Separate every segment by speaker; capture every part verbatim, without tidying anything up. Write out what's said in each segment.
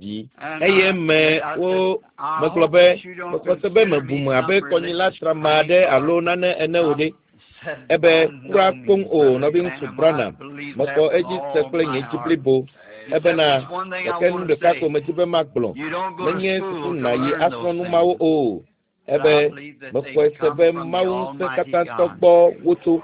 Speaker 1: vi. Eye me wo megblɔ be mexɔ se be mebu me abe kɔnyila trama aɖe alo nane ene o ɖe. Ebe kura koŋ o nɔviŋutsu Branham mexɔ edzi se kple nye dzi blibo. Ebena gake nu ɖeka ko medzi be magblɔ menye suku nàyi asrɔ̃ nu mawo o. Ebe mexɔe se be Mawu ŋusẽ katãtɔ gbɔ wotso.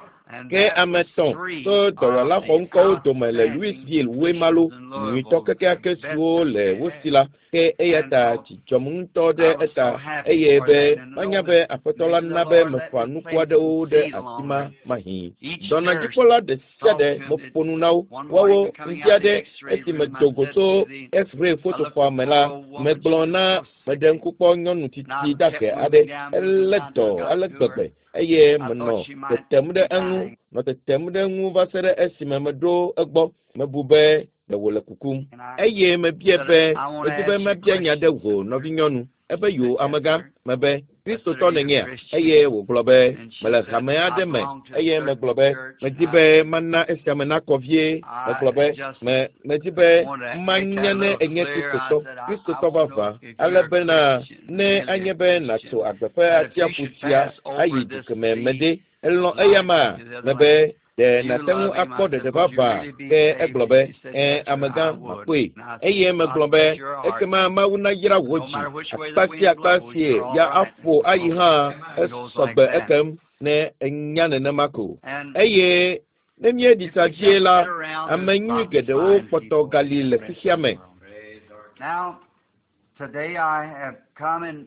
Speaker 1: Ke ame etɔ̃ tso dɔwɔla xɔŋkɔwo dome le Louisville Wemalo nyuitɔ kekeake siwo le wo si la ke eya ta dzi dzɔm ŋutɔ ɖe eta eye be manya be aƒetɔ la na be mefa nuku aɖewo ɖe afi ma mahĩ. Dɔnɔdzikpɔla ɖe sia ɖe meƒo nu na wo. Woawo ŋdi aɖe esi medo go tso X-ray fotoxɔa me la, megblɔ na meɖe ŋku kpɔ nyɔnu tsitsi dahe aɖe elé dɔ ale gbegbe eye menɔ tetem ɖe eŋu nɔ tetem ɖe eŋu va se ɖe esime meɖo egbɔ mebu be ɖe wòle kukum eye mebia be medi be mabia nya ɖe wò nɔvinyɔnu ebe yo amegã mebe kristotɔ nènyea eye wògblɔ be mele hame aɖe me eye megblɔ be medi be mana esia me nakɔ vie megblɔ be me medi be manya ne enye kristotɔ kristotɔ vavã ale bena ne anye be nàtso agbe ƒe atsiaƒu sia ayi du kemɛ me ɖe elɔ̃ eya ma mebe ɖe nàte ŋu akpɔ ɖeɖe vavã ke egblɔ be ẽ amegã makpɔe eye megblɔ be ekema mawu nayra wò dzi akpa sia akpa sie ya aƒo ayi hã esɔgbe ekem ne enya nenema ko eye ne míeɖi tsa vie la ame nyui geɖewo kpɔtɔ gali le xexea me.
Speaker 2: Now, today I have come and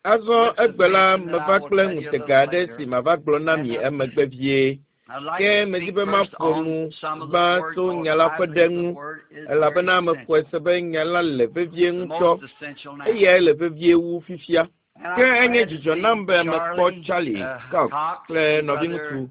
Speaker 1: Azɔ egbe la meva kple ŋutega aɖe si mava gblɔ na mi emegbe vie.
Speaker 2: I'd like
Speaker 1: Ke
Speaker 2: to
Speaker 1: medi
Speaker 2: speak
Speaker 1: be
Speaker 2: first
Speaker 1: maƒo
Speaker 2: on
Speaker 1: nu
Speaker 2: some of the
Speaker 1: gbã
Speaker 2: word
Speaker 1: tso
Speaker 2: called
Speaker 1: nya la
Speaker 2: I
Speaker 1: ƒe ɖe
Speaker 2: believe
Speaker 1: ŋu
Speaker 2: the word is
Speaker 1: elabena
Speaker 2: very
Speaker 1: mexɔe
Speaker 2: essential,
Speaker 1: se be nya la le vevie
Speaker 2: the
Speaker 1: ŋutɔ
Speaker 2: most essential now.
Speaker 1: eyae le vevie wu fifia.
Speaker 2: And
Speaker 1: Ke
Speaker 2: I'm
Speaker 1: enye
Speaker 2: glad to
Speaker 1: dzidzɔ
Speaker 2: see
Speaker 1: nam be mekpɔ
Speaker 2: Charlie
Speaker 1: Charlie
Speaker 2: uh,
Speaker 1: Cox
Speaker 2: Cox
Speaker 1: kple
Speaker 2: and
Speaker 1: nɔviŋutsu
Speaker 2: brother,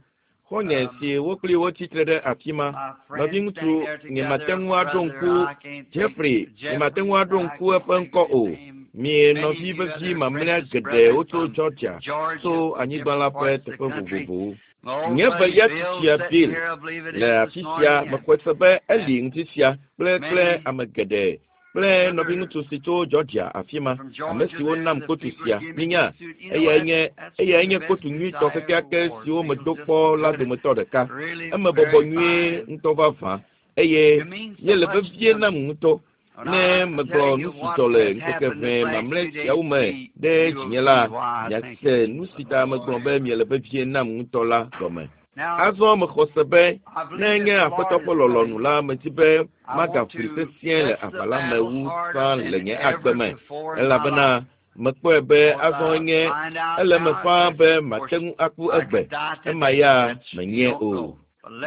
Speaker 1: xɔ̃nye
Speaker 2: um,
Speaker 1: si wo kpli wo tsitre ɖe afi ma.
Speaker 2: my friend
Speaker 1: Nɔviŋutsu
Speaker 2: standing there
Speaker 1: nyemate
Speaker 2: together,
Speaker 1: ŋu aɖo
Speaker 2: brother,
Speaker 1: ŋku
Speaker 2: I can't think,
Speaker 1: Jeffrey nyemate
Speaker 2: Jeffrey,
Speaker 1: ŋu aɖo
Speaker 2: I
Speaker 1: ŋku
Speaker 2: can't
Speaker 1: eƒe
Speaker 2: think
Speaker 1: ŋkɔ
Speaker 2: of his
Speaker 1: o.
Speaker 2: name.
Speaker 1: Mi
Speaker 2: Many
Speaker 1: nɔvi
Speaker 2: of you
Speaker 1: vevi
Speaker 2: other
Speaker 1: mamlɛa
Speaker 2: precious
Speaker 1: geɖewo
Speaker 2: brethren
Speaker 1: tso
Speaker 2: from
Speaker 1: Georgia
Speaker 2: Georgia,
Speaker 1: tso anyigba la
Speaker 2: different
Speaker 1: ƒe
Speaker 2: parts of the
Speaker 1: teƒe
Speaker 2: country.
Speaker 1: vovovowo.
Speaker 2: My old
Speaker 1: Nye
Speaker 2: buddy
Speaker 1: velia
Speaker 2: Bill
Speaker 1: tsitsia
Speaker 2: sitting
Speaker 1: Bill
Speaker 2: here, I believe it
Speaker 1: le
Speaker 2: is this
Speaker 1: afi sia
Speaker 2: morning, and
Speaker 1: mexɔe se be eli
Speaker 2: and
Speaker 1: ŋuti sia kple kple
Speaker 2: many
Speaker 1: ame geɖe kple
Speaker 2: other
Speaker 1: nɔviŋutsu si tso Georgia afi ma
Speaker 2: from
Speaker 1: ame
Speaker 2: Georgia
Speaker 1: siwo
Speaker 2: there,
Speaker 1: nam
Speaker 2: the
Speaker 1: kotu
Speaker 2: people
Speaker 1: sia
Speaker 2: give me
Speaker 1: minya
Speaker 2: this suit. You know,
Speaker 1: eyae
Speaker 2: that's
Speaker 1: nye
Speaker 2: that's
Speaker 1: eyae
Speaker 2: one of
Speaker 1: nye
Speaker 2: the best
Speaker 1: kotu
Speaker 2: suits
Speaker 1: nyuitɔ
Speaker 2: I ever
Speaker 1: kekeake
Speaker 2: wore.
Speaker 1: siwo
Speaker 2: Feels
Speaker 1: medo
Speaker 2: just
Speaker 1: kpɔ la
Speaker 2: good.
Speaker 1: dometɔ ɖeka.
Speaker 2: Really
Speaker 1: Eme bɔbɔ
Speaker 2: very
Speaker 1: nyuie
Speaker 2: fine.
Speaker 1: ŋutɔ vavã eye
Speaker 2: You mean so
Speaker 1: ye le
Speaker 2: much
Speaker 1: vevie
Speaker 2: to
Speaker 1: nam
Speaker 2: me.
Speaker 1: ŋutɔ.
Speaker 2: When
Speaker 1: Ne
Speaker 2: I
Speaker 1: megblɔ
Speaker 2: tell
Speaker 1: nu
Speaker 2: you
Speaker 1: si
Speaker 2: what
Speaker 1: dzɔ le
Speaker 2: has
Speaker 1: ŋkeke
Speaker 2: happened
Speaker 1: ʋɛ
Speaker 2: this last
Speaker 1: mamlɛ
Speaker 2: two days
Speaker 1: siawo
Speaker 2: to
Speaker 1: me
Speaker 2: me,
Speaker 1: ɖe
Speaker 2: you will
Speaker 1: dzinye
Speaker 2: see
Speaker 1: la,
Speaker 2: why I think
Speaker 1: miase
Speaker 2: it.
Speaker 1: nu si ta megblɔ be miele vevie nam ŋutɔ la gɔme.
Speaker 2: Now,
Speaker 1: Azɔ mexɔ se be
Speaker 2: I
Speaker 1: ne
Speaker 2: believe
Speaker 1: nye
Speaker 2: that the
Speaker 1: aƒetɔ
Speaker 2: Lord
Speaker 1: ƒe
Speaker 2: is
Speaker 1: lɔlɔ̃nu
Speaker 2: coming.
Speaker 1: la, medi be
Speaker 2: I want
Speaker 1: magaʋli
Speaker 2: to
Speaker 1: sesĩe le
Speaker 2: press the
Speaker 1: aʋa la me
Speaker 2: battle
Speaker 1: wu
Speaker 2: harder
Speaker 1: tsã le
Speaker 2: than
Speaker 1: nye
Speaker 2: ever
Speaker 1: agbe me
Speaker 2: before in my
Speaker 1: elabena
Speaker 2: life.
Speaker 1: mekpɔe be
Speaker 2: Because
Speaker 1: azɔ
Speaker 2: I
Speaker 1: nye
Speaker 2: find out
Speaker 1: ele me
Speaker 2: now
Speaker 1: ƒãa
Speaker 2: that,
Speaker 1: be
Speaker 2: of
Speaker 1: mate
Speaker 2: course,
Speaker 1: ŋu aku
Speaker 2: I
Speaker 1: egbe
Speaker 2: could die
Speaker 1: ema
Speaker 2: today.
Speaker 1: ya
Speaker 2: That's you
Speaker 1: menye
Speaker 2: don't
Speaker 1: o.
Speaker 2: know.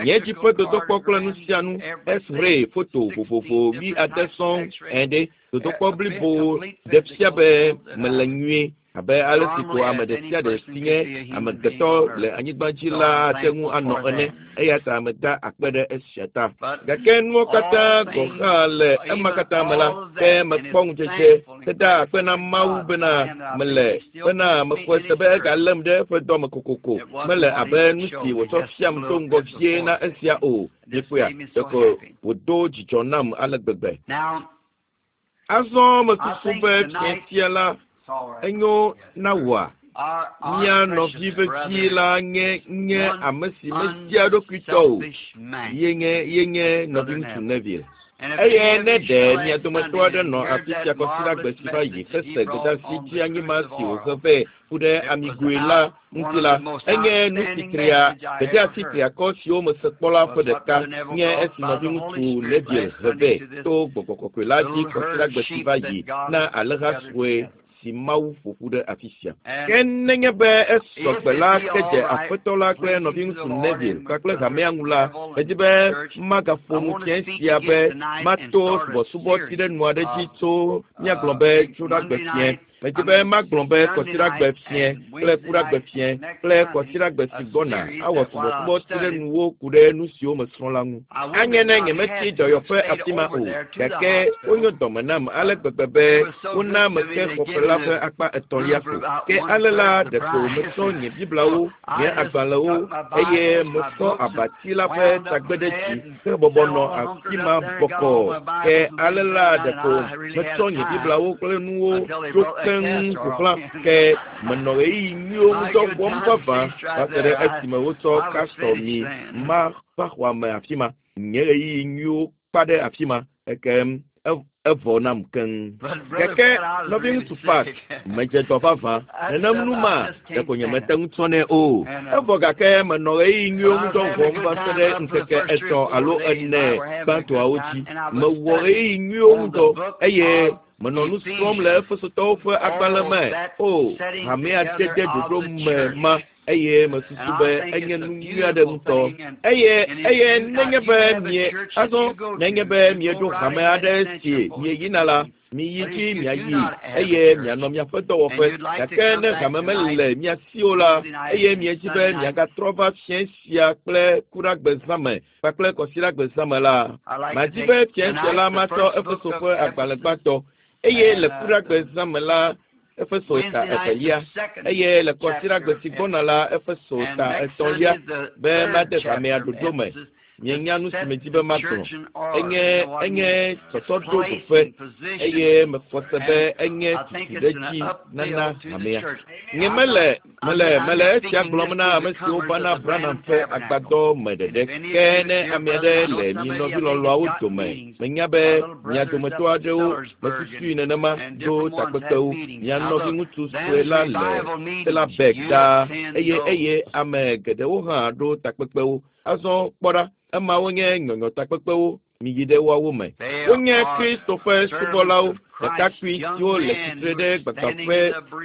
Speaker 1: Nye dzi
Speaker 2: Electrical
Speaker 1: ƒe dodokpɔ kple nu
Speaker 2: cardiogram,
Speaker 1: sia nu
Speaker 2: everything,
Speaker 1: X-ray foto
Speaker 2: sixteen
Speaker 1: vovovo wi
Speaker 2: different
Speaker 1: ade
Speaker 2: types of
Speaker 1: sɔŋ
Speaker 2: X-rays,
Speaker 1: ẽ ɖe dodokpɔ
Speaker 2: a, a
Speaker 1: blibo
Speaker 2: complete
Speaker 1: ɖe fia
Speaker 2: physical
Speaker 1: be
Speaker 2: so that
Speaker 1: mele
Speaker 2: I
Speaker 1: nyuie abe ale si ko
Speaker 2: normally
Speaker 1: ame
Speaker 2: as
Speaker 1: ɖe
Speaker 2: any
Speaker 1: sia ɖe
Speaker 2: person
Speaker 1: si
Speaker 2: could
Speaker 1: nye
Speaker 2: be a human being
Speaker 1: amegbetɔ
Speaker 2: on
Speaker 1: le
Speaker 2: earth.
Speaker 1: anyigba dzi
Speaker 2: So
Speaker 1: la
Speaker 2: I'm
Speaker 1: ate ŋu
Speaker 2: thankful
Speaker 1: anɔ
Speaker 2: for
Speaker 1: ene
Speaker 2: that.
Speaker 1: eya ta meda akpe ɖe esia ta.
Speaker 2: But
Speaker 1: Gake nuwo katã
Speaker 2: all
Speaker 1: gɔ̃
Speaker 2: things,
Speaker 1: hã le ema
Speaker 2: even
Speaker 1: katã me la,
Speaker 2: all of
Speaker 1: ke
Speaker 2: that, and
Speaker 1: mekpɔ
Speaker 2: is
Speaker 1: ŋudzedze
Speaker 2: thankful and
Speaker 1: heda akpe
Speaker 2: grateful
Speaker 1: na
Speaker 2: to
Speaker 1: Mawu
Speaker 2: God.
Speaker 1: bena
Speaker 2: And I
Speaker 1: mele
Speaker 2: think He still
Speaker 1: bena
Speaker 2: keeps me
Speaker 1: mexɔe
Speaker 2: in
Speaker 1: se
Speaker 2: His
Speaker 1: be
Speaker 2: service.
Speaker 1: egalém ɖe eƒe dɔme kokoko.
Speaker 2: It wasn't
Speaker 1: Mele
Speaker 2: what
Speaker 1: abe
Speaker 2: He
Speaker 1: nu si
Speaker 2: showed me,
Speaker 1: wòtsɔ
Speaker 2: just a
Speaker 1: fiam do
Speaker 2: little
Speaker 1: ŋgɔ
Speaker 2: bit
Speaker 1: vie
Speaker 2: before
Speaker 1: na
Speaker 2: that.
Speaker 1: esia o.
Speaker 2: This
Speaker 1: Miekpɔea?
Speaker 2: made me so
Speaker 1: Ɖeko
Speaker 2: happy.
Speaker 1: wòdo dzidzɔ nam ale gbegbe.
Speaker 2: Now,
Speaker 1: Azɔ
Speaker 2: I
Speaker 1: mesusu
Speaker 2: think
Speaker 1: be fia
Speaker 2: tonight,
Speaker 1: sia la
Speaker 2: it's all right.
Speaker 1: enyo
Speaker 2: Yes.
Speaker 1: na wòa?
Speaker 2: Our, our
Speaker 1: Mía nɔvi
Speaker 2: precious
Speaker 1: vevi
Speaker 2: brother
Speaker 1: la nye
Speaker 2: is
Speaker 1: nye
Speaker 2: one
Speaker 1: ame si media eɖokui tɔ o.
Speaker 2: unselfish man,
Speaker 1: Ye nye ye nye
Speaker 2: Brother
Speaker 1: nɔviŋutsu
Speaker 2: Neville.
Speaker 1: Neville.
Speaker 2: And if
Speaker 1: Eye
Speaker 2: any of
Speaker 1: ne
Speaker 2: you
Speaker 1: ɖe
Speaker 2: saw
Speaker 1: mia
Speaker 2: last
Speaker 1: dometɔ
Speaker 2: Sunday
Speaker 1: aɖe
Speaker 2: and
Speaker 1: nɔ
Speaker 2: heard
Speaker 1: afi sia
Speaker 2: that
Speaker 1: kɔsiɖagbe
Speaker 2: marvelous
Speaker 1: si va yi
Speaker 2: message that
Speaker 1: hese
Speaker 2: he brought
Speaker 1: gbedeasi
Speaker 2: on
Speaker 1: dzi
Speaker 2: the
Speaker 1: anyima
Speaker 2: truth of
Speaker 1: si
Speaker 2: oil,
Speaker 1: wòhe vɛ ku ɖe
Speaker 2: it was
Speaker 1: amigoe la
Speaker 2: out one
Speaker 1: ŋuti
Speaker 2: of
Speaker 1: la,
Speaker 2: the most
Speaker 1: enye nu si
Speaker 2: outstanding
Speaker 1: tria
Speaker 2: message I ever
Speaker 1: gbedeasi
Speaker 2: heard.
Speaker 1: triakɔ siwo mese kpɔ la ƒe
Speaker 2: Was what
Speaker 1: ɖeka
Speaker 2: Brother Neville
Speaker 1: nye
Speaker 2: brought
Speaker 1: esi
Speaker 2: by the Holy
Speaker 1: nɔviŋutsu
Speaker 2: Spirit
Speaker 1: Neville
Speaker 2: last
Speaker 1: he
Speaker 2: Sunday
Speaker 1: vɛ
Speaker 2: to this
Speaker 1: to gbɔgbɔ kɔkɔe la dzi
Speaker 2: little herd of
Speaker 1: kɔsiɖagbe si
Speaker 2: sheep
Speaker 1: va
Speaker 2: that
Speaker 1: yi
Speaker 2: God
Speaker 1: na
Speaker 2: has
Speaker 1: alẽha
Speaker 2: gathered
Speaker 1: sue
Speaker 2: together.
Speaker 1: si Mawu ƒo ƒu ɖe afi sia.
Speaker 2: And
Speaker 1: Ke nenye be esɔ
Speaker 2: if
Speaker 1: gbe
Speaker 2: it
Speaker 1: la
Speaker 2: be
Speaker 1: ke
Speaker 2: all
Speaker 1: dze
Speaker 2: right,
Speaker 1: aƒetɔ la kple
Speaker 2: pleasing to the
Speaker 1: nɔviŋutsu
Speaker 2: Lord
Speaker 1: Neville
Speaker 2: and with
Speaker 1: kpakple
Speaker 2: Brother
Speaker 1: hamea ŋu la,
Speaker 2: Neville and
Speaker 1: medi
Speaker 2: the
Speaker 1: be
Speaker 2: church,
Speaker 1: magaƒo
Speaker 2: I
Speaker 1: nu
Speaker 2: want to
Speaker 1: fiẽ
Speaker 2: speak
Speaker 1: sia
Speaker 2: again
Speaker 1: be
Speaker 2: tonight and
Speaker 1: mato
Speaker 2: start a
Speaker 1: subɔsubɔ tsi
Speaker 2: series
Speaker 1: ɖe nu aɖe dzi
Speaker 2: of
Speaker 1: tso míagblɔ
Speaker 2: uh,
Speaker 1: be
Speaker 2: think
Speaker 1: tsoɖagbe
Speaker 2: Monday
Speaker 1: fiẽ.
Speaker 2: night,
Speaker 1: Medi
Speaker 2: I
Speaker 1: be
Speaker 2: mean
Speaker 1: magblɔ be
Speaker 2: Sunday
Speaker 1: kɔsiɖagbe
Speaker 2: night
Speaker 1: fiẽ
Speaker 2: and
Speaker 1: kple
Speaker 2: Wednesday
Speaker 1: kuɖagbe
Speaker 2: night
Speaker 1: fiẽ
Speaker 2: and next
Speaker 1: kple
Speaker 2: Sunday,
Speaker 1: kɔsiɖagbe
Speaker 2: a
Speaker 1: si gbɔna
Speaker 2: series
Speaker 1: awɔ
Speaker 2: that while
Speaker 1: subɔsubɔ
Speaker 2: I've
Speaker 1: tsi ɖe
Speaker 2: studied,
Speaker 1: nuwo ku ɖe nu siwo mesrɔ̃ la ŋu.
Speaker 2: I would
Speaker 1: Anye
Speaker 2: have
Speaker 1: ne
Speaker 2: not
Speaker 1: nyemetsi
Speaker 2: had to have
Speaker 1: dɔyɔƒe
Speaker 2: stayed
Speaker 1: afi ma
Speaker 2: over
Speaker 1: o,
Speaker 2: there to the
Speaker 1: gake
Speaker 2: hospital.
Speaker 1: wonyo dɔme nam ale gbegbe be
Speaker 2: They were so
Speaker 1: wona
Speaker 2: good to me,
Speaker 1: meke
Speaker 2: they
Speaker 1: xɔƒe
Speaker 2: gave
Speaker 1: la
Speaker 2: me
Speaker 1: ƒe
Speaker 2: the
Speaker 1: akpa etɔ̃lia
Speaker 2: room for
Speaker 1: ko.
Speaker 2: about
Speaker 1: Ke
Speaker 2: one
Speaker 1: ale la
Speaker 2: third the
Speaker 1: ɖeko
Speaker 2: price.
Speaker 1: metsɔ nye Bibliawo,
Speaker 2: So I
Speaker 1: nye
Speaker 2: just
Speaker 1: agbalẽwo
Speaker 2: took my
Speaker 1: eye
Speaker 2: Bibles, my
Speaker 1: mesɔ
Speaker 2: books, and
Speaker 1: abati la ƒe
Speaker 2: wound up
Speaker 1: tagbe
Speaker 2: my
Speaker 1: ɖe dzi
Speaker 2: bed and
Speaker 1: hebɔbɔ
Speaker 2: sat
Speaker 1: nɔ
Speaker 2: all
Speaker 1: afi
Speaker 2: hunkered
Speaker 1: ma
Speaker 2: up there and got
Speaker 1: bɔkɔɔ.
Speaker 2: all my
Speaker 1: Ke
Speaker 2: Bibles and
Speaker 1: ale
Speaker 2: things
Speaker 1: la
Speaker 2: laid out, and
Speaker 1: ɖeko
Speaker 2: I really had
Speaker 1: metsɔ nye
Speaker 2: time
Speaker 1: Bibliawo kple nuwo
Speaker 2: until they
Speaker 1: tso
Speaker 2: brought that
Speaker 1: keŋ
Speaker 2: castor
Speaker 1: ƒo
Speaker 2: oil
Speaker 1: xlã.
Speaker 2: in.
Speaker 1: Ke menɔ ɣeyiɣi nyuiwo
Speaker 2: My
Speaker 1: ŋudɔ
Speaker 2: good
Speaker 1: wɔm
Speaker 2: time
Speaker 1: vavã
Speaker 2: ceased
Speaker 1: va
Speaker 2: right
Speaker 1: se ɖe
Speaker 2: there. I,
Speaker 1: esime wotsɔ
Speaker 2: I was
Speaker 1: castor
Speaker 2: finished
Speaker 1: mi
Speaker 2: then.
Speaker 1: ma va xɔa me afi ma. Nye ɣeyiɣi nyuiwo kpa ɖe afi ma ekem ev Evɔ nam keŋ. Gake nɔviŋutsu Pat medze dɔ vavã. Nenem nu ma ɖeko nyemete ŋu tsɔnɛ o. Evɔ gake menɔ ɣeyiɣi nyuiwo ŋu dɔ wɔm va se ɖe ŋkeke etɔ̃ alo ene gbãtɔawo dzi. Mewɔ ɣeyiɣi nyuiwo ŋu dɔ eye menɔ nu srɔ̃m le Efesotɔwo ƒe agbalẽ me. O, hamea dede ɖoɖo me ma eye mesusu be enye nu nyui aɖe ŋutɔ. Eye eye nenye be mie azɔ nenye be mieɖo hame aɖe si mieyina la, miyi dzi miayi eye mianɔ miaƒe dɔwɔƒe. Gake ne hame mele mia si o la, eye miedzi be miagatrɔ va fiẽ sia kple kuɖagbe zã me kpakple kɔsiɖagbe zã me la, madi be fiẽ sia la matsɔ Efeso ƒe agbalẽ gbãtɔ eye le kuɖagbe zã me la Efeso ta evelia eye le kɔsiɖagbe si gbɔna la Efeso ta etɔ̃lia be made hamea ɖoɖo me. Mienya nu si medzi be magblɔ. Enye enye tsɔtsɔɖo ɖoƒe eye mexɔ se be enye tutuɖedzi nana hamea. Nye mele mele mele esia gblɔm na ame siwo vana Branham ƒe agbadɔ me ɖeɖe. Ke ne ame aɖe le mi nɔvi lɔlɔ̃awo dome, menya be mia dometɔ aɖewo mesusui nenema ɖo takpekpewo. Mia nɔviŋutsu sue la le Sellerburg ɖaa eye eye ame geɖewo hã ɖo takpekpewo. Azɔ kpɔ ɖa, emawo nye nyɔnyɔ takpekpewo miyi ɖe woawo me. Wonye Kristo ƒe subɔlawo, ɖekakpui siwo le tsitre ɖe gbagbaƒe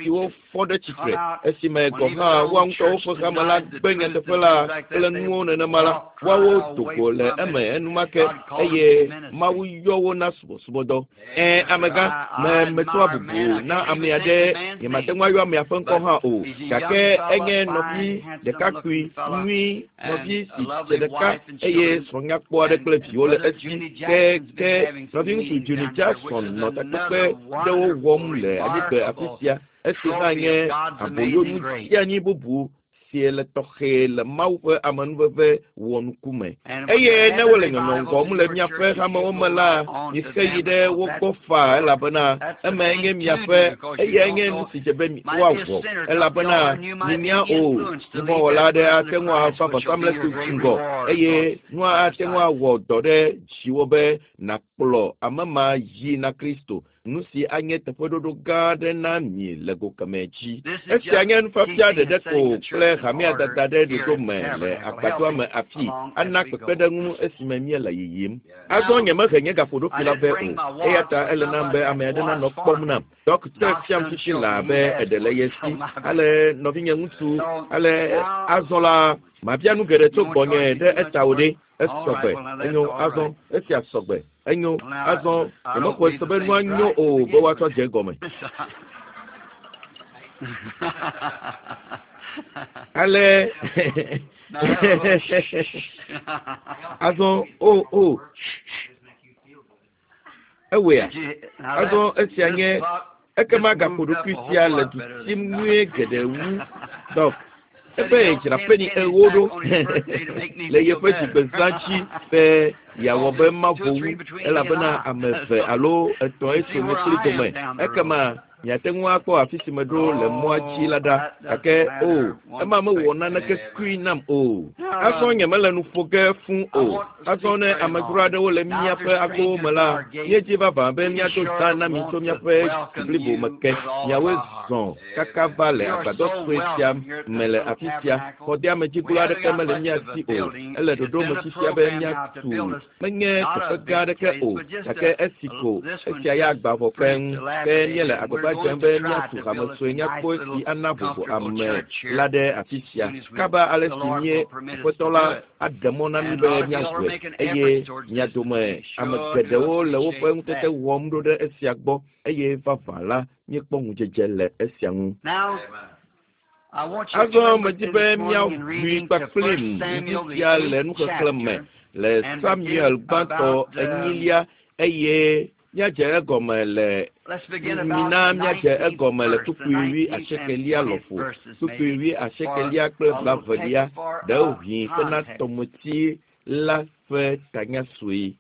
Speaker 1: siwo fɔ ɖe tsitre esime gɔ̃ hã woa ŋutɔwo ƒe hame la gbe nyateƒe la kple nuwo nenema la, woawo do go le eme enumake eye Mawu yɔ wo na subɔsubɔdɔ. Ẽ, amegã, me metsɔa bubu na ame aɖe, nyemate ŋu ayɔ amea ƒe ŋkɔ hã o, gake enye nɔvi ɖekakpui nyui, nɔvi si dze ɖeka eye srɔ̃nyakpɔ aɖe kple viwo le esi. Ke ke nɔviŋutsu Junior Jackson nɔ takpekpe ɖewo wɔm le anyigbe afi sia. Esi hã nye aboyonu dzeanyi bubu si le tɔxɛ le Mawu ƒe amenuveve wɔnuku me. Eye ne wole nyɔnyɔ wɔm le miaƒe hamewo me la, mixe yi ɖe wo gbɔ faa elabena eme nye miaƒe eyae nye nu si dze be woawɔ elabena minya o nuvɔ̃wɔla aɖe ate ŋu ava vɔsamlekpui ŋgɔ eye nua ate ŋu awɔ dɔ ɖe dziwò be nàkplɔ ame ma yi na Kristo. Nu si anye teƒeɖoɖo gã aɖe na mi le go kemɛ dzi. Esia nye nufiafia ɖeɖe ko kple hamea dada ɖe ɖoɖo me le agbadɔa me afi ana kpekpeɖeŋu esime míele yiyim. Azɔ nyemehe nye gaƒoɖokui la vɛ o, eya ta ele nam be ame aɖe nanɔ kpɔm nam. Dɔkita fiam fifi laa be eɖe le ye si. Ale nɔvinye ŋutsu, ale azɔ la, mabia nu geɖe tso gbɔnye ɖe eta o ɖe. Esɔgbe, enyo azɔ, esia sɔgbe. Enyo, azɔ, nyemexɔe se be nua nyo o be woatsɔ dze egɔme. Ale azɔ o o ewɔea azɔ esia nye ekema gaƒoɖokui sia le du sim nyuie geɖe wu dɔk. Ebe dzra peni ewo ɖo le yeƒe dzigbezã dzi be yeawɔ be mavo wu elabena ame eve alo etɔ̃e tso nye kpli dome. Ekema miate ŋu akpɔ afi si meɖo le mɔa dzi la ɖa. Gake o, ema mewɔ naneke kui nam o. Azɔ nyemele nu ƒo ge fũu o. Azɔ ne amedzro aɖewo le míaƒe agbowo me la, míedzi vavã be míado zã na mi tso míaƒe dzi blibo me ke. Miawoe zɔ kaka va le agbadɔ sue sia me le afi sia. Xɔdeamedziglo aɖeke mele mía si o. Ele ɖoɖo me fifia be míatu menye teƒe gã aɖeke o, gake esi ko esia ya agba vɔ keŋ. Ke míele agbagba dzem be míatu hame sue nyakpɔ si ana vovo ame la ɖe afi sia. Kaba ale si mie Aƒetɔ la aɖe mɔ na mí be míawɔe eye mia dome ame geɖewo le woƒe ŋutete wɔm ɖo ɖe esia gbɔ eye vavã la míekpɔ ŋudzedze le esia ŋu. Azɔ medzi be míaʋui kpakplim ŋdi sia le nuxexlẽ me le Samuel gbãtɔ enyilia eye míadze egɔme le mina míadze egɔme le kpukpui wui asiekelia lɔƒo kpukpui wui asiekelia kple blavelia ɖewohĩ hena tɔmeti la ƒe tanya sue.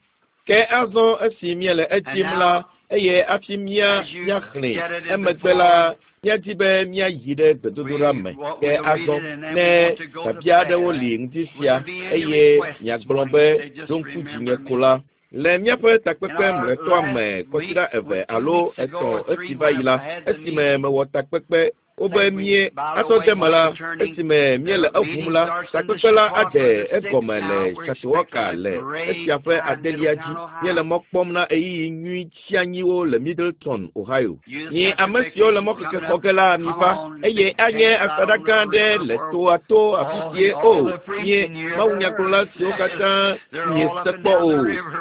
Speaker 1: Ke azɔ esi míele edzim la eye hafi mía míaxlẽe emegbe la míadi be míayi ɖe gbedodoɖa me. Ke azɔ ne biabia aɖewo li ŋdi sia eye miagblɔ be ɖo ŋku dzinye ko la, Le míaƒe takpekpe mlɔetɔa me kɔsiɖa eve alo etɔ̃ esi va yi la, esime mewɔ takpekpe wobe mie atɔ de me la, esime míele eʋum la, takpekpe la adze egɔme le Chautauqua le esia ƒe adelia dzi. Míele mɔ kpɔm na ɣeyiɣi nyui tsianyiwo le Middletown, Ohio. Nye ame siwo le mɔkeke xɔ ge la miva eye anye asaɖa gã aɖe le toa to afi sie o nye mawunyagblɔla siwo katã miese kpɔ o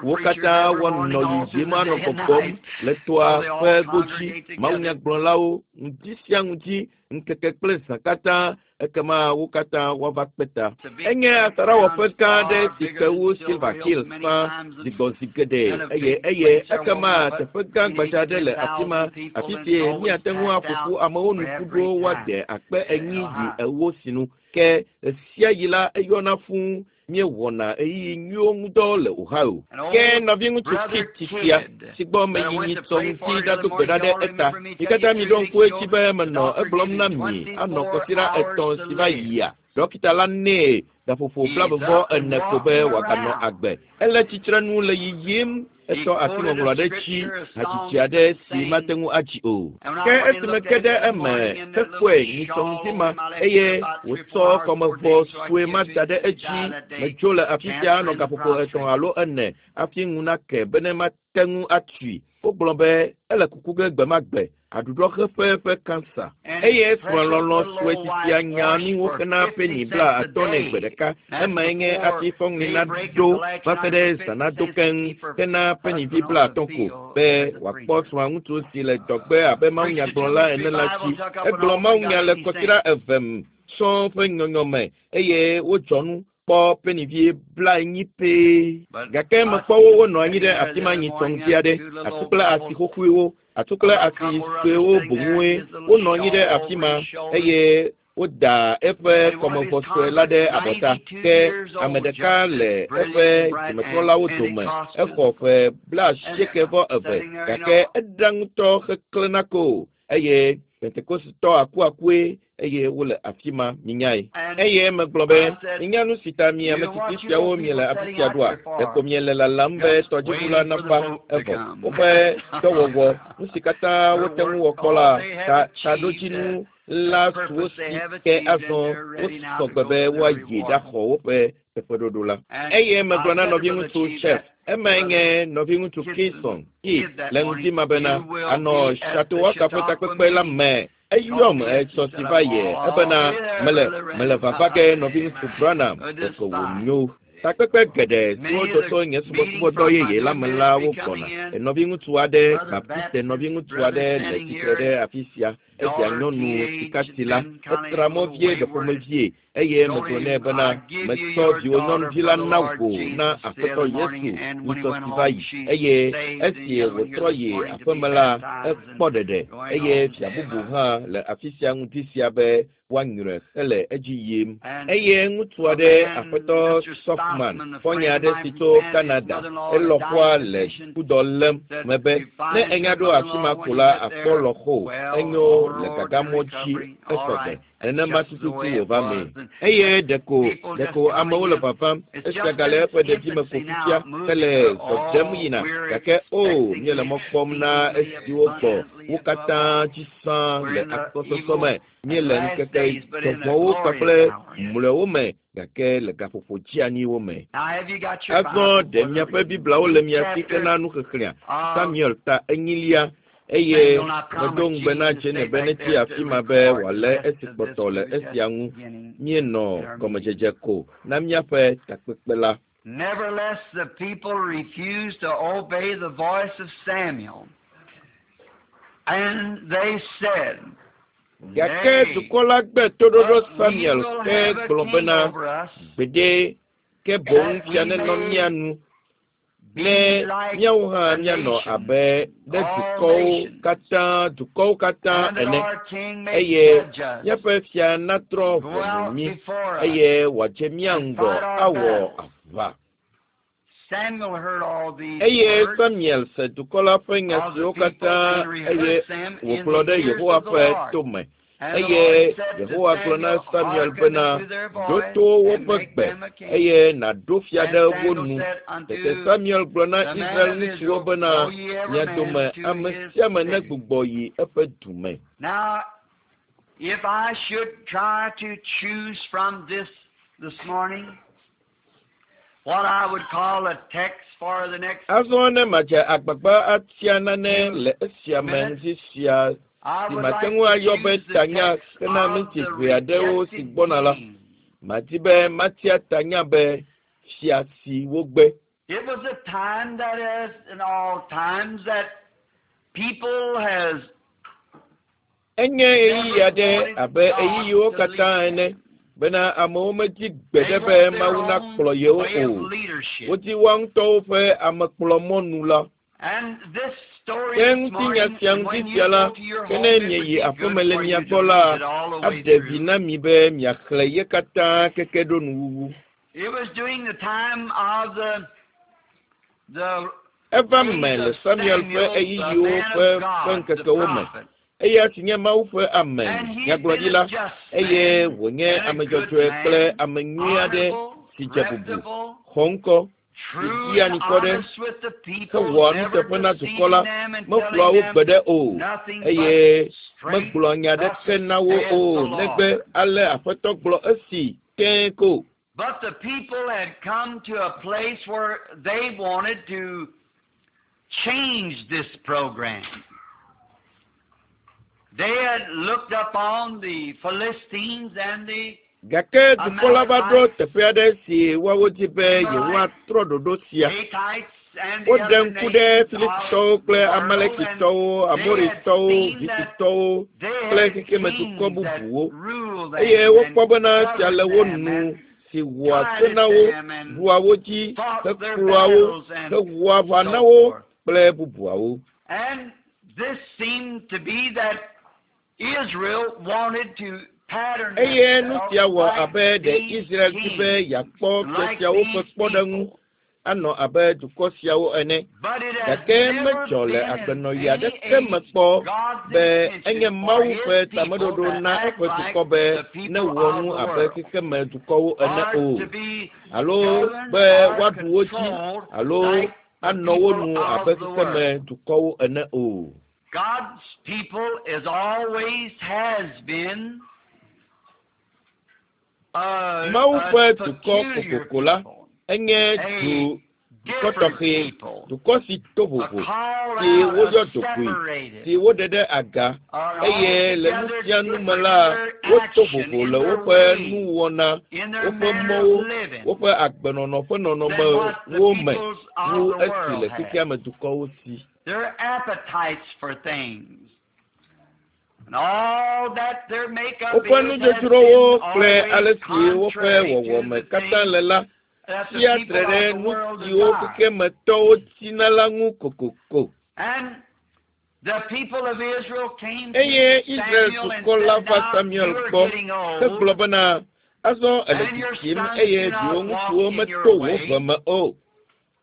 Speaker 1: wo katã woanɔ yiyim anɔ gbɔgbɔm le toa ƒe godzi. Mawunyagblɔlawo ŋdi sia ŋdi ŋkeke kple zã katã ekema wo katã woava kpe ta. Enye asaɖawɔƒe gã aɖe si ke wu Silver Hill sã zigbɔzi geɖe eye eye ekema teƒe gã gbadza aɖe le afi ma afi si míate ŋu aƒo ƒu amewo nu ƒu ɖo woade akpe enyi yi ewo sinu. Ke ɣe sia ɣi la eyɔna fũu míewɔna ɣeyiɣi nyuiwo ŋudɔ le Ohio. Ke nɔviŋutsu Kit sia si gbɔ meyi nyitsɔ ŋuti ɖado gbe ɖa ɖe eta. Mi katã miɖo ŋku edzi be menɔ egblɔm na mi anɔ kɔsiɖa etɔ̃ si va yia. Dɔkita la nɛ gaƒoƒo blaeve ene ko be wòaganɔ agbe. Ele tsitrenu le yiyim etsɔ asiŋɔŋlɔ aɖe dzi hadzidzi aɖe si mate ŋu adzi o. Ke esime ke ɖe eme hekpɔe nyitsɔ ŋdi ma eye wòtsɔ kɔmevɔ sue ma da ɖe edzi medzo le afi sia anɔ gaƒoƒo etɔ̃ alo ene hafi ŋu nake bene mate ŋu atui. Wogblɔ be ele kuku ge gbe ma gbe aɖuɖɔxeƒe ƒe kansa. Eye srɔ̃lɔlɔ̃ sue sisia nya nuwo xena peni bla atɔ̃ nɛ gbe ɖeka. Emae nye hafi fɔŋli naɖo va se ɖe zã nado keŋ hena penivi bla atɔ̃ ko be wòakpɔ srɔ̃aŋutsu si le dɔgbe abe mawunyagblɔla ene la dzi. Egblɔ mawunya le kɔsiɖa eve sɔŋ ƒe nyɔnyɔme eye wodzɔ nu kpɔ penivi bla enyi pɛ. Gake mekpɔ wo wonɔ anyi ɖe afi ma nyitsɔ ŋdi aɖe, atu kple asi xoxoewo, atu kple asi suewo boŋue wonɔ anyi ɖe afi ma eye woda eƒe kɔmevɔ sue la ɖe abɔta. Ke ame ɖeka le eƒe dzimetrɔlawo dome exɔ ƒe bla asieke vɔ eve gake eɖa ŋutɔ heklẽna ko eye Pentekostitɔ akuakue eye wole afi ma minyae. Eye megblɔ be minya nu si ta mi ame tsitsi siawo miele afi sia ɖoa? Ɖeko miele lalam be tɔdziʋu la nava evɔ. Woƒe dɔwɔwɔ, nu si katã wote ŋu wɔ kpɔ la, ta taɖodzinu la su wo si ke azɔ wosɔ gbe be woayi ɖaxɔ woƒe teƒeɖoɖo la. Eye megblɔ na nɔviŋutsu Chef, emae nye nɔviŋutsu Kinson Keith le ŋdi ma bena anɔ Chautauqua ƒe takpekpe la me. Eyɔm etsɔ si va yi ebena mele mele vava ge nɔviŋutsu Branham ɖeko wònyo. Takpekpe geɖe siwo dzɔ tso nye subɔsubɔdɔ yeye la me la wogbɔna. Nɔviŋutsu aɖe, Baptiste nɔviŋutsu aɖe le tsitre ɖe afi sia. Esia nyɔnu sikati la, etra mɔ vie ɖeƒomevie eye megblɔ nɛ bena metsɔ viwò nyɔnuvi la na wò na Aƒetɔ Yesu nyitsɔ si va yi eye esi wòtrɔ yi aƒeme la ekpɔ ɖeɖe eye fia bubu hã le afi sia ŋdi sia be woanyrɔe hele edzi yim. Eye ŋutsu aɖe, Aƒetɔ Stockman, xɔ̃nye aɖe si tso Canada, elɔƒoa le kudɔ lém mebe ne enya ɖo afi ma ko la akpɔ lɔƒo enyo le gagamɔ dzi esɔ gbe. Nenema tututu wòva mee. Eye ɖeko ɖeko amewo le vavam esia gale eƒe ɖevime ko fifia hele zɔdzem yina gake o míele mɔ kpɔm na esiwo gbɔ wo katã dzi sã le akpɔsɔsɔ me. Míele ŋkeke dzɔgbɔwo kpakple mlɔewo me gake le gaƒoƒo dzianyiwo me. Azɔ ɖe miaƒe Bibliawo le mia si hena nuxexlẽa. Samuel ta enyilia eye medo ŋugbe na Jane be netsi afi ma be wòalé esi kpɔtɔ le esia ŋu. Míenɔ gɔmedzedze ko na míaƒe takpekpe la.
Speaker 2: Nevertheless, the people refused to obey the voice of Samuel. And they said,
Speaker 1: Gake dukɔ la gbe toɖoɖo Samuel ke gblɔ bena gbeɖe ke boŋ fia nenɔ mía nu ne míawo hã míanɔ abe ɖe dukɔwo katã dukɔwo katã ene eye míaƒe fia natrɔ ʋɔnu mí eye wòadze mía ŋgɔ awɔ aʋa. Eye Samuel se dukɔ la ƒe nya siwo katã eye wògblɔ ɖe Yehowa ƒe tome. Eye Yehowa gblɔ na Samuel bena, ɖo to woƒe gbe, eye nàɖo fia ɖe wo nu. Tete Samuel gblɔ na Israel ŋutsuwo bena, mia dome ame sia ame negbugbɔ yi eƒe du me.
Speaker 2: Now, if I should try to choose from this this morning what I would call a text for the next
Speaker 1: Azɔ ne madze agbagba atia nane le esia me ŋdi sia
Speaker 2: I
Speaker 1: si
Speaker 2: would
Speaker 1: mate
Speaker 2: like
Speaker 1: ŋu
Speaker 2: to
Speaker 1: ayɔ be
Speaker 2: choose the
Speaker 1: tanya
Speaker 2: text
Speaker 1: hena
Speaker 2: of
Speaker 1: minti
Speaker 2: the
Speaker 1: ʋɛ aɖewo si
Speaker 2: rejected
Speaker 1: gbɔna la,
Speaker 2: king.
Speaker 1: madi be matia tanya be fia si wogbe.
Speaker 2: It was a time that as in all times that people has
Speaker 1: Enye ɣeyiɣi aɖe abe ɣeyiɣiwo katã ene bena amewo medi gbeɖe
Speaker 2: they
Speaker 1: be
Speaker 2: want their
Speaker 1: Mawu
Speaker 2: own
Speaker 1: nakplɔ yewo
Speaker 2: way of
Speaker 1: o.
Speaker 2: leadership.
Speaker 1: Wodi woa ŋutɔwo ƒe amekplɔmɔnu la.
Speaker 2: And this story
Speaker 1: Ke
Speaker 2: this
Speaker 1: ŋutinya
Speaker 2: morning,
Speaker 1: sia
Speaker 2: and
Speaker 1: ŋuti
Speaker 2: when you
Speaker 1: sia la,
Speaker 2: go to your
Speaker 1: ke
Speaker 2: home,
Speaker 1: ne
Speaker 2: it would
Speaker 1: mieyi
Speaker 2: be
Speaker 1: aƒeme
Speaker 2: good
Speaker 1: le
Speaker 2: for
Speaker 1: mia
Speaker 2: you to
Speaker 1: gbɔ la,
Speaker 2: read it all the way
Speaker 1: aɖe vi
Speaker 2: through.
Speaker 1: na mi be miaxlẽ ye katã keke ɖo nuwuwu.
Speaker 2: It was during the time of the the
Speaker 1: Eva
Speaker 2: days
Speaker 1: me le
Speaker 2: of
Speaker 1: Samuel ƒe
Speaker 2: Samuel, the
Speaker 1: ɣeyiɣiwo
Speaker 2: man
Speaker 1: ƒe
Speaker 2: of
Speaker 1: ƒe
Speaker 2: God, the
Speaker 1: ŋkekewo me.
Speaker 2: prophet.
Speaker 1: Eya si nye Mawu ƒe ame
Speaker 2: And he'd been a
Speaker 1: nyagblɔɖila
Speaker 2: just
Speaker 1: eye
Speaker 2: man
Speaker 1: wònye
Speaker 2: and a
Speaker 1: ame
Speaker 2: good
Speaker 1: dzɔdzɔe kple
Speaker 2: man,
Speaker 1: ame nyui aɖe
Speaker 2: honorable,
Speaker 1: si dze bubu,
Speaker 2: reputable,
Speaker 1: xɔ ŋkɔ, si
Speaker 2: true
Speaker 1: dzia
Speaker 2: and
Speaker 1: anikɔ ɖe,
Speaker 2: honest with the people,
Speaker 1: hewɔa
Speaker 2: never
Speaker 1: nuteƒe na dukɔ la,
Speaker 2: deceiving them and
Speaker 1: meflua
Speaker 2: telling
Speaker 1: wo
Speaker 2: them
Speaker 1: gbeɖe o,
Speaker 2: nothing but
Speaker 1: eye
Speaker 2: straight,
Speaker 1: megblɔa nya
Speaker 2: thus
Speaker 1: aɖeke na wo
Speaker 2: saith
Speaker 1: o,
Speaker 2: the Lord.
Speaker 1: negbe ale Aƒetɔ gblɔ esi tẽe ko.
Speaker 2: But the people had come to a place where they wanted to change this program. They had looked upon the Philistines and the
Speaker 1: Gake dukɔ la va ɖo teƒe aɖe si woawo di be yewoatrɔ ɖoɖo sia.
Speaker 2: Hittites and the
Speaker 1: Woɖe
Speaker 2: other
Speaker 1: ŋku ɖe
Speaker 2: nations of
Speaker 1: Filistitɔwo
Speaker 2: the
Speaker 1: kple
Speaker 2: world, and
Speaker 1: Amalekitɔwo,
Speaker 2: they had
Speaker 1: Amoritɔwo,
Speaker 2: seen that
Speaker 1: Hititɔwo
Speaker 2: they
Speaker 1: kple
Speaker 2: had
Speaker 1: xexemedukɔ
Speaker 2: kings that
Speaker 1: bubuwo
Speaker 2: ruled
Speaker 1: eye
Speaker 2: them and
Speaker 1: wokpɔ bena fia le wo
Speaker 2: governed them
Speaker 1: nu
Speaker 2: and
Speaker 1: si wɔa se
Speaker 2: guided
Speaker 1: na wo,
Speaker 2: them and
Speaker 1: ɖua wo dzi,
Speaker 2: fought their
Speaker 1: hekplɔa wo,
Speaker 2: battles and
Speaker 1: hewɔa aʋa
Speaker 2: so
Speaker 1: na wo
Speaker 2: forth.
Speaker 1: kple bubuawo.
Speaker 2: And this seemed to be that Israel wanted to pattern
Speaker 1: Eye nu
Speaker 2: themselves
Speaker 1: sia wɔ
Speaker 2: like
Speaker 1: abe ɖe
Speaker 2: these
Speaker 1: Israel di be
Speaker 2: kings,
Speaker 1: yeakpɔ fia
Speaker 2: like
Speaker 1: siawo ƒe
Speaker 2: these
Speaker 1: kpɔɖeŋu
Speaker 2: people.
Speaker 1: anɔ abe dukɔ siawo ene.
Speaker 2: But it has
Speaker 1: Gake
Speaker 2: never
Speaker 1: medzɔ le
Speaker 2: been in
Speaker 1: agbenɔɣi
Speaker 2: any
Speaker 1: aɖeke me
Speaker 2: age
Speaker 1: kpɔ
Speaker 2: God's
Speaker 1: be enye
Speaker 2: intention for
Speaker 1: Mawu
Speaker 2: his
Speaker 1: ƒe
Speaker 2: people
Speaker 1: tameɖoɖo
Speaker 2: to
Speaker 1: na
Speaker 2: act
Speaker 1: eƒe
Speaker 2: like
Speaker 1: dukɔ be
Speaker 2: the people
Speaker 1: newɔ
Speaker 2: of
Speaker 1: nu
Speaker 2: the
Speaker 1: abe
Speaker 2: world,
Speaker 1: xexemedukɔwo ene
Speaker 2: or
Speaker 1: o,
Speaker 2: to be
Speaker 1: alo
Speaker 2: governed
Speaker 1: be
Speaker 2: or
Speaker 1: woaɖu wo dzi
Speaker 2: controlled
Speaker 1: alo
Speaker 2: like the
Speaker 1: anɔ wo
Speaker 2: people
Speaker 1: nu
Speaker 2: of
Speaker 1: abe
Speaker 2: the world.
Speaker 1: xexemedukɔwo ene o.
Speaker 2: God's people is always has been a,
Speaker 1: Mawu
Speaker 2: a
Speaker 1: ƒe dukɔ
Speaker 2: peculiar
Speaker 1: kokoko la
Speaker 2: people,
Speaker 1: enye
Speaker 2: a
Speaker 1: du dukɔ
Speaker 2: different
Speaker 1: tɔxɛ,
Speaker 2: people,
Speaker 1: dukɔ si to
Speaker 2: a
Speaker 1: vovo,
Speaker 2: called
Speaker 1: si
Speaker 2: out, a
Speaker 1: woyɔ dzogoe,
Speaker 2: separated,
Speaker 1: si woɖe ɖe aga
Speaker 2: an
Speaker 1: eye le nu
Speaker 2: altogether
Speaker 1: sia nu me
Speaker 2: different
Speaker 1: la,
Speaker 2: in their
Speaker 1: woto
Speaker 2: action,
Speaker 1: vovo
Speaker 2: in
Speaker 1: le
Speaker 2: their
Speaker 1: woƒe
Speaker 2: ways,
Speaker 1: nuwɔna,
Speaker 2: in their
Speaker 1: woƒe
Speaker 2: manner of
Speaker 1: mɔwo,
Speaker 2: living
Speaker 1: woƒe agbenɔnɔ ƒe
Speaker 2: than what the
Speaker 1: nɔnɔmewo me
Speaker 2: peoples
Speaker 1: wu
Speaker 2: of the
Speaker 1: esi
Speaker 2: world
Speaker 1: le
Speaker 2: have.
Speaker 1: xexea me dukɔwo si.
Speaker 2: Their appetites for things and all that their makeup
Speaker 1: Woƒe
Speaker 2: is has
Speaker 1: nudzodzrowo
Speaker 2: been
Speaker 1: kple
Speaker 2: always
Speaker 1: ale si woƒe
Speaker 2: contrary to
Speaker 1: wɔwɔme
Speaker 2: the
Speaker 1: katã
Speaker 2: things
Speaker 1: le la
Speaker 2: that the
Speaker 1: tsia
Speaker 2: people
Speaker 1: tre ɖe
Speaker 2: of the
Speaker 1: nu
Speaker 2: world
Speaker 1: siwo
Speaker 2: desire.
Speaker 1: xexemetɔwo tina la ŋu kokoko.
Speaker 2: And the people of Israel came to
Speaker 1: Eye Israel
Speaker 2: Samuel and
Speaker 1: dukɔ la
Speaker 2: said,
Speaker 1: va
Speaker 2: Now
Speaker 1: Samuel
Speaker 2: you are
Speaker 1: gbɔ
Speaker 2: getting old,
Speaker 1: hegblɔ bena, azɔ ele
Speaker 2: and your
Speaker 1: tsitsim
Speaker 2: sons
Speaker 1: eye
Speaker 2: do not
Speaker 1: viwò
Speaker 2: walk
Speaker 1: ŋutsuwo
Speaker 2: in your
Speaker 1: meto wò
Speaker 2: way
Speaker 1: ve me o.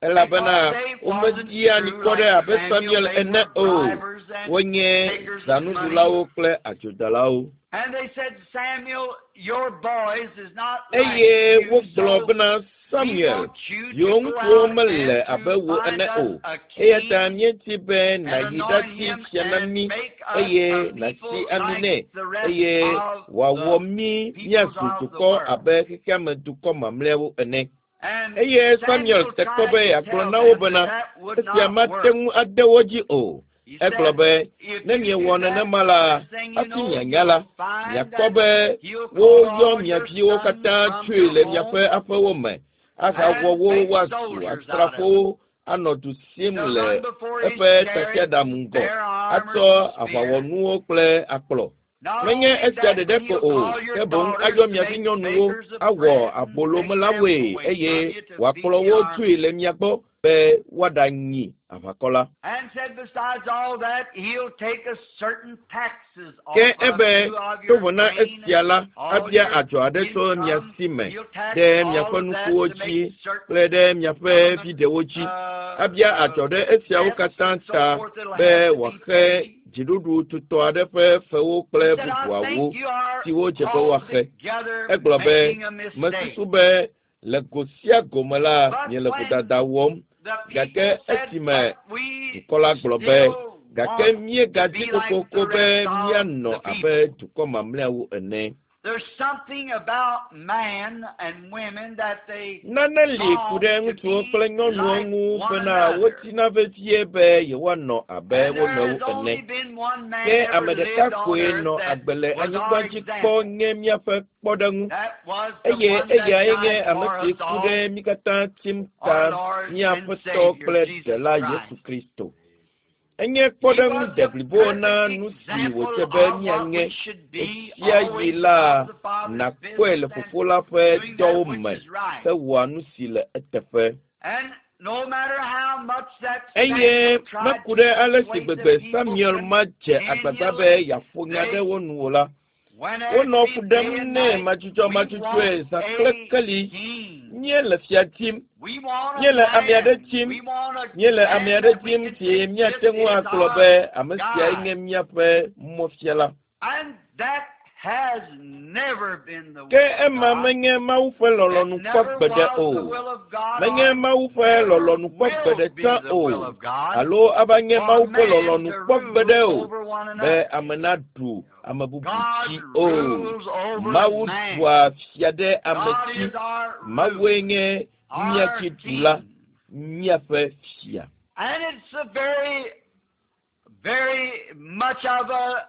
Speaker 1: Elabena
Speaker 2: because they wasn't
Speaker 1: womedia
Speaker 2: true
Speaker 1: anikɔ ɖe
Speaker 2: like
Speaker 1: abe
Speaker 2: Samuel.
Speaker 1: Samuel
Speaker 2: They
Speaker 1: ene
Speaker 2: were
Speaker 1: o.
Speaker 2: bribers and
Speaker 1: Wonye
Speaker 2: takers of money.
Speaker 1: zanuɖulawo kple adzodalawo.
Speaker 2: And they said, Samuel, your boys is not like
Speaker 1: Eye
Speaker 2: you,
Speaker 1: wogblɔ
Speaker 2: so
Speaker 1: bena
Speaker 2: we
Speaker 1: Samuel,
Speaker 2: want you to
Speaker 1: viwò
Speaker 2: go
Speaker 1: ŋutsuwo
Speaker 2: out
Speaker 1: mele
Speaker 2: and
Speaker 1: abe
Speaker 2: to
Speaker 1: wò
Speaker 2: find
Speaker 1: ene
Speaker 2: us
Speaker 1: o.
Speaker 2: a
Speaker 1: Eya ta
Speaker 2: king
Speaker 1: míedi be
Speaker 2: and
Speaker 1: nàyi
Speaker 2: anoint
Speaker 1: ɖati
Speaker 2: him
Speaker 1: fia na
Speaker 2: and
Speaker 1: mí
Speaker 2: make us
Speaker 1: eye
Speaker 2: a
Speaker 1: nàsi
Speaker 2: people
Speaker 1: ami
Speaker 2: like
Speaker 1: nɛ
Speaker 2: the rest
Speaker 1: eye
Speaker 2: of
Speaker 1: wòawɔ
Speaker 2: the
Speaker 1: mí
Speaker 2: peoples
Speaker 1: míazu
Speaker 2: of the
Speaker 1: dukɔ
Speaker 2: world.
Speaker 1: abe xexeame dukɔ mamlɛawo ene.
Speaker 2: And
Speaker 1: Eye Samuel
Speaker 2: Samuel
Speaker 1: te kpɔ
Speaker 2: tried
Speaker 1: be
Speaker 2: to
Speaker 1: yeagblɔ
Speaker 2: tell
Speaker 1: na wo
Speaker 2: them that
Speaker 1: bena
Speaker 2: that would
Speaker 1: esia
Speaker 2: not
Speaker 1: mate
Speaker 2: work.
Speaker 1: ŋu ade wo dzi o.
Speaker 2: He
Speaker 1: Egblɔ
Speaker 2: said,
Speaker 1: be,
Speaker 2: if
Speaker 1: ne
Speaker 2: you do
Speaker 1: miewɔ
Speaker 2: that,
Speaker 1: nenema la,
Speaker 2: next thing you
Speaker 1: hafi
Speaker 2: know,
Speaker 1: mianya la,
Speaker 2: you'll find
Speaker 1: miakpɔ
Speaker 2: that
Speaker 1: be
Speaker 2: he'll call
Speaker 1: woyɔ
Speaker 2: all
Speaker 1: mia
Speaker 2: your
Speaker 1: viwo
Speaker 2: sons
Speaker 1: katã
Speaker 2: from
Speaker 1: tsoe
Speaker 2: your
Speaker 1: le miaƒe
Speaker 2: home
Speaker 1: aƒewo me ahawɔ
Speaker 2: and
Speaker 1: wo
Speaker 2: make
Speaker 1: woazu
Speaker 2: soldiers out of them
Speaker 1: asrafowo anɔ du sim
Speaker 2: to
Speaker 1: le
Speaker 2: run before his
Speaker 1: eƒe
Speaker 2: chariot,
Speaker 1: tasiaɖam ŋgɔ
Speaker 2: their armors
Speaker 1: atsɔ
Speaker 2: and spears.
Speaker 1: aʋawɔnuwo kple akplɔ.
Speaker 2: Not
Speaker 1: Menye
Speaker 2: only
Speaker 1: esia
Speaker 2: that,
Speaker 1: ɖeɖe
Speaker 2: but
Speaker 1: ko
Speaker 2: he'll
Speaker 1: o,
Speaker 2: call your
Speaker 1: ke boŋ
Speaker 2: daughters
Speaker 1: ayɔ
Speaker 2: to
Speaker 1: mia
Speaker 2: make
Speaker 1: vinyɔnuwo
Speaker 2: bakers of
Speaker 1: awɔ
Speaker 2: bread and take them
Speaker 1: abolomelawoe
Speaker 2: away
Speaker 1: eye
Speaker 2: from you to feed
Speaker 1: wòakplɔ
Speaker 2: the
Speaker 1: wo
Speaker 2: army.
Speaker 1: tsoe le mia gbɔ be woaɖanyi aʋakɔ la.
Speaker 2: And said, besides all that, he'll take a certain taxes
Speaker 1: Ke
Speaker 2: off of
Speaker 1: ebe
Speaker 2: you of
Speaker 1: to
Speaker 2: your
Speaker 1: vo na
Speaker 2: grain
Speaker 1: esia
Speaker 2: and
Speaker 1: la,
Speaker 2: all
Speaker 1: abia
Speaker 2: your
Speaker 1: adzɔ aɖe tso mia
Speaker 2: income.
Speaker 1: si me
Speaker 2: He'll tax
Speaker 1: ɖe
Speaker 2: all
Speaker 1: miaƒe
Speaker 2: of that
Speaker 1: nukuwo
Speaker 2: to
Speaker 1: dzi
Speaker 2: make certain
Speaker 1: kple ɖe miaƒe
Speaker 2: government
Speaker 1: viɖewo dzi.
Speaker 2: uh,
Speaker 1: Abia
Speaker 2: uh,
Speaker 1: adzɔ ɖe esiawo
Speaker 2: debts
Speaker 1: katã
Speaker 2: and so
Speaker 1: ta
Speaker 2: forth that'll
Speaker 1: be
Speaker 2: have to be
Speaker 1: wòaxe
Speaker 2: paid.
Speaker 1: Dziɖuɖu tutɔ aɖe ƒe fewo kple bubuawo siwo dze be woaxe. Egblɔ be, mesusu be le go sia go me la, miele vodada wɔm. Gake esime dukɔ la gblɔ be, gake míegadi kokoko be míanɔ abe dukɔ mamlɛawo ene. Nane li ku ɖe ŋutsuwo kple nyɔnuwo ŋu bena wotina vevie be yewoanɔ abe wo nɔewo ene. Ke ame ɖeka koe nɔ agbe le anyigba dzi kpɔ nye míaƒe kpɔɖeŋu eye eyae nye ame si ku ɖe mí katã tim ta mía Aƒetɔ kple Ɖela Yesu Kristo. Enye kpɔɖeŋu deblibo na nu si wòdze be míanye ɣesiaɣi la nàkpɔe le Fofo la ƒe dɔwo me hewɔa nu si le eteƒe. Eye meku ɖe ale si gbegbe Samuel ma dze agbagba be yeaƒo nya ɖe wo nu o la, wonɔ fu ɖem nɛ madzudzɔmadzudzɔe zã kple keli. Míele fia dim, míele ame aɖe dim, míele ame aɖe dim si míate ŋu agblɔ be ame siae nye míaƒe mɔfiala. Ke ema menye Mawu ƒe lɔlɔ̃nu kpɔ gbeɖe o. Menye Mawu ƒe lɔlɔ̃nu kpɔ gbeɖe tsã o. Alo ava nye Mawu ƒe lɔlɔ̃nu kpɔ gbeɖe o be ame naɖu ame bubu dzi o. Mawu ɖua fia ɖe ame dzi. Mawue nye mía dziɖula, míaƒe fia.
Speaker 2: And it's a very, very much of a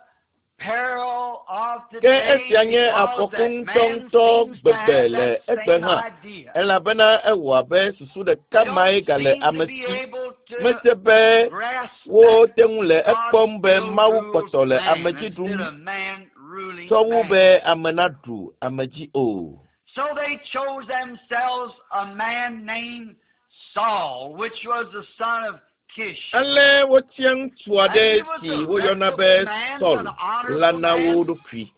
Speaker 2: peril of
Speaker 1: Ke
Speaker 2: today
Speaker 1: esia nye
Speaker 2: because
Speaker 1: afɔku
Speaker 2: that man
Speaker 1: ŋutɔŋutɔ
Speaker 2: seems to
Speaker 1: gbegbe
Speaker 2: have
Speaker 1: le
Speaker 2: that
Speaker 1: egbe
Speaker 2: same
Speaker 1: hã
Speaker 2: idea.
Speaker 1: elabena ewɔ abe susu ɖeka
Speaker 2: They
Speaker 1: mae
Speaker 2: don't
Speaker 1: gale
Speaker 2: seem to
Speaker 1: ame
Speaker 2: be
Speaker 1: si.
Speaker 2: able to
Speaker 1: Mese be
Speaker 2: grasp that
Speaker 1: wote ŋu le
Speaker 2: God
Speaker 1: ekpɔm be
Speaker 2: still
Speaker 1: Mawu
Speaker 2: rules
Speaker 1: kpɔtɔ le
Speaker 2: man
Speaker 1: ame dzi
Speaker 2: instead
Speaker 1: ɖum
Speaker 2: of man ruling
Speaker 1: tsɔ wu
Speaker 2: man.
Speaker 1: be ame naɖu ame dzi o.
Speaker 2: So they chose themselves a man named Saul, which was the son of Kish.
Speaker 1: Ale wotia ŋutsu
Speaker 2: And
Speaker 1: aɖe
Speaker 2: he was
Speaker 1: si
Speaker 2: a
Speaker 1: woyɔna be
Speaker 2: reputable man,
Speaker 1: Saul
Speaker 2: an
Speaker 1: la
Speaker 2: honorable
Speaker 1: na wo
Speaker 2: man,
Speaker 1: ɖokui.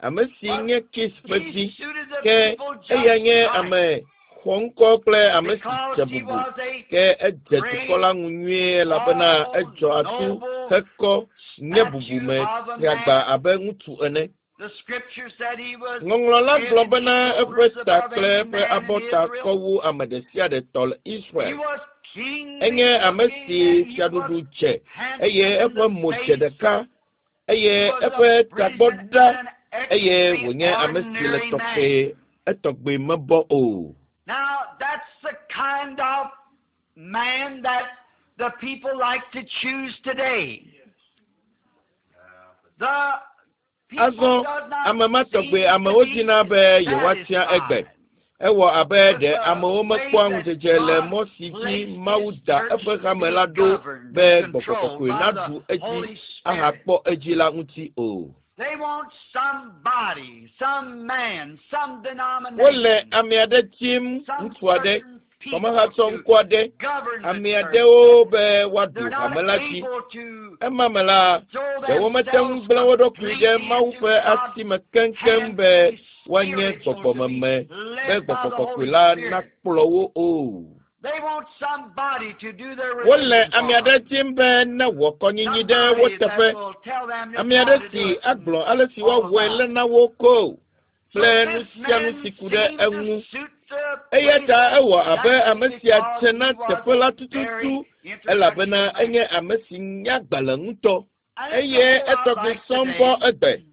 Speaker 1: Ame si
Speaker 2: but
Speaker 1: nye Kis ƒe
Speaker 2: he
Speaker 1: vi
Speaker 2: suited the
Speaker 1: ke
Speaker 2: people
Speaker 1: eya
Speaker 2: just
Speaker 1: nye
Speaker 2: right
Speaker 1: ame xɔŋkɔ kple ame si
Speaker 2: because
Speaker 1: dze
Speaker 2: he
Speaker 1: bubu.
Speaker 2: was a
Speaker 1: Ke edze
Speaker 2: great,
Speaker 1: dukɔ la ŋu nyuie elabena
Speaker 2: tall,
Speaker 1: edzɔ atu
Speaker 2: noble
Speaker 1: hekɔ nye
Speaker 2: statue
Speaker 1: bubume
Speaker 2: of a
Speaker 1: triagba
Speaker 2: man.
Speaker 1: abe ŋutsu ene.
Speaker 2: The scripture said he was
Speaker 1: Ŋɔŋlɔ la
Speaker 2: head
Speaker 1: gblɔ
Speaker 2: and
Speaker 1: bena eƒe
Speaker 2: shoulders
Speaker 1: ta
Speaker 2: above
Speaker 1: kple
Speaker 2: any
Speaker 1: eƒe
Speaker 2: man in
Speaker 1: abɔta
Speaker 2: Israel.
Speaker 1: kɔ wu ame ɖe sia ɖe tɔ le
Speaker 2: He
Speaker 1: Israel.
Speaker 2: was kingly
Speaker 1: Enye ame
Speaker 2: looking
Speaker 1: si
Speaker 2: and he was
Speaker 1: fiaɖuɖu dze
Speaker 2: handsome
Speaker 1: eye
Speaker 2: in
Speaker 1: eƒe
Speaker 2: the
Speaker 1: mo dze
Speaker 2: face.
Speaker 1: ɖeka eye
Speaker 2: He was a
Speaker 1: eƒe tagbɔ
Speaker 2: brilliant
Speaker 1: ɖa
Speaker 2: and
Speaker 1: eye wònye ame si le
Speaker 2: extraordinary
Speaker 1: tɔxɛ
Speaker 2: man.
Speaker 1: etɔgbe mebɔ o.
Speaker 2: Now, that's the kind of man that the people like to choose today. The people
Speaker 1: Azɔ
Speaker 2: does not
Speaker 1: ame ma tɔgbe
Speaker 2: seem to
Speaker 1: amewo
Speaker 2: be
Speaker 1: dina be yewoatia egbe.
Speaker 2: satisfied
Speaker 1: Ewɔ abe
Speaker 2: with
Speaker 1: ɖe
Speaker 2: the
Speaker 1: amewo
Speaker 2: way
Speaker 1: mekpɔa
Speaker 2: that
Speaker 1: ŋudzedze le
Speaker 2: God
Speaker 1: mɔ si dzi
Speaker 2: placed
Speaker 1: Mawu
Speaker 2: His
Speaker 1: da
Speaker 2: church
Speaker 1: eƒe
Speaker 2: to
Speaker 1: hame
Speaker 2: be
Speaker 1: la ɖo
Speaker 2: governed
Speaker 1: be
Speaker 2: and
Speaker 1: Gbɔgbɔ
Speaker 2: controlled
Speaker 1: Kɔkɔe
Speaker 2: by
Speaker 1: naɖu
Speaker 2: the
Speaker 1: edzi
Speaker 2: Holy Spirit.
Speaker 1: ahakpɔ edzi la ŋuti o.
Speaker 2: They want somebody, some man, some
Speaker 1: Wole
Speaker 2: denomination,
Speaker 1: ame aɖe dim,
Speaker 2: some
Speaker 1: ŋutsu aɖe,
Speaker 2: certain people
Speaker 1: xɔmehatsɔ
Speaker 2: to
Speaker 1: ŋku aɖe,
Speaker 2: govern the
Speaker 1: ame
Speaker 2: church.
Speaker 1: aɖewo be woaɖu
Speaker 2: They're not
Speaker 1: hame la dzi.
Speaker 2: able to
Speaker 1: Ema me la,
Speaker 2: throw
Speaker 1: ɖewo mete ŋu
Speaker 2: themselves
Speaker 1: gblẽ wo ɖokui ɖe
Speaker 2: completely
Speaker 1: Mawu
Speaker 2: into
Speaker 1: ƒe
Speaker 2: God's
Speaker 1: asi me keŋkeŋ
Speaker 2: hands
Speaker 1: be
Speaker 2: to be
Speaker 1: woanye
Speaker 2: spiritual, to be
Speaker 1: gbɔgbɔmeme be
Speaker 2: led by
Speaker 1: Gbɔgbɔ
Speaker 2: the
Speaker 1: Kɔkɔe
Speaker 2: Holy
Speaker 1: la
Speaker 2: Spirit.
Speaker 1: nakplɔ wo o.
Speaker 2: They want somebody to do their
Speaker 1: Wole
Speaker 2: religion
Speaker 1: ame
Speaker 2: for
Speaker 1: aɖe
Speaker 2: them.
Speaker 1: dim be ne wɔ kɔnyinyi ɖe wo
Speaker 2: Somebody
Speaker 1: teƒe.
Speaker 2: that will tell them just
Speaker 1: Ame
Speaker 2: how
Speaker 1: aɖe
Speaker 2: to do
Speaker 1: si
Speaker 2: it and
Speaker 1: agblɔ ale si
Speaker 2: all
Speaker 1: woawɔe
Speaker 2: about
Speaker 1: le
Speaker 2: it.
Speaker 1: na wo ko
Speaker 2: So
Speaker 1: kple nu
Speaker 2: this
Speaker 1: sia nu
Speaker 2: man
Speaker 1: si ku ɖe
Speaker 2: seemed to
Speaker 1: eŋu.
Speaker 2: suit the
Speaker 1: Eya
Speaker 2: place
Speaker 1: ta ewɔ abe ame
Speaker 2: exactly
Speaker 1: sia
Speaker 2: because
Speaker 1: dze na
Speaker 2: he was
Speaker 1: teƒe la
Speaker 2: a
Speaker 1: tututu
Speaker 2: very
Speaker 1: elabena
Speaker 2: intellectual man.
Speaker 1: enye ame si nya agbalẽ ŋutɔ
Speaker 2: And it's a
Speaker 1: eye
Speaker 2: whole lot
Speaker 1: etɔgbi
Speaker 2: like
Speaker 1: sɔŋ bɔ
Speaker 2: today.
Speaker 1: egbe.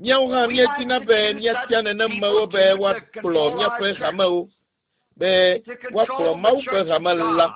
Speaker 1: Míawo hã
Speaker 2: We
Speaker 1: míedina
Speaker 2: like to
Speaker 1: be
Speaker 2: choose
Speaker 1: míatia
Speaker 2: such
Speaker 1: nenemewo
Speaker 2: people
Speaker 1: be
Speaker 2: to, to
Speaker 1: woakplɔ
Speaker 2: control our
Speaker 1: míaƒe
Speaker 2: church,
Speaker 1: hamewo, be
Speaker 2: to
Speaker 1: woakplɔ
Speaker 2: control the
Speaker 1: Mawu ƒe
Speaker 2: church of
Speaker 1: hame la.
Speaker 2: God.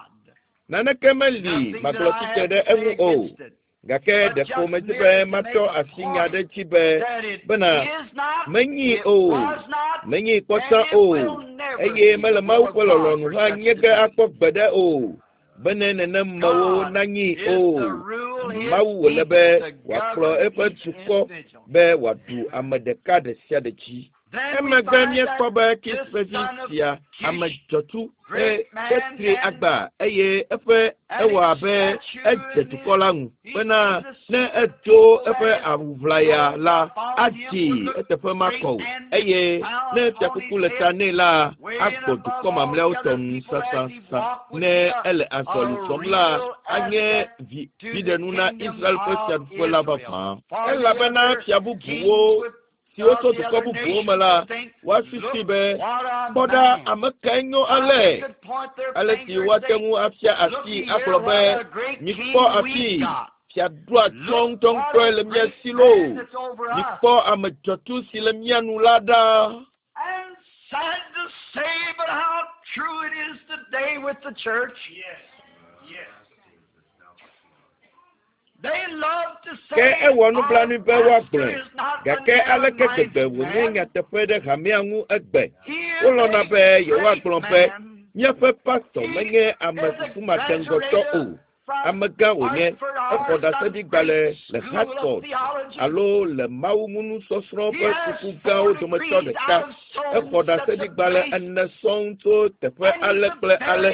Speaker 1: Naneke meli
Speaker 2: Nothing that
Speaker 1: magblɔ
Speaker 2: I
Speaker 1: tsitre
Speaker 2: have
Speaker 1: ɖe
Speaker 2: to say
Speaker 1: eŋu o.
Speaker 2: against it,
Speaker 1: Gake
Speaker 2: but
Speaker 1: ɖeko
Speaker 2: just
Speaker 1: medi be
Speaker 2: merely to
Speaker 1: matɔ
Speaker 2: make a
Speaker 1: asi nya
Speaker 2: point
Speaker 1: ɖe dzi be
Speaker 2: that it
Speaker 1: bena
Speaker 2: is not,
Speaker 1: menyi
Speaker 2: it
Speaker 1: o,
Speaker 2: was not,
Speaker 1: menyi
Speaker 2: and
Speaker 1: kpɔtɔ
Speaker 2: it
Speaker 1: o,
Speaker 2: will never
Speaker 1: eye
Speaker 2: be
Speaker 1: mele
Speaker 2: the
Speaker 1: Mawu
Speaker 2: will of
Speaker 1: ƒe
Speaker 2: God
Speaker 1: lɔlɔ̃nu
Speaker 2: for
Speaker 1: hã
Speaker 2: such
Speaker 1: nye
Speaker 2: to
Speaker 1: ge
Speaker 2: be.
Speaker 1: akpɔ gbeɖe o, bene nenemewo
Speaker 2: God
Speaker 1: nanyi
Speaker 2: is
Speaker 1: o.
Speaker 2: to rule His
Speaker 1: Mawu wòle
Speaker 2: people,
Speaker 1: be
Speaker 2: to
Speaker 1: wòakplɔ
Speaker 2: govern
Speaker 1: eƒe
Speaker 2: each
Speaker 1: dukɔ
Speaker 2: individual.
Speaker 1: be wòaɖu ame ɖeka ɖe sia ɖe dzi. Emegbe míekpɔ be Kis ƒe vi sia ame dzɔtsu etri agba eye eƒe ewɔ abe edze dukɔ la ŋu bena ne edo eƒe awuʋlaya la adzi eteƒe makɔ o eye ne fiakuku le ta nɛ la agbɔ dukɔ mamlɛawo tɔ nu sasasa ne ele azɔli zɔm la anye vi viɖenu na Israel ƒe fiaɖuƒe la vavã elabena fia bubuwo siwo tso dukɔ bubuwo me la woasusui be kpɔ ɖa ame kae nyo ale ale si woate ŋu afia asi agblɔ be mikpɔ afi fiaɖua tsɔ ŋutɔŋutɔe le mía si loo mikpɔ ame dzɔtsu si le mía nu la ɖa.
Speaker 2: And sad to say, but how true it is today with the church.
Speaker 3: Yes. Yes.
Speaker 2: They love to
Speaker 1: Ke
Speaker 2: say
Speaker 1: ewɔ nublanui be
Speaker 2: our
Speaker 1: woagblɔe
Speaker 2: pastor is not
Speaker 1: gake
Speaker 2: a
Speaker 1: aleke gbegbe
Speaker 2: narrow-minded
Speaker 1: wònye
Speaker 2: man.
Speaker 1: nyateƒe ɖe hamea ŋu egbe.
Speaker 2: He is
Speaker 1: Wolɔ̃na
Speaker 2: a
Speaker 1: be yewoagblɔ
Speaker 2: great
Speaker 1: be
Speaker 2: man.
Speaker 1: míaƒe pastɔ menye ame susumadeŋgɔtɔ o. Amegã wònye exɔ ɖaseɖigbalẽ le Hartford alo le mawuŋunusɔsrɔ̃ ƒe suku gãwo dometɔ ɖeka. Exɔ ɖaseɖigbalẽ ene sɔŋ tso teƒe ale kple ale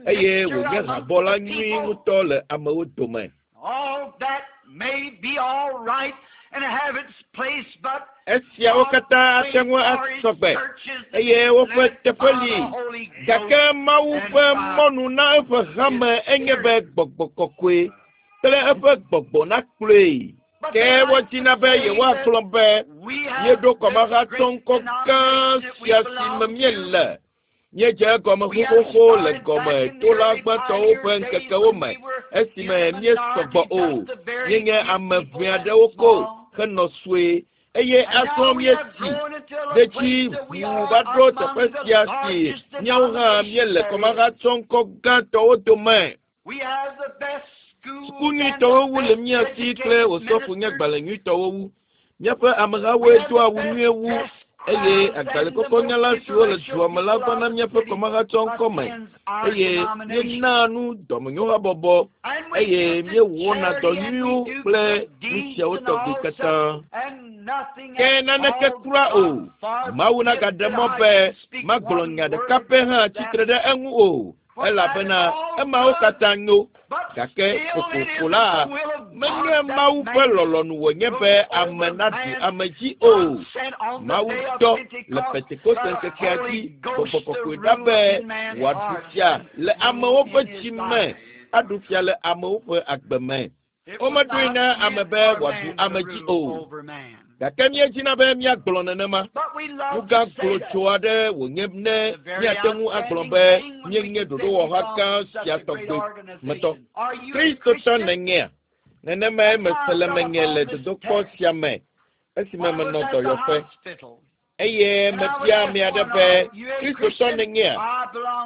Speaker 1: eye wònye habɔla nyui ŋutɔ le amewo dome.
Speaker 2: All that may be all right and have its place, but
Speaker 1: Esiawo katã ate ŋu asɔ gbe eye woƒe teƒe li. Gake Mawu ƒe mɔnu na eƒe hame enye be gbɔgbɔ kɔkɔe kple eƒe gbɔgbɔ nakplɔe. Ke wodina be yewoagblɔ be míeɖo kɔmahatsɔ ŋkɔ gã sia si me míele. Míedze egɔme xoxoxo le gɔmetola gbãtɔwo ƒe ŋkekewo me esime míesɔgbɔ o. Míenye ame ʋɛ aɖewo ko henɔ sue eye azɔ míetsi ɖe dzi ʋuu va ɖo teƒe sia si míawo hã míele kɔmahatsɔ ŋkɔ gãtɔwo dome.
Speaker 2: We have the best schools
Speaker 1: Suku nyuitɔwo wu le mía si kple osɔfo nye gbalẽ nyuitɔwo wu. Míaƒe amehawoe doa awu nyuie wu eye agbalẽkɔkɔnyala siwo le dua me la vana míaƒe kɔmahatsɔ ŋkɔ me eye míenaa nu dɔmenyohabɔbɔ eye míewɔna dɔ nyuiwo kple nu siawo tɔgbi katã. Ke naneke kura o. Mawu nagaɖe mɔ be magblɔ nya ɖeka pɛ hã tsitre ɖe eŋu o elabena emawo katã nyo gake kokoko la menye Mawu ƒe lɔlɔ̃nu wònye be ame naɖu ame dzi o. Mawu dɔ le Pentekoste ŋkekea dzi gbɔgbɔ kɔkɔe ɖa be wòaɖu fia le amewo ƒe dzi me, aɖu fia le amewo ƒe agbe me. Womeɖoe na ame be wòaɖu ame dzi o. Gake míedzina be míagblɔ nenema. Nu gã glotso aɖe wònye ne míate ŋu agblɔ be míenye ɖoɖowɔha gã sia tɔgbe me tɔ. Kristotɔ nènyea? Nenemae mese le menye le dodokpɔ sia me esime menɔ dɔyɔƒe. Eye mebia ame aɖe be Kristotɔ nènyea?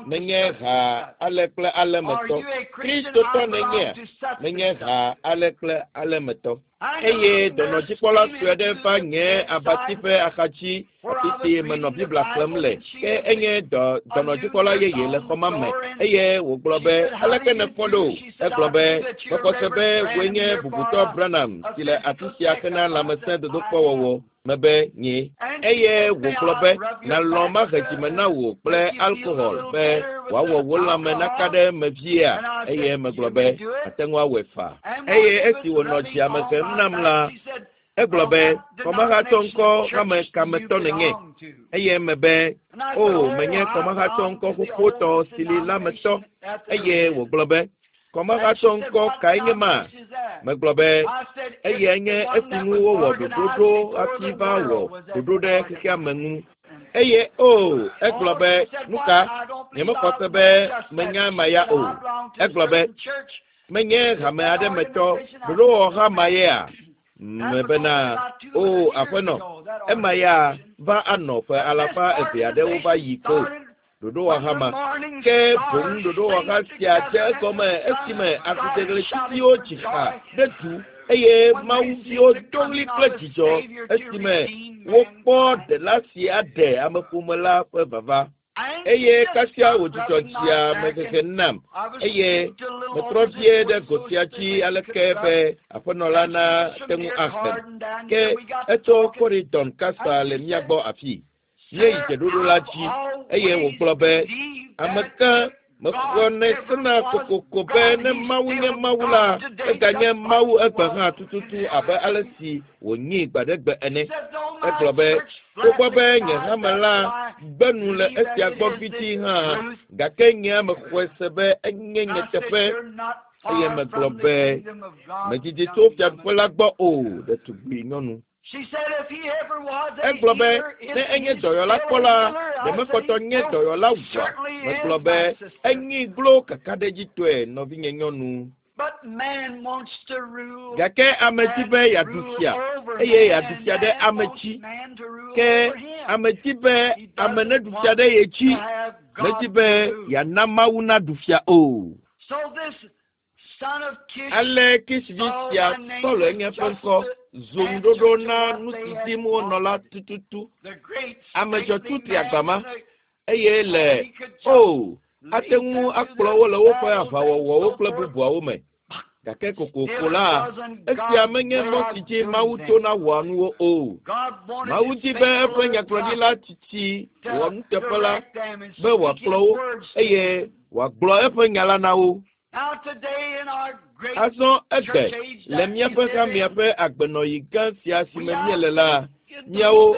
Speaker 1: Menye ha ale kple ale me tɔ. Kristotɔ nènyea? Menye ha ale kple ale me tɔ. Eye dɔnɔdzikpɔla sue aɖe va nye abati ƒe axadzi afi si menɔ Biblia xlẽm le. Ke enye dɔ dɔnɔdzikpɔla yeye le xɔ ma me eye wògblɔ be aleke nèfɔ ɖo? Egblɔ be mexɔ se be wòe nye bubutɔ Branham si le afi sia hena lãmesẽ dodokpɔwɔwɔ. Mebe nye eye wògblɔ be nalɔ̃ mahe dzime na wò kple alkohol be wòawɔ wò lãme naka ɖe eme viea eye megblɔ be ate ŋu awɔe faa. Eye esi wònɔ dzia me hem nam la, egblɔ be kɔmahatsɔ ŋkɔ hame kametɔ nènye eye mebe o menye kɔmahatsɔ ŋkɔ xoxotɔ si li la me tɔ eye wògblɔ be kɔmahatsɔ ŋkɔ kae nye ma? Megblɔ be eyae nye esi ŋu wowɔ ɖoɖo ɖo hafi va wɔ ɖoɖo ɖe xexea me ŋu. Eye o egblɔ be nu ka nyemexɔ se be menya ema ya o. Egblɔ be menye hame aɖe me tɔ ɖoɖowɔha ma yea? Mebena o aƒenɔ ema ya va anɔ ƒe alafa eve aɖewo va yi ko ɖoɖowɔha ma. Ke boŋ ɖoɖowɔha sia dze egɔme esime akudeɣletiviwo dzi ha ɖe du eye mawuviwo do ɣli kple dzidzɔ esime wokpɔ ɖela si aɖe ameƒome la ƒe vava. Eye kasia wòdzudzɔ dzia mehehe nam eye metrɔ vie ɖe go sia dzi aleke be aƒenɔ la nate ŋu ahem. Ke etso Corridon kasa le mía gbɔ afii. Míeyi dzeɖoɖo la dzi eye wògblɔ be ame ka mexɔnɛ sena kokoko be ne Mawu nye Mawu la, eganye Mawu egbe hã tututu abe ale si wònyi gbaɖegbe ene. Egblɔ be togbɔ be nye hame la gbe nu le esia gbɔ vidzĩ hã, gake nye mexɔe se be enye nyateƒe. Eye megblɔ be medidi tso fiaɖuƒe la gbɔ o, ɖetugbui nyɔnu. Egblɔ be ne enye dɔyɔla kpɔ la, ɖe mekpɔtɔ nye dɔyɔla wua? Megblɔ be enyi glo kakaɖedzitɔe nɔvinye nyɔnu. Gake ame di be yeaɖu fia eye yeaɖu fia ɖe ame dzi. Ke ame di be ame neɖu fia ɖe ye dzi. Medi be yeana Mawu naɖu fia o. Ale Kish vi sia Saul enye eƒe ŋkɔ zu ŋuɖoɖo na nu si dim wonɔ la tututu. Ame dzɔtsu tri agbama eye le o ate ŋu akplɔ wo le woƒe aʋawɔwɔwo kple bubuawo me. Gake kokoko la, esia menye mɔ si dzi Mawu tona wɔa nuwo o. Mawu di be eƒe nyagblɔɖila tsitsi wɔnuteƒe la be wòakplɔ wo eye wòagblɔ eƒe nya la na wo. Azɔ egbe le míaƒe hamea ƒe agbenɔɣi gã sia si me míele la, míawo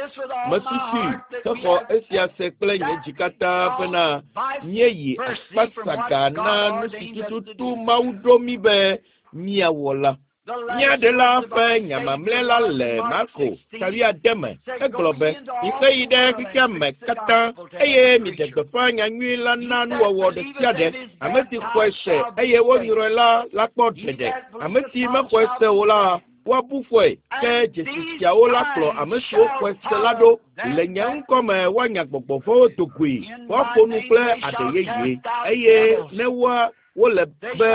Speaker 1: mesusui hexɔ esia se kple nye dzi katã bena míeyi akpasaga na nu si tututu Mawu ɖo mí be míawɔ la. Mía ɖela ƒe nya mamlɛ la le Marko ta wuiade me. Egblɔ be, mixe yi ɖe xexea me katã eye miɖe gbeƒã nyanyui la na nuwɔwɔ ɖe sia ɖe. Ame si xɔe se eye wonyrɔe la la kpɔ ɖeɖe. Ame si mexɔe se o la, woabu fɔe. Ke dzesi siawo la kplɔ ame siwo xɔe se la ɖo. Le nye ŋkɔ me woanya gbɔgbɔ vɔ̃wo do goe, woaƒo nu kple aɖe yeye eye ne woa wole be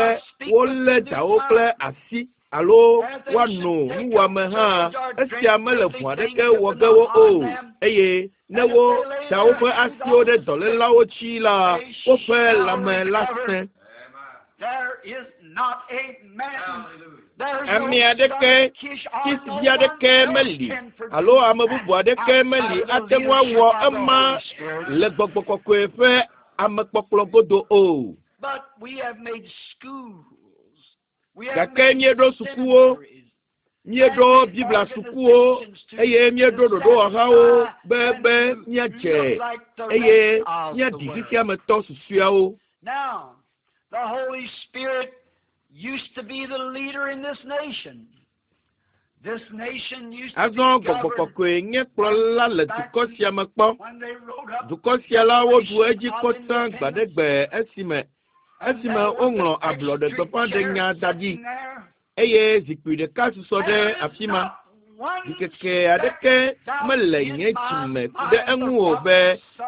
Speaker 1: wolé dawo kple asi alo woano nuwɔame hã, esia mele vɔ̃ aɖeke wɔ ge wo o. Eye ne wo da woƒe asiwo ɖe dɔlélawo dzi la, woƒe lãme la sẽ. Ame aɖeke, Kish vi aɖeke meli alo ame bubu aɖeke meli ate ŋu awɔ ema le gbɔgbɔ kɔkɔe ƒe amekpɔkplɔ godo o. Gake míeɖo sukuwo, míeɖo Biblia sukuwo eye míeɖo ɖoɖowɔhawo be be míadze eye míaɖi xexeametɔ susɔeawo.
Speaker 2: Now, the Holy Spirit used to be the leader in this nation. This nation used to
Speaker 1: Azɔ
Speaker 2: be
Speaker 1: gbɔgbɔ
Speaker 2: governed
Speaker 1: kɔkɔe nye kplɔla le dukɔ sia me kpɔ.
Speaker 2: when they wrote up
Speaker 1: Dukɔ sia la woɖu edzi kpɔ gbaɖegbe esime esime woŋlɔ ablɔɖegbeƒãɖenya da ɖi eye zikpui ɖeka susɔ ɖe afi ma. Ɖikeke aɖeke mele nye dzime ku ɖe eŋu o be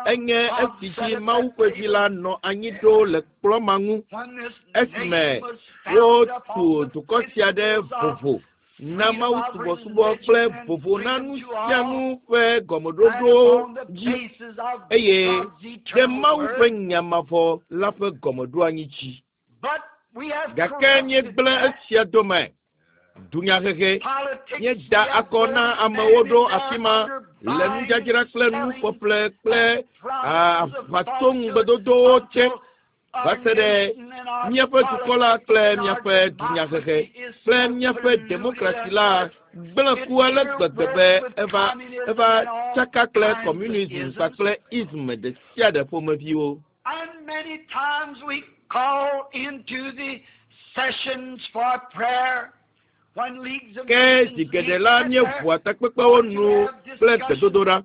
Speaker 1: enye esi dzi Mawu ƒe vi la nɔ anyi ɖo le kplɔ̃ ma ŋu esime wotu dukɔ sia ɖe vovo na Mawu subɔsubɔ kple vovo na nu sia nu ƒe gɔmeɖoɖowo dzi eye ɖe Mawu ƒe nya mavɔ la ƒe gɔmeɖoanyi dzi. Gake míegblẽ esia dome. Dunyahehe míeda akɔ na amewo ɖo afi ma le nudzadzra kple nuƒeƒle kple aʋatsoŋugbedodowo tse va se ɖe míaƒe dukɔ la kple míaƒe dunyahehe kple míaƒe demokrasi la gblẽ ku ale gbegbe be eva eva tsaka kple communism kpakple ism ɖe sia ɖe ƒomeviwo.
Speaker 2: And many times we call into the sessions for prayer when leagues of
Speaker 1: Ke
Speaker 2: nations
Speaker 1: zi geɖe
Speaker 2: meet
Speaker 1: la
Speaker 2: together.
Speaker 1: míeʋua takpekpewo nu kple gbedodoɖa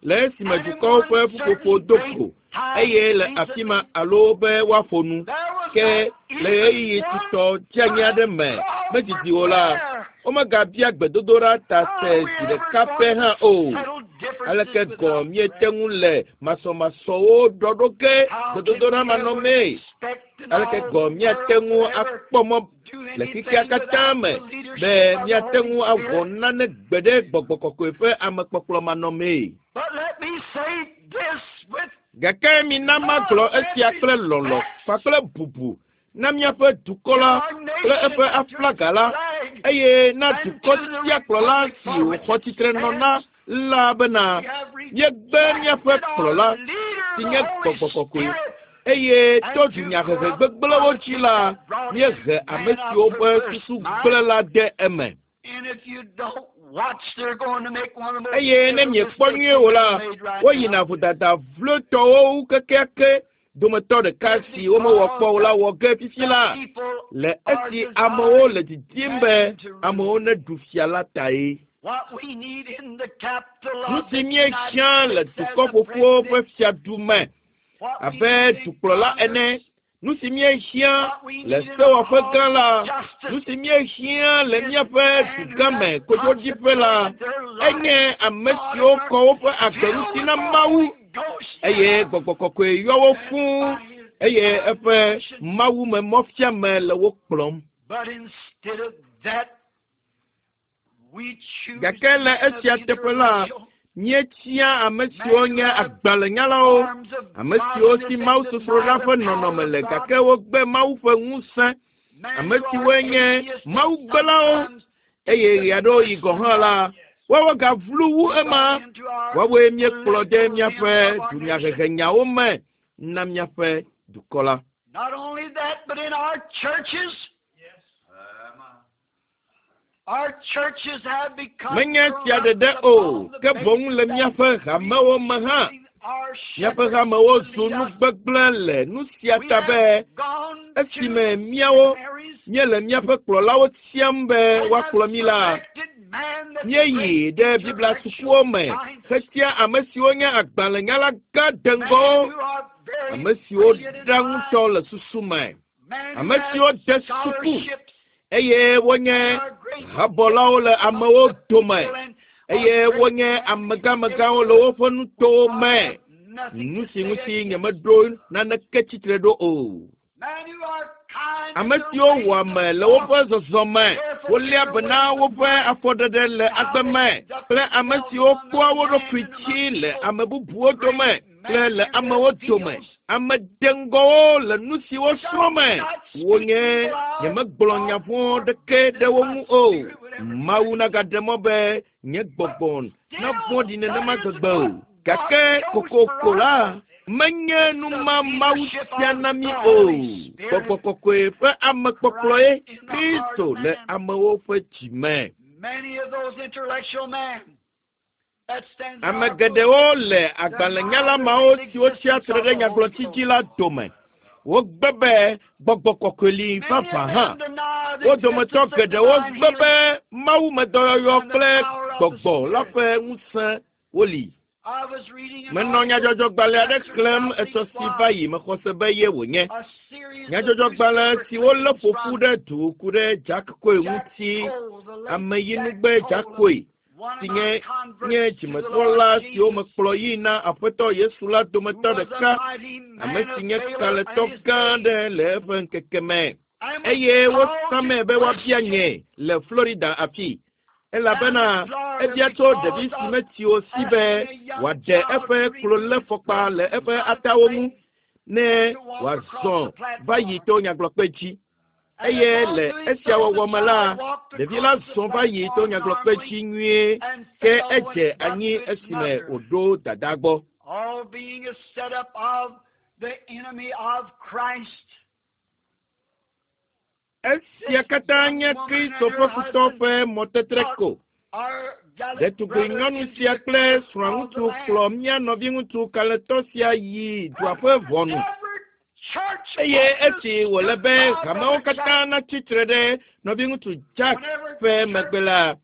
Speaker 1: le esime dukɔwo ƒe ƒuƒoƒo do go eye le afi ma alo be woaƒo nu.
Speaker 2: There was
Speaker 1: Ke
Speaker 2: not
Speaker 1: le ɣeyiɣi
Speaker 2: even
Speaker 1: tutɔ
Speaker 2: one
Speaker 1: dzeanyi aɖe me medidi o la, womegabia gbedodoɖa ta se zi ɖeka pɛ hã o. Aleke gɔ̃ míete ŋu le masɔmasɔwo ɖɔɖo ge gbedodoɖa manɔmee? Aleke gɔ̃ míate ŋu akpɔ mɔ le xexea katã me be míate ŋu awɔ nane gbe ɖe gbɔgbɔ kɔkɔe ƒe amekpɔkplɔ manɔmee?
Speaker 2: But let me say this with
Speaker 1: Gake mina magblɔ esia kple lɔlɔ̃ kpakple bubu na míaƒe dukɔ la kple eƒe aflaga la, eye na dukɔ sia kplɔla si wòxɔ tsitre nɔ na la bena míegbe míaƒe kplɔla si nye Gbɔgbɔ Kɔkɔe, eye to dunyahehe gbegblẽwo dzi la, míehe ame siwo ƒe susu gblẽ la de eme. Eye ne miekpɔ nyuie o la, woyina vodada vlotɔwo wu kekeake dometɔ ɖeka si womewɔ kpɔ o la wɔ ge fifi la, le esi amewo le didim be amewo neɖu fia la tae. Nu si míehiã le dukɔ ƒoƒuwo ƒe fiadu me abe dukplɔla ene, nu si míehiã le sewɔƒe gã la, nu si míehiã le míaƒe dugãme kodzoɖiƒe la, enye ame siwo kɔ woƒe agbe ŋuti na Mawu, eye Gbɔgbɔ Kɔkɔe yɔ wo fũu, eye eƒe mawume mɔfiame le wo kplɔm. Gake le esia teƒe la, míetia ame siwo nye agbalẽnyalawo, ame siwo si mawusosroɖa ƒe nɔnɔme le gake wogbe Mawu ƒe ŋusẽ, ame siwoe nye mawugbelawo, eye ɣeaɖewoɣi gɔ̃ hã la, woawo gavlu wu ema. Woawoe míekplɔ de míaƒe dunyahehenyawo me na míaƒe dukɔ la.
Speaker 2: Not only that, but in our churches, our churches have become
Speaker 1: Menye sia ɖeɖe o, ke boŋ le míaƒe hamewo me hã. Míaƒe hamewo zu nu gbegblẽ le nu sia ta be esime míawo míele míaƒe kplɔlawo tiam be woakplɔ mí la, míeyi ɖe Biblia sukuwo me hetia ame siwo nye agbalẽnyala gã deŋgɔwo, ame siwo ɖa ŋutɔ le susu me, ame siwo de suku eye wonye habɔlawo le amewo dome, eye wonye amegãmegãwo le woƒe nutowo me. Nu si ŋuti nyemeɖo naneke tsitre ɖo o. Ame siwo wɔ ame le woƒe zɔzɔme, woléa be na woƒe afɔɖeɖe le agbe me, kple ame siwo kpɔa wo ɖokui dzi le ame bubuwo dome kple le amewo dome. Ame deŋgɔwo le nu si wosrɔ̃ me. Wonye nyemegblɔ nya vɔ̃ ɖeke ɖe wo ŋu o. Mawu nagaɖe mɔ be nye gbɔgbɔ navɔ̃ɖi nenema gbegbe o. Gake kokoko la, menye nu ma Mawu sia na mí o. Gbɔgbɔ Kɔkɔe ƒe amekpɔkplɔe Kristo le amewo ƒe dzi me.
Speaker 2: Many of those intellectual men that stands
Speaker 1: Ame geɖewo le agbalẽnyala mawo siwo tsia tre ɖe nyagblɔtsi dzi la dome. Wogbe be Gbɔgbɔ Kɔkɔe li vavã hã. Wo dometɔ geɖewo gbe be mawumedɔyɔyɔ kple gbɔgbɔ la ƒe ŋusẽ woli.
Speaker 2: I was reading an
Speaker 1: Menɔ nyadzɔdzɔgbalẽ aɖe xlẽm etsɔ si va yi mexɔ se be ye wònye.
Speaker 2: a series of
Speaker 1: Nyadzɔdzɔgbalẽ si wolé
Speaker 2: newspaper
Speaker 1: ƒo ƒu ɖe du ku ɖe Jack Coe ŋuti, ameyinugbe Jack Coe si nye nye dzimetrɔla siwo mekplɔ yi na Aƒetɔ Yesu la dometɔ ɖeka, ame si nye kalẽtɔ gã aɖe le eƒe ŋkeke me. Eye wosamee be woabia nye le Florida afi, elabena ebia tso ɖevi si metsi o si be wòaɖe eƒe kloléfɔkpa le eƒe atawo ŋu ne wòazɔ va yi to nyagblɔkpe dzi. Eye le esia wɔwɔ me la, ɖevi la zɔ va yi to nyagblɔkpe dzi nyuie, ke edze anyi esime wòɖo dada gbɔ.
Speaker 2: All being a setup of the enemy of Christ.
Speaker 1: Esia katã nye Kristo ƒe futɔ ƒe mɔtetre ko.
Speaker 2: Our gallant
Speaker 1: Ɖetugbi
Speaker 2: brother
Speaker 1: nyɔnu sia kple srɔ̃aŋutsu kplɔ mía nɔviŋutsu kalẽtɔ sia yi dua ƒe ʋɔnu.
Speaker 2: Every church
Speaker 1: Eye esi wòle be hamewo katã natsi tre ɖe nɔviŋutsu Jack ƒe megbe la,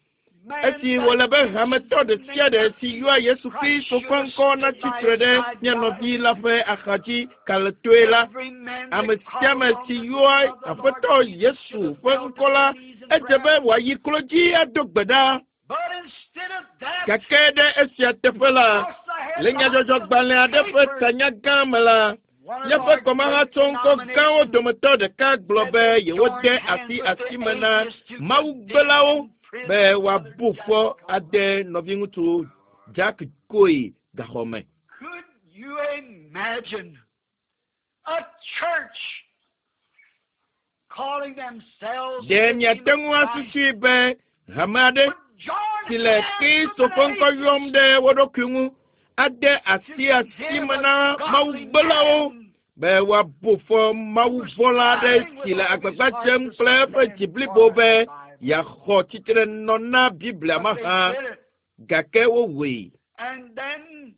Speaker 1: esi wòle be hametɔ ɖe sia ɖe si yɔa Yesu Kristo ƒe ŋkɔ natsi tre ɖe mía nɔvi la ƒe axadzi kalẽtɔe la, ame sia ame si yɔa Aƒetɔ Yesu ƒe ŋkɔ la, edze be wòayi klo dzi ado gbe ɖa.
Speaker 2: But instead of that,
Speaker 1: Gake ɖe esia teƒe la, le nyadzɔdzɔgbalẽ aɖe ƒe tanya gã me la, míaƒe kɔmahatsɔŋkɔ gãwo dometɔ ɖeka gblɔ be yewode asi asime na mawugbelawo be woabu fɔ ade nɔviŋutsu Jack Coe gaxɔ me.
Speaker 2: Could you imagine a church calling themselves
Speaker 1: Ɖe miate ŋu asusui be hame aɖe
Speaker 2: would join
Speaker 1: si le
Speaker 2: hands
Speaker 1: Kristo
Speaker 2: with
Speaker 1: ƒe
Speaker 2: an
Speaker 1: ŋkɔ yɔm
Speaker 2: atheist
Speaker 1: ɖe wo ɖokui ŋu ade asi
Speaker 2: to
Speaker 1: asi
Speaker 2: condemn
Speaker 1: me
Speaker 2: a
Speaker 1: na
Speaker 2: godly
Speaker 1: mawugbelawo
Speaker 2: man
Speaker 1: be woabu fɔ mawuvɔ̃la aɖe
Speaker 2: trying
Speaker 1: si
Speaker 2: with
Speaker 1: le
Speaker 2: all his
Speaker 1: agbagba
Speaker 2: heart
Speaker 1: dzem
Speaker 2: to
Speaker 1: kple eƒe
Speaker 2: stand
Speaker 1: dzi
Speaker 2: for
Speaker 1: blibo
Speaker 2: the
Speaker 1: be
Speaker 2: Bible.
Speaker 1: yeaxɔ tsitrenɔ na Biblia
Speaker 2: But they
Speaker 1: mahã
Speaker 2: did it.
Speaker 1: gake wowɔe.
Speaker 2: And then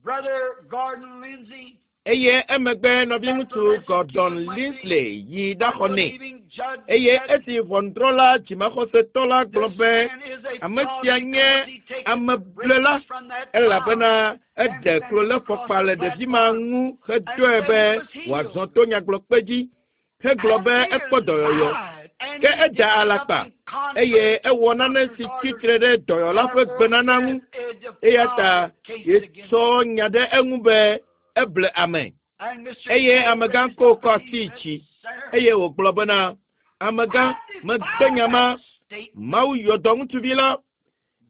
Speaker 2: Brother Gordon Lindsay,
Speaker 1: Eye emegbe
Speaker 2: that
Speaker 1: nɔviŋutsu
Speaker 2: blessed
Speaker 1: Gordon
Speaker 2: Keith Lindsay,
Speaker 1: Lindsay yi ɖaxɔ nɛ.
Speaker 2: unbelieving judge,
Speaker 1: Eye
Speaker 2: said,
Speaker 1: esi ʋɔnudrɔ̃la dzimaxɔsetɔ la gblɔ
Speaker 2: This
Speaker 1: be
Speaker 2: man is a
Speaker 1: ame
Speaker 2: fraud
Speaker 1: sia nye
Speaker 2: because he taketh
Speaker 1: ameblela
Speaker 2: bricks from that child
Speaker 1: elabena
Speaker 2: and
Speaker 1: eɖe
Speaker 2: sent it across
Speaker 1: klolefɔkpa
Speaker 2: the
Speaker 1: le ɖevi ma
Speaker 2: platform
Speaker 1: ŋu
Speaker 2: and
Speaker 1: hedɔe
Speaker 2: said
Speaker 1: be
Speaker 2: he was healed.
Speaker 1: wòazɔ to nyagblɔkpe dzi hegblɔ
Speaker 2: And
Speaker 1: be
Speaker 2: he
Speaker 1: ekpɔ dɔyɔyɔ.
Speaker 2: lied, and
Speaker 1: Ke
Speaker 2: he
Speaker 1: eda
Speaker 2: did
Speaker 1: alakpa
Speaker 2: something contrary
Speaker 1: eye
Speaker 2: to
Speaker 1: ewɔ nane
Speaker 2: doctor's
Speaker 1: si
Speaker 2: orders.
Speaker 1: tsitre ɖe dɔyɔla ƒe
Speaker 2: Therefore
Speaker 1: gbenana ŋu
Speaker 2: said a
Speaker 1: eya ta
Speaker 2: defiled case against
Speaker 1: yetsɔ
Speaker 2: him.
Speaker 1: nya ɖe eŋu be eble ame.
Speaker 2: And Mister
Speaker 1: Eye
Speaker 2: Cole
Speaker 1: amegã
Speaker 2: raised
Speaker 1: ko
Speaker 2: up
Speaker 1: kɔ
Speaker 2: and he
Speaker 1: asi
Speaker 2: said,
Speaker 1: dzi
Speaker 2: Sir,
Speaker 1: eye wògblɔ bena amegã
Speaker 2: I
Speaker 1: megbe
Speaker 2: defy
Speaker 1: nya ma
Speaker 2: that statement.
Speaker 1: Mawu yɔ dɔ ŋutsuvi la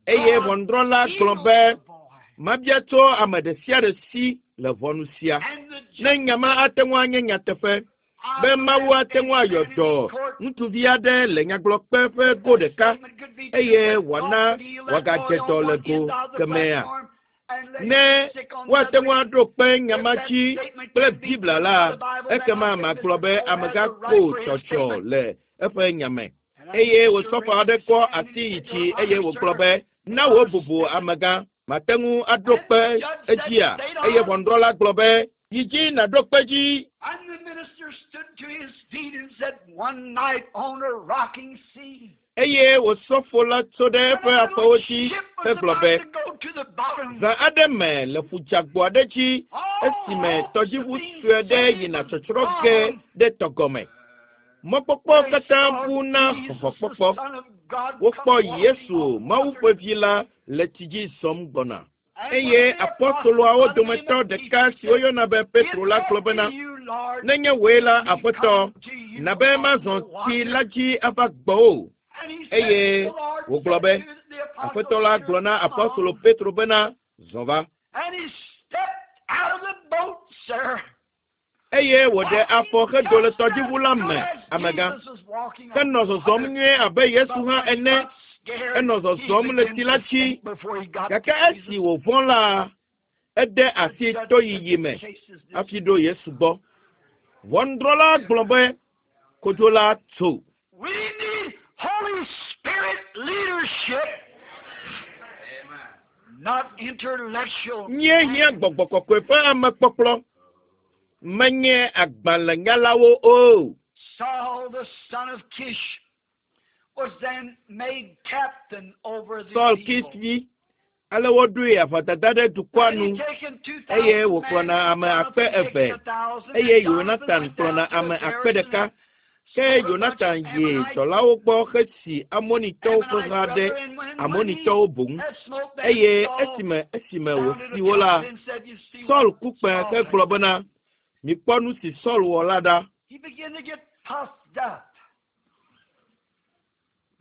Speaker 1: eye
Speaker 2: God
Speaker 1: ʋɔnudrɔ̃la gblɔ
Speaker 2: healed
Speaker 1: be
Speaker 2: the boy.
Speaker 1: mabia tso ame ɖe sia ɖe si le ʋɔnu sia.
Speaker 2: And the
Speaker 1: Ne
Speaker 2: judge
Speaker 1: nya ma ate ŋu anye nyateƒe
Speaker 2: I
Speaker 1: be
Speaker 2: would
Speaker 1: Mawu
Speaker 2: ask
Speaker 1: ate
Speaker 2: any
Speaker 1: ŋu ayɔ
Speaker 2: man in
Speaker 1: dɔ
Speaker 2: this court
Speaker 1: ŋutsuvi aɖe le nyagblɔkpe ƒe
Speaker 2: if
Speaker 1: go
Speaker 2: that
Speaker 1: ɖeka
Speaker 2: statement could be true
Speaker 1: eye
Speaker 2: that God
Speaker 1: wòana
Speaker 2: could heal that boy
Speaker 1: wòagadze
Speaker 2: on
Speaker 1: dɔ le
Speaker 2: one
Speaker 1: go
Speaker 2: end of the
Speaker 1: kemɛa.
Speaker 2: platform and let him
Speaker 1: Ne
Speaker 2: be sick on the
Speaker 1: woate
Speaker 2: other
Speaker 1: ŋu
Speaker 2: end.
Speaker 1: aɖo kpe nya
Speaker 2: If
Speaker 1: ma
Speaker 2: that
Speaker 1: dzi
Speaker 2: statement
Speaker 1: kple
Speaker 2: can be
Speaker 1: Biblia
Speaker 2: proved with
Speaker 1: la
Speaker 2: the Bible, then
Speaker 1: ekema
Speaker 2: I think
Speaker 1: magblɔ
Speaker 2: Mister
Speaker 1: be
Speaker 2: Cole has
Speaker 1: amegã
Speaker 2: a right
Speaker 1: ko
Speaker 2: for his
Speaker 1: tsɔtsɔ
Speaker 2: statement.
Speaker 1: le eƒe nya me.
Speaker 2: And that
Speaker 1: Eye
Speaker 2: minister
Speaker 1: wòsɔfɔ
Speaker 2: raised
Speaker 1: aɖe
Speaker 2: his
Speaker 1: kɔ
Speaker 2: hand and
Speaker 1: asi
Speaker 2: he
Speaker 1: yi
Speaker 2: said,
Speaker 1: dzi
Speaker 2: Your
Speaker 1: eye
Speaker 2: Honor,
Speaker 1: wògblɔ
Speaker 2: sir,
Speaker 1: be na wò
Speaker 2: our
Speaker 1: bubu
Speaker 2: statement.
Speaker 1: amegã mate ŋu aɖo
Speaker 2: And
Speaker 1: kpe
Speaker 2: the judge said,
Speaker 1: edzia
Speaker 2: State
Speaker 1: eye
Speaker 2: on.
Speaker 1: ʋɔnudrɔ̃la gblɔ be yi dzi nàɖo kpe dzi.
Speaker 2: And the minister stood to his feet and said, One night on a rocking sea,
Speaker 1: Eye wòsɔfo la tso ɖe
Speaker 2: when
Speaker 1: eƒe
Speaker 2: a little
Speaker 1: afɔwo dzi
Speaker 2: ship was
Speaker 1: hegblɔ
Speaker 2: about
Speaker 1: be
Speaker 2: to go to the bottom,
Speaker 1: zã aɖe me le ƒudzagbo aɖe dzi
Speaker 2: all
Speaker 1: esime
Speaker 2: hopes of
Speaker 1: tɔdziʋu
Speaker 2: being
Speaker 1: sue ɖe
Speaker 2: saved
Speaker 1: yina
Speaker 2: was
Speaker 1: tsɔtsrɔ̃ ge
Speaker 2: gone.
Speaker 1: ɖe tɔgɔme. Mɔkpɔkpɔ
Speaker 2: They
Speaker 1: katã
Speaker 2: saw
Speaker 1: bu na
Speaker 2: Jesus, the
Speaker 1: xɔxɔkpɔkpɔ.
Speaker 2: Son of God, come
Speaker 1: Wokpɔ
Speaker 2: walking
Speaker 1: Yesu,
Speaker 2: on
Speaker 1: Mawu
Speaker 2: water.
Speaker 1: ƒe vi la, le tsi dzi zɔm gbɔna.
Speaker 2: And one
Speaker 1: Eye
Speaker 2: of the apostles
Speaker 1: apɔstoloawo
Speaker 2: by the name
Speaker 1: dometɔ
Speaker 2: of
Speaker 1: ɖeka
Speaker 2: Peter
Speaker 1: si
Speaker 2: said,
Speaker 1: woyɔna be
Speaker 2: If
Speaker 1: Petro la
Speaker 2: that
Speaker 1: gblɔ
Speaker 2: be
Speaker 1: bena,
Speaker 2: you, Lord,
Speaker 1: nenye wòe la,
Speaker 2: let me
Speaker 1: Aƒetɔ,
Speaker 2: come to you
Speaker 1: na be
Speaker 2: on
Speaker 1: mazɔ
Speaker 2: the
Speaker 1: tsi
Speaker 2: water.
Speaker 1: la dzi ava gbɔwò.
Speaker 2: And he said,
Speaker 1: Eye
Speaker 2: the Lord
Speaker 1: wògblɔ
Speaker 2: said
Speaker 1: be,
Speaker 2: to the apostle
Speaker 1: Aƒetɔ la
Speaker 2: Peter,
Speaker 1: gblɔ na
Speaker 2: Come
Speaker 1: apɔstolo
Speaker 2: on.
Speaker 1: Petro bena, zɔ va.
Speaker 2: And he stepped out of the boat, sir,
Speaker 1: Eye wòɖe afɔ
Speaker 2: walking
Speaker 1: hedo le
Speaker 2: just
Speaker 1: tɔdziʋu
Speaker 2: as
Speaker 1: la
Speaker 2: good
Speaker 1: me,
Speaker 2: as
Speaker 1: amegã.
Speaker 2: Jesus was walking on
Speaker 1: Henɔ
Speaker 2: the
Speaker 1: zɔzɔm
Speaker 2: water.
Speaker 1: nyuie abe Yesu
Speaker 2: But
Speaker 1: hã
Speaker 2: when he
Speaker 1: ene.
Speaker 2: got scared,
Speaker 1: Enɔ
Speaker 2: he
Speaker 1: zɔzɔm le
Speaker 2: began
Speaker 1: tsi la
Speaker 2: to
Speaker 1: dzi.
Speaker 2: sink before he got to
Speaker 1: Gake esi
Speaker 2: Jesus.
Speaker 1: wòvɔ̃ la, ede
Speaker 2: The
Speaker 1: asi
Speaker 2: judge said,
Speaker 1: toyiyi
Speaker 2: The
Speaker 1: me
Speaker 2: case is
Speaker 1: hafi
Speaker 2: dismissed.
Speaker 1: ɖo Yesu gbɔ. Ʋɔnudrɔ̃la gblɔ be kodzo la tso.
Speaker 2: We need Holy Spirit leadership, not intellectual
Speaker 1: Míehiã
Speaker 2: man.
Speaker 1: gbɔgbɔ kɔkɔe ƒe amekpɔkplɔ, menye agbalẽnyalawo o.
Speaker 2: Saul, the son of Kish, was then made captain over the
Speaker 1: Saul Kis
Speaker 2: people.
Speaker 1: vi, ale woɖoe aʋadada ɖe dukɔa
Speaker 2: And he
Speaker 1: nu
Speaker 2: taken two
Speaker 1: eye
Speaker 2: thousand men,
Speaker 1: wòkplɔna ame akpe
Speaker 2: Jonathan taken
Speaker 1: eve
Speaker 2: a thousand,
Speaker 1: eye
Speaker 2: and Jonathan
Speaker 1: Yonatan
Speaker 2: went
Speaker 1: kplɔna
Speaker 2: down to
Speaker 1: ame
Speaker 2: the
Speaker 1: akpe
Speaker 2: garrison
Speaker 1: ɖeka.
Speaker 2: and
Speaker 1: Ke
Speaker 2: smote a bunch of
Speaker 1: Yonatan yi
Speaker 2: Ammonites,
Speaker 1: dɔlawo gbɔ hesi Amonitɔwo ƒe
Speaker 2: Ammonite
Speaker 1: ha ɖe
Speaker 2: brother, and when, when he
Speaker 1: Amonitɔwo boŋ.
Speaker 2: had smote them,
Speaker 1: Eye
Speaker 2: Saul
Speaker 1: esime esime
Speaker 2: sounded
Speaker 1: wòsi
Speaker 2: a
Speaker 1: wo la,
Speaker 2: trumpet and said, You see
Speaker 1: Saul
Speaker 2: what
Speaker 1: ku kpẽ
Speaker 2: Saul has
Speaker 1: hegblɔ
Speaker 2: done.
Speaker 1: bena, mikpɔ nu si Saul wɔ la ɖa.
Speaker 2: He began to get puffed up.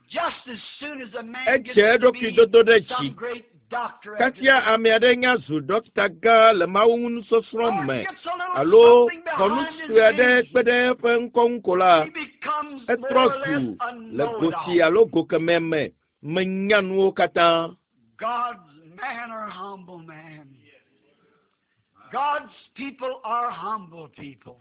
Speaker 2: Just as soon as a man
Speaker 1: Edze
Speaker 2: gets to
Speaker 1: eɖokui
Speaker 2: be
Speaker 1: dodo ɖe
Speaker 2: some
Speaker 1: dzi.
Speaker 2: great doctor after
Speaker 1: Kasia
Speaker 2: this,
Speaker 1: ame aɖe nya zu ɖɔkita gã le mawu ŋu nusɔsrɔ̃
Speaker 2: or
Speaker 1: me
Speaker 2: gets a little
Speaker 1: alo
Speaker 2: something
Speaker 1: xɔ nu
Speaker 2: behind his
Speaker 1: sue aɖe
Speaker 2: name,
Speaker 1: kpe ɖe eƒe ŋkɔ ŋu ko la,
Speaker 2: he becomes
Speaker 1: etrɔ
Speaker 2: more or
Speaker 1: zu
Speaker 2: less a
Speaker 1: le go si
Speaker 2: know-it-all.
Speaker 1: alo go kemɛ me menya nuwo katã.
Speaker 2: God's man are humble man. God's people are humble people.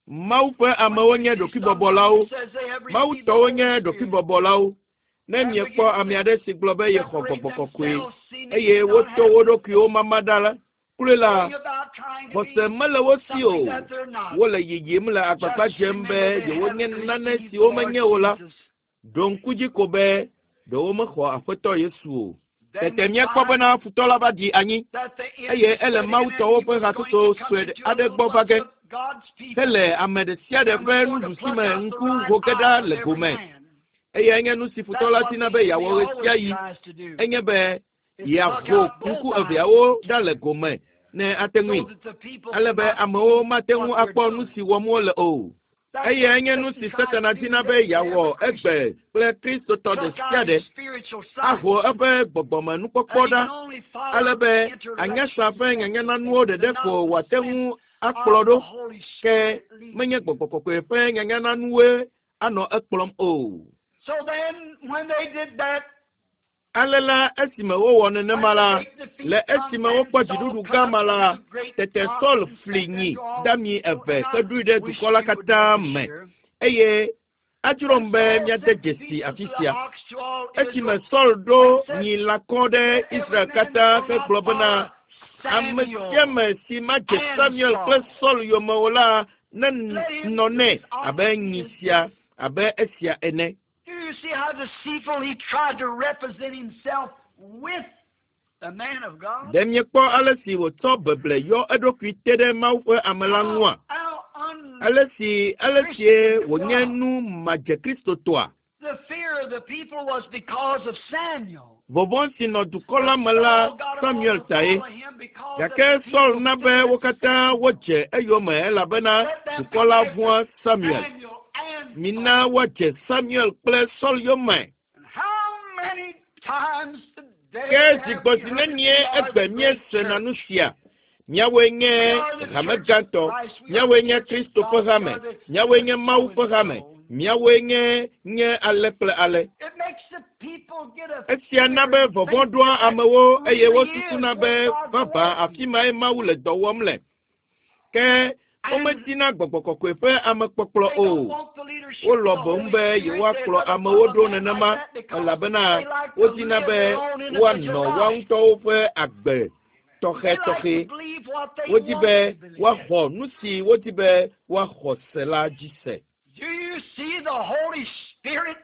Speaker 1: Mawu ƒe
Speaker 2: When
Speaker 1: amewo
Speaker 2: you
Speaker 1: nye
Speaker 2: see someone who
Speaker 1: ɖokuibɔbɔlawo.
Speaker 2: says they have
Speaker 1: Mawu
Speaker 2: received the
Speaker 1: tɔwo
Speaker 2: Holy
Speaker 1: nye
Speaker 2: Spirit
Speaker 1: ɖokuibɔbɔlawo. Ne
Speaker 2: and
Speaker 1: miekpɔ
Speaker 2: begin
Speaker 1: ame
Speaker 2: to
Speaker 1: aɖe si gblɔ be yexɔ
Speaker 2: separate
Speaker 1: gbɔgbɔ kɔkɔe
Speaker 2: themselves, seeming
Speaker 1: eye
Speaker 2: to not
Speaker 1: woto
Speaker 2: have
Speaker 1: wo ɖokuiwo mama ɖa la, kloe la,
Speaker 2: going about trying to
Speaker 1: xɔse
Speaker 2: be
Speaker 1: mele wo si
Speaker 2: something
Speaker 1: o.
Speaker 2: that they're not.
Speaker 1: Wole yiyim le agbagba
Speaker 2: Just
Speaker 1: dzem be
Speaker 2: remember they
Speaker 1: yewonye
Speaker 2: haven't
Speaker 1: nane
Speaker 2: received the
Speaker 1: siwo
Speaker 2: Lord
Speaker 1: menye o la.
Speaker 2: Jesus.
Speaker 1: Ɖo ŋku dzi ko be ɖewo mexɔ Aƒetɔ Yesu o.
Speaker 2: Then
Speaker 1: Tete
Speaker 2: we
Speaker 1: míekpɔ
Speaker 2: find
Speaker 1: bena futɔ la va ɖi anyi
Speaker 2: that the
Speaker 1: eye
Speaker 2: enemy
Speaker 1: ele
Speaker 2: studying and
Speaker 1: Mawutɔwo
Speaker 2: he
Speaker 1: ƒe
Speaker 2: was going
Speaker 1: hatsotso
Speaker 2: to come
Speaker 1: sue
Speaker 2: into a
Speaker 1: aɖe
Speaker 2: little
Speaker 1: gbɔ va
Speaker 2: bunch
Speaker 1: ge
Speaker 2: of God's people
Speaker 1: hele ame ɖe sia ɖe
Speaker 2: and
Speaker 1: ƒe
Speaker 2: was going to
Speaker 1: nuɖusi
Speaker 2: pluck
Speaker 1: me
Speaker 2: out the
Speaker 1: ŋku
Speaker 2: right
Speaker 1: ho ge
Speaker 2: eye
Speaker 1: ɖa
Speaker 2: of
Speaker 1: le
Speaker 2: every
Speaker 1: gome.
Speaker 2: man.
Speaker 1: Eye enye nu si futɔ
Speaker 2: That's
Speaker 1: la
Speaker 2: what
Speaker 1: dina
Speaker 2: the
Speaker 1: be
Speaker 2: enemy
Speaker 1: yeawɔ
Speaker 2: always
Speaker 1: ɣesiaɣi
Speaker 2: tries to do,
Speaker 1: enye be
Speaker 2: is pluck
Speaker 1: yeaho
Speaker 2: out both
Speaker 1: ŋku
Speaker 2: eyes
Speaker 1: eveawo
Speaker 2: if he
Speaker 1: ɖa le
Speaker 2: can,
Speaker 1: gome ne ate
Speaker 2: so
Speaker 1: ŋui
Speaker 2: that the people
Speaker 1: ale be
Speaker 2: cannot
Speaker 1: amewo
Speaker 2: see
Speaker 1: mate ŋu
Speaker 2: what they're
Speaker 1: akpɔ nu
Speaker 2: doing.
Speaker 1: si wɔm wole o. Eyae nye nu si Satana dina be yeawɔ egbe kple Kristotɔ ɖe sia ɖe. Aho eƒe gbɔgbɔmenukpɔkpɔ ɖa ale be anyasa ƒe nyanyananuwo ɖeɖe ko wòate ŋu akplɔ ɖo ke menye gbɔgbɔ kɔkɔe ƒe nyanyananuwoe anɔ ekplɔm o. Ale la esime wowɔ nenema la, le esime wokpɔ dziɖuɖu gã ma la, tete Saul fli nyi dami eve heɖoe ɖe dukɔ la katã me eye adzrom be míade dzesi afi sia. Esime Saul ɖo nyi lãkɔ ɖe Israel katã hegblɔ bena ame sia ame si madze Samuel kple Saul yome o la nenɔ nɛ abe nyi sia abe esia ene.
Speaker 2: Do you see how deceitful he tried to represent himself with the man of God?
Speaker 1: Ɖe miekpɔ ale si wòtsɔ beble yɔ eɖokui te ɖe Mawu ƒe ame la ŋua?
Speaker 2: How un-
Speaker 1: Ale si ale sie wònye nu madze Kristotɔa?
Speaker 2: the fear of the people was because of Samuel.
Speaker 1: Vɔvɔ̃ si nɔ dukɔ la me la Samuel tae. Gake Saul na be wo katã wodze eyome elabena dukɔ la vɔ̃a Samuel.
Speaker 2: Samuel and
Speaker 1: Mina woadze Samuel kple Saul yome.
Speaker 2: And how many times today
Speaker 1: Ke
Speaker 2: have
Speaker 1: zi
Speaker 2: we
Speaker 1: gbɔ zi
Speaker 2: heard
Speaker 1: nenie
Speaker 2: we are
Speaker 1: egbe
Speaker 2: the great
Speaker 1: míesena
Speaker 2: church?
Speaker 1: nu sia? Míawoe nye hame gãtɔ, míawoe nye Kristo ƒe hame, míawoe nye Mawu ƒe hame, míawoe nye nye ale kple ale.
Speaker 2: It makes the people get a
Speaker 1: Esia na be vɔvɔ̃ ɖoa amewo eye wosusuna be vavã afi mae Mawu le dɔ wɔm le. Ke womedina gbɔgbɔ kɔkɔe ƒe amekpɔkplɔ
Speaker 2: They
Speaker 1: o.
Speaker 2: don't want the leadership
Speaker 1: Wolɔ
Speaker 2: of the
Speaker 1: boŋ
Speaker 2: Holy
Speaker 1: be
Speaker 2: Spirit.
Speaker 1: yewoakplɔ
Speaker 2: They'd rather
Speaker 1: amewo
Speaker 2: follow
Speaker 1: ɖo
Speaker 2: a man
Speaker 1: nenema
Speaker 2: like that because
Speaker 1: elabena
Speaker 2: they like to
Speaker 1: wodina
Speaker 2: live
Speaker 1: be
Speaker 2: their own
Speaker 1: woanɔ
Speaker 2: individual
Speaker 1: woa
Speaker 2: life.
Speaker 1: ŋutɔwo ƒe agbe
Speaker 2: They like
Speaker 1: tɔxɛtɔxɛ.
Speaker 2: to believe what they
Speaker 1: Wodi
Speaker 2: want
Speaker 1: be
Speaker 2: to believe.
Speaker 1: woaxɔ nu si wodi be woaxɔ se la dzi se.
Speaker 2: Do you see the Holy Spirit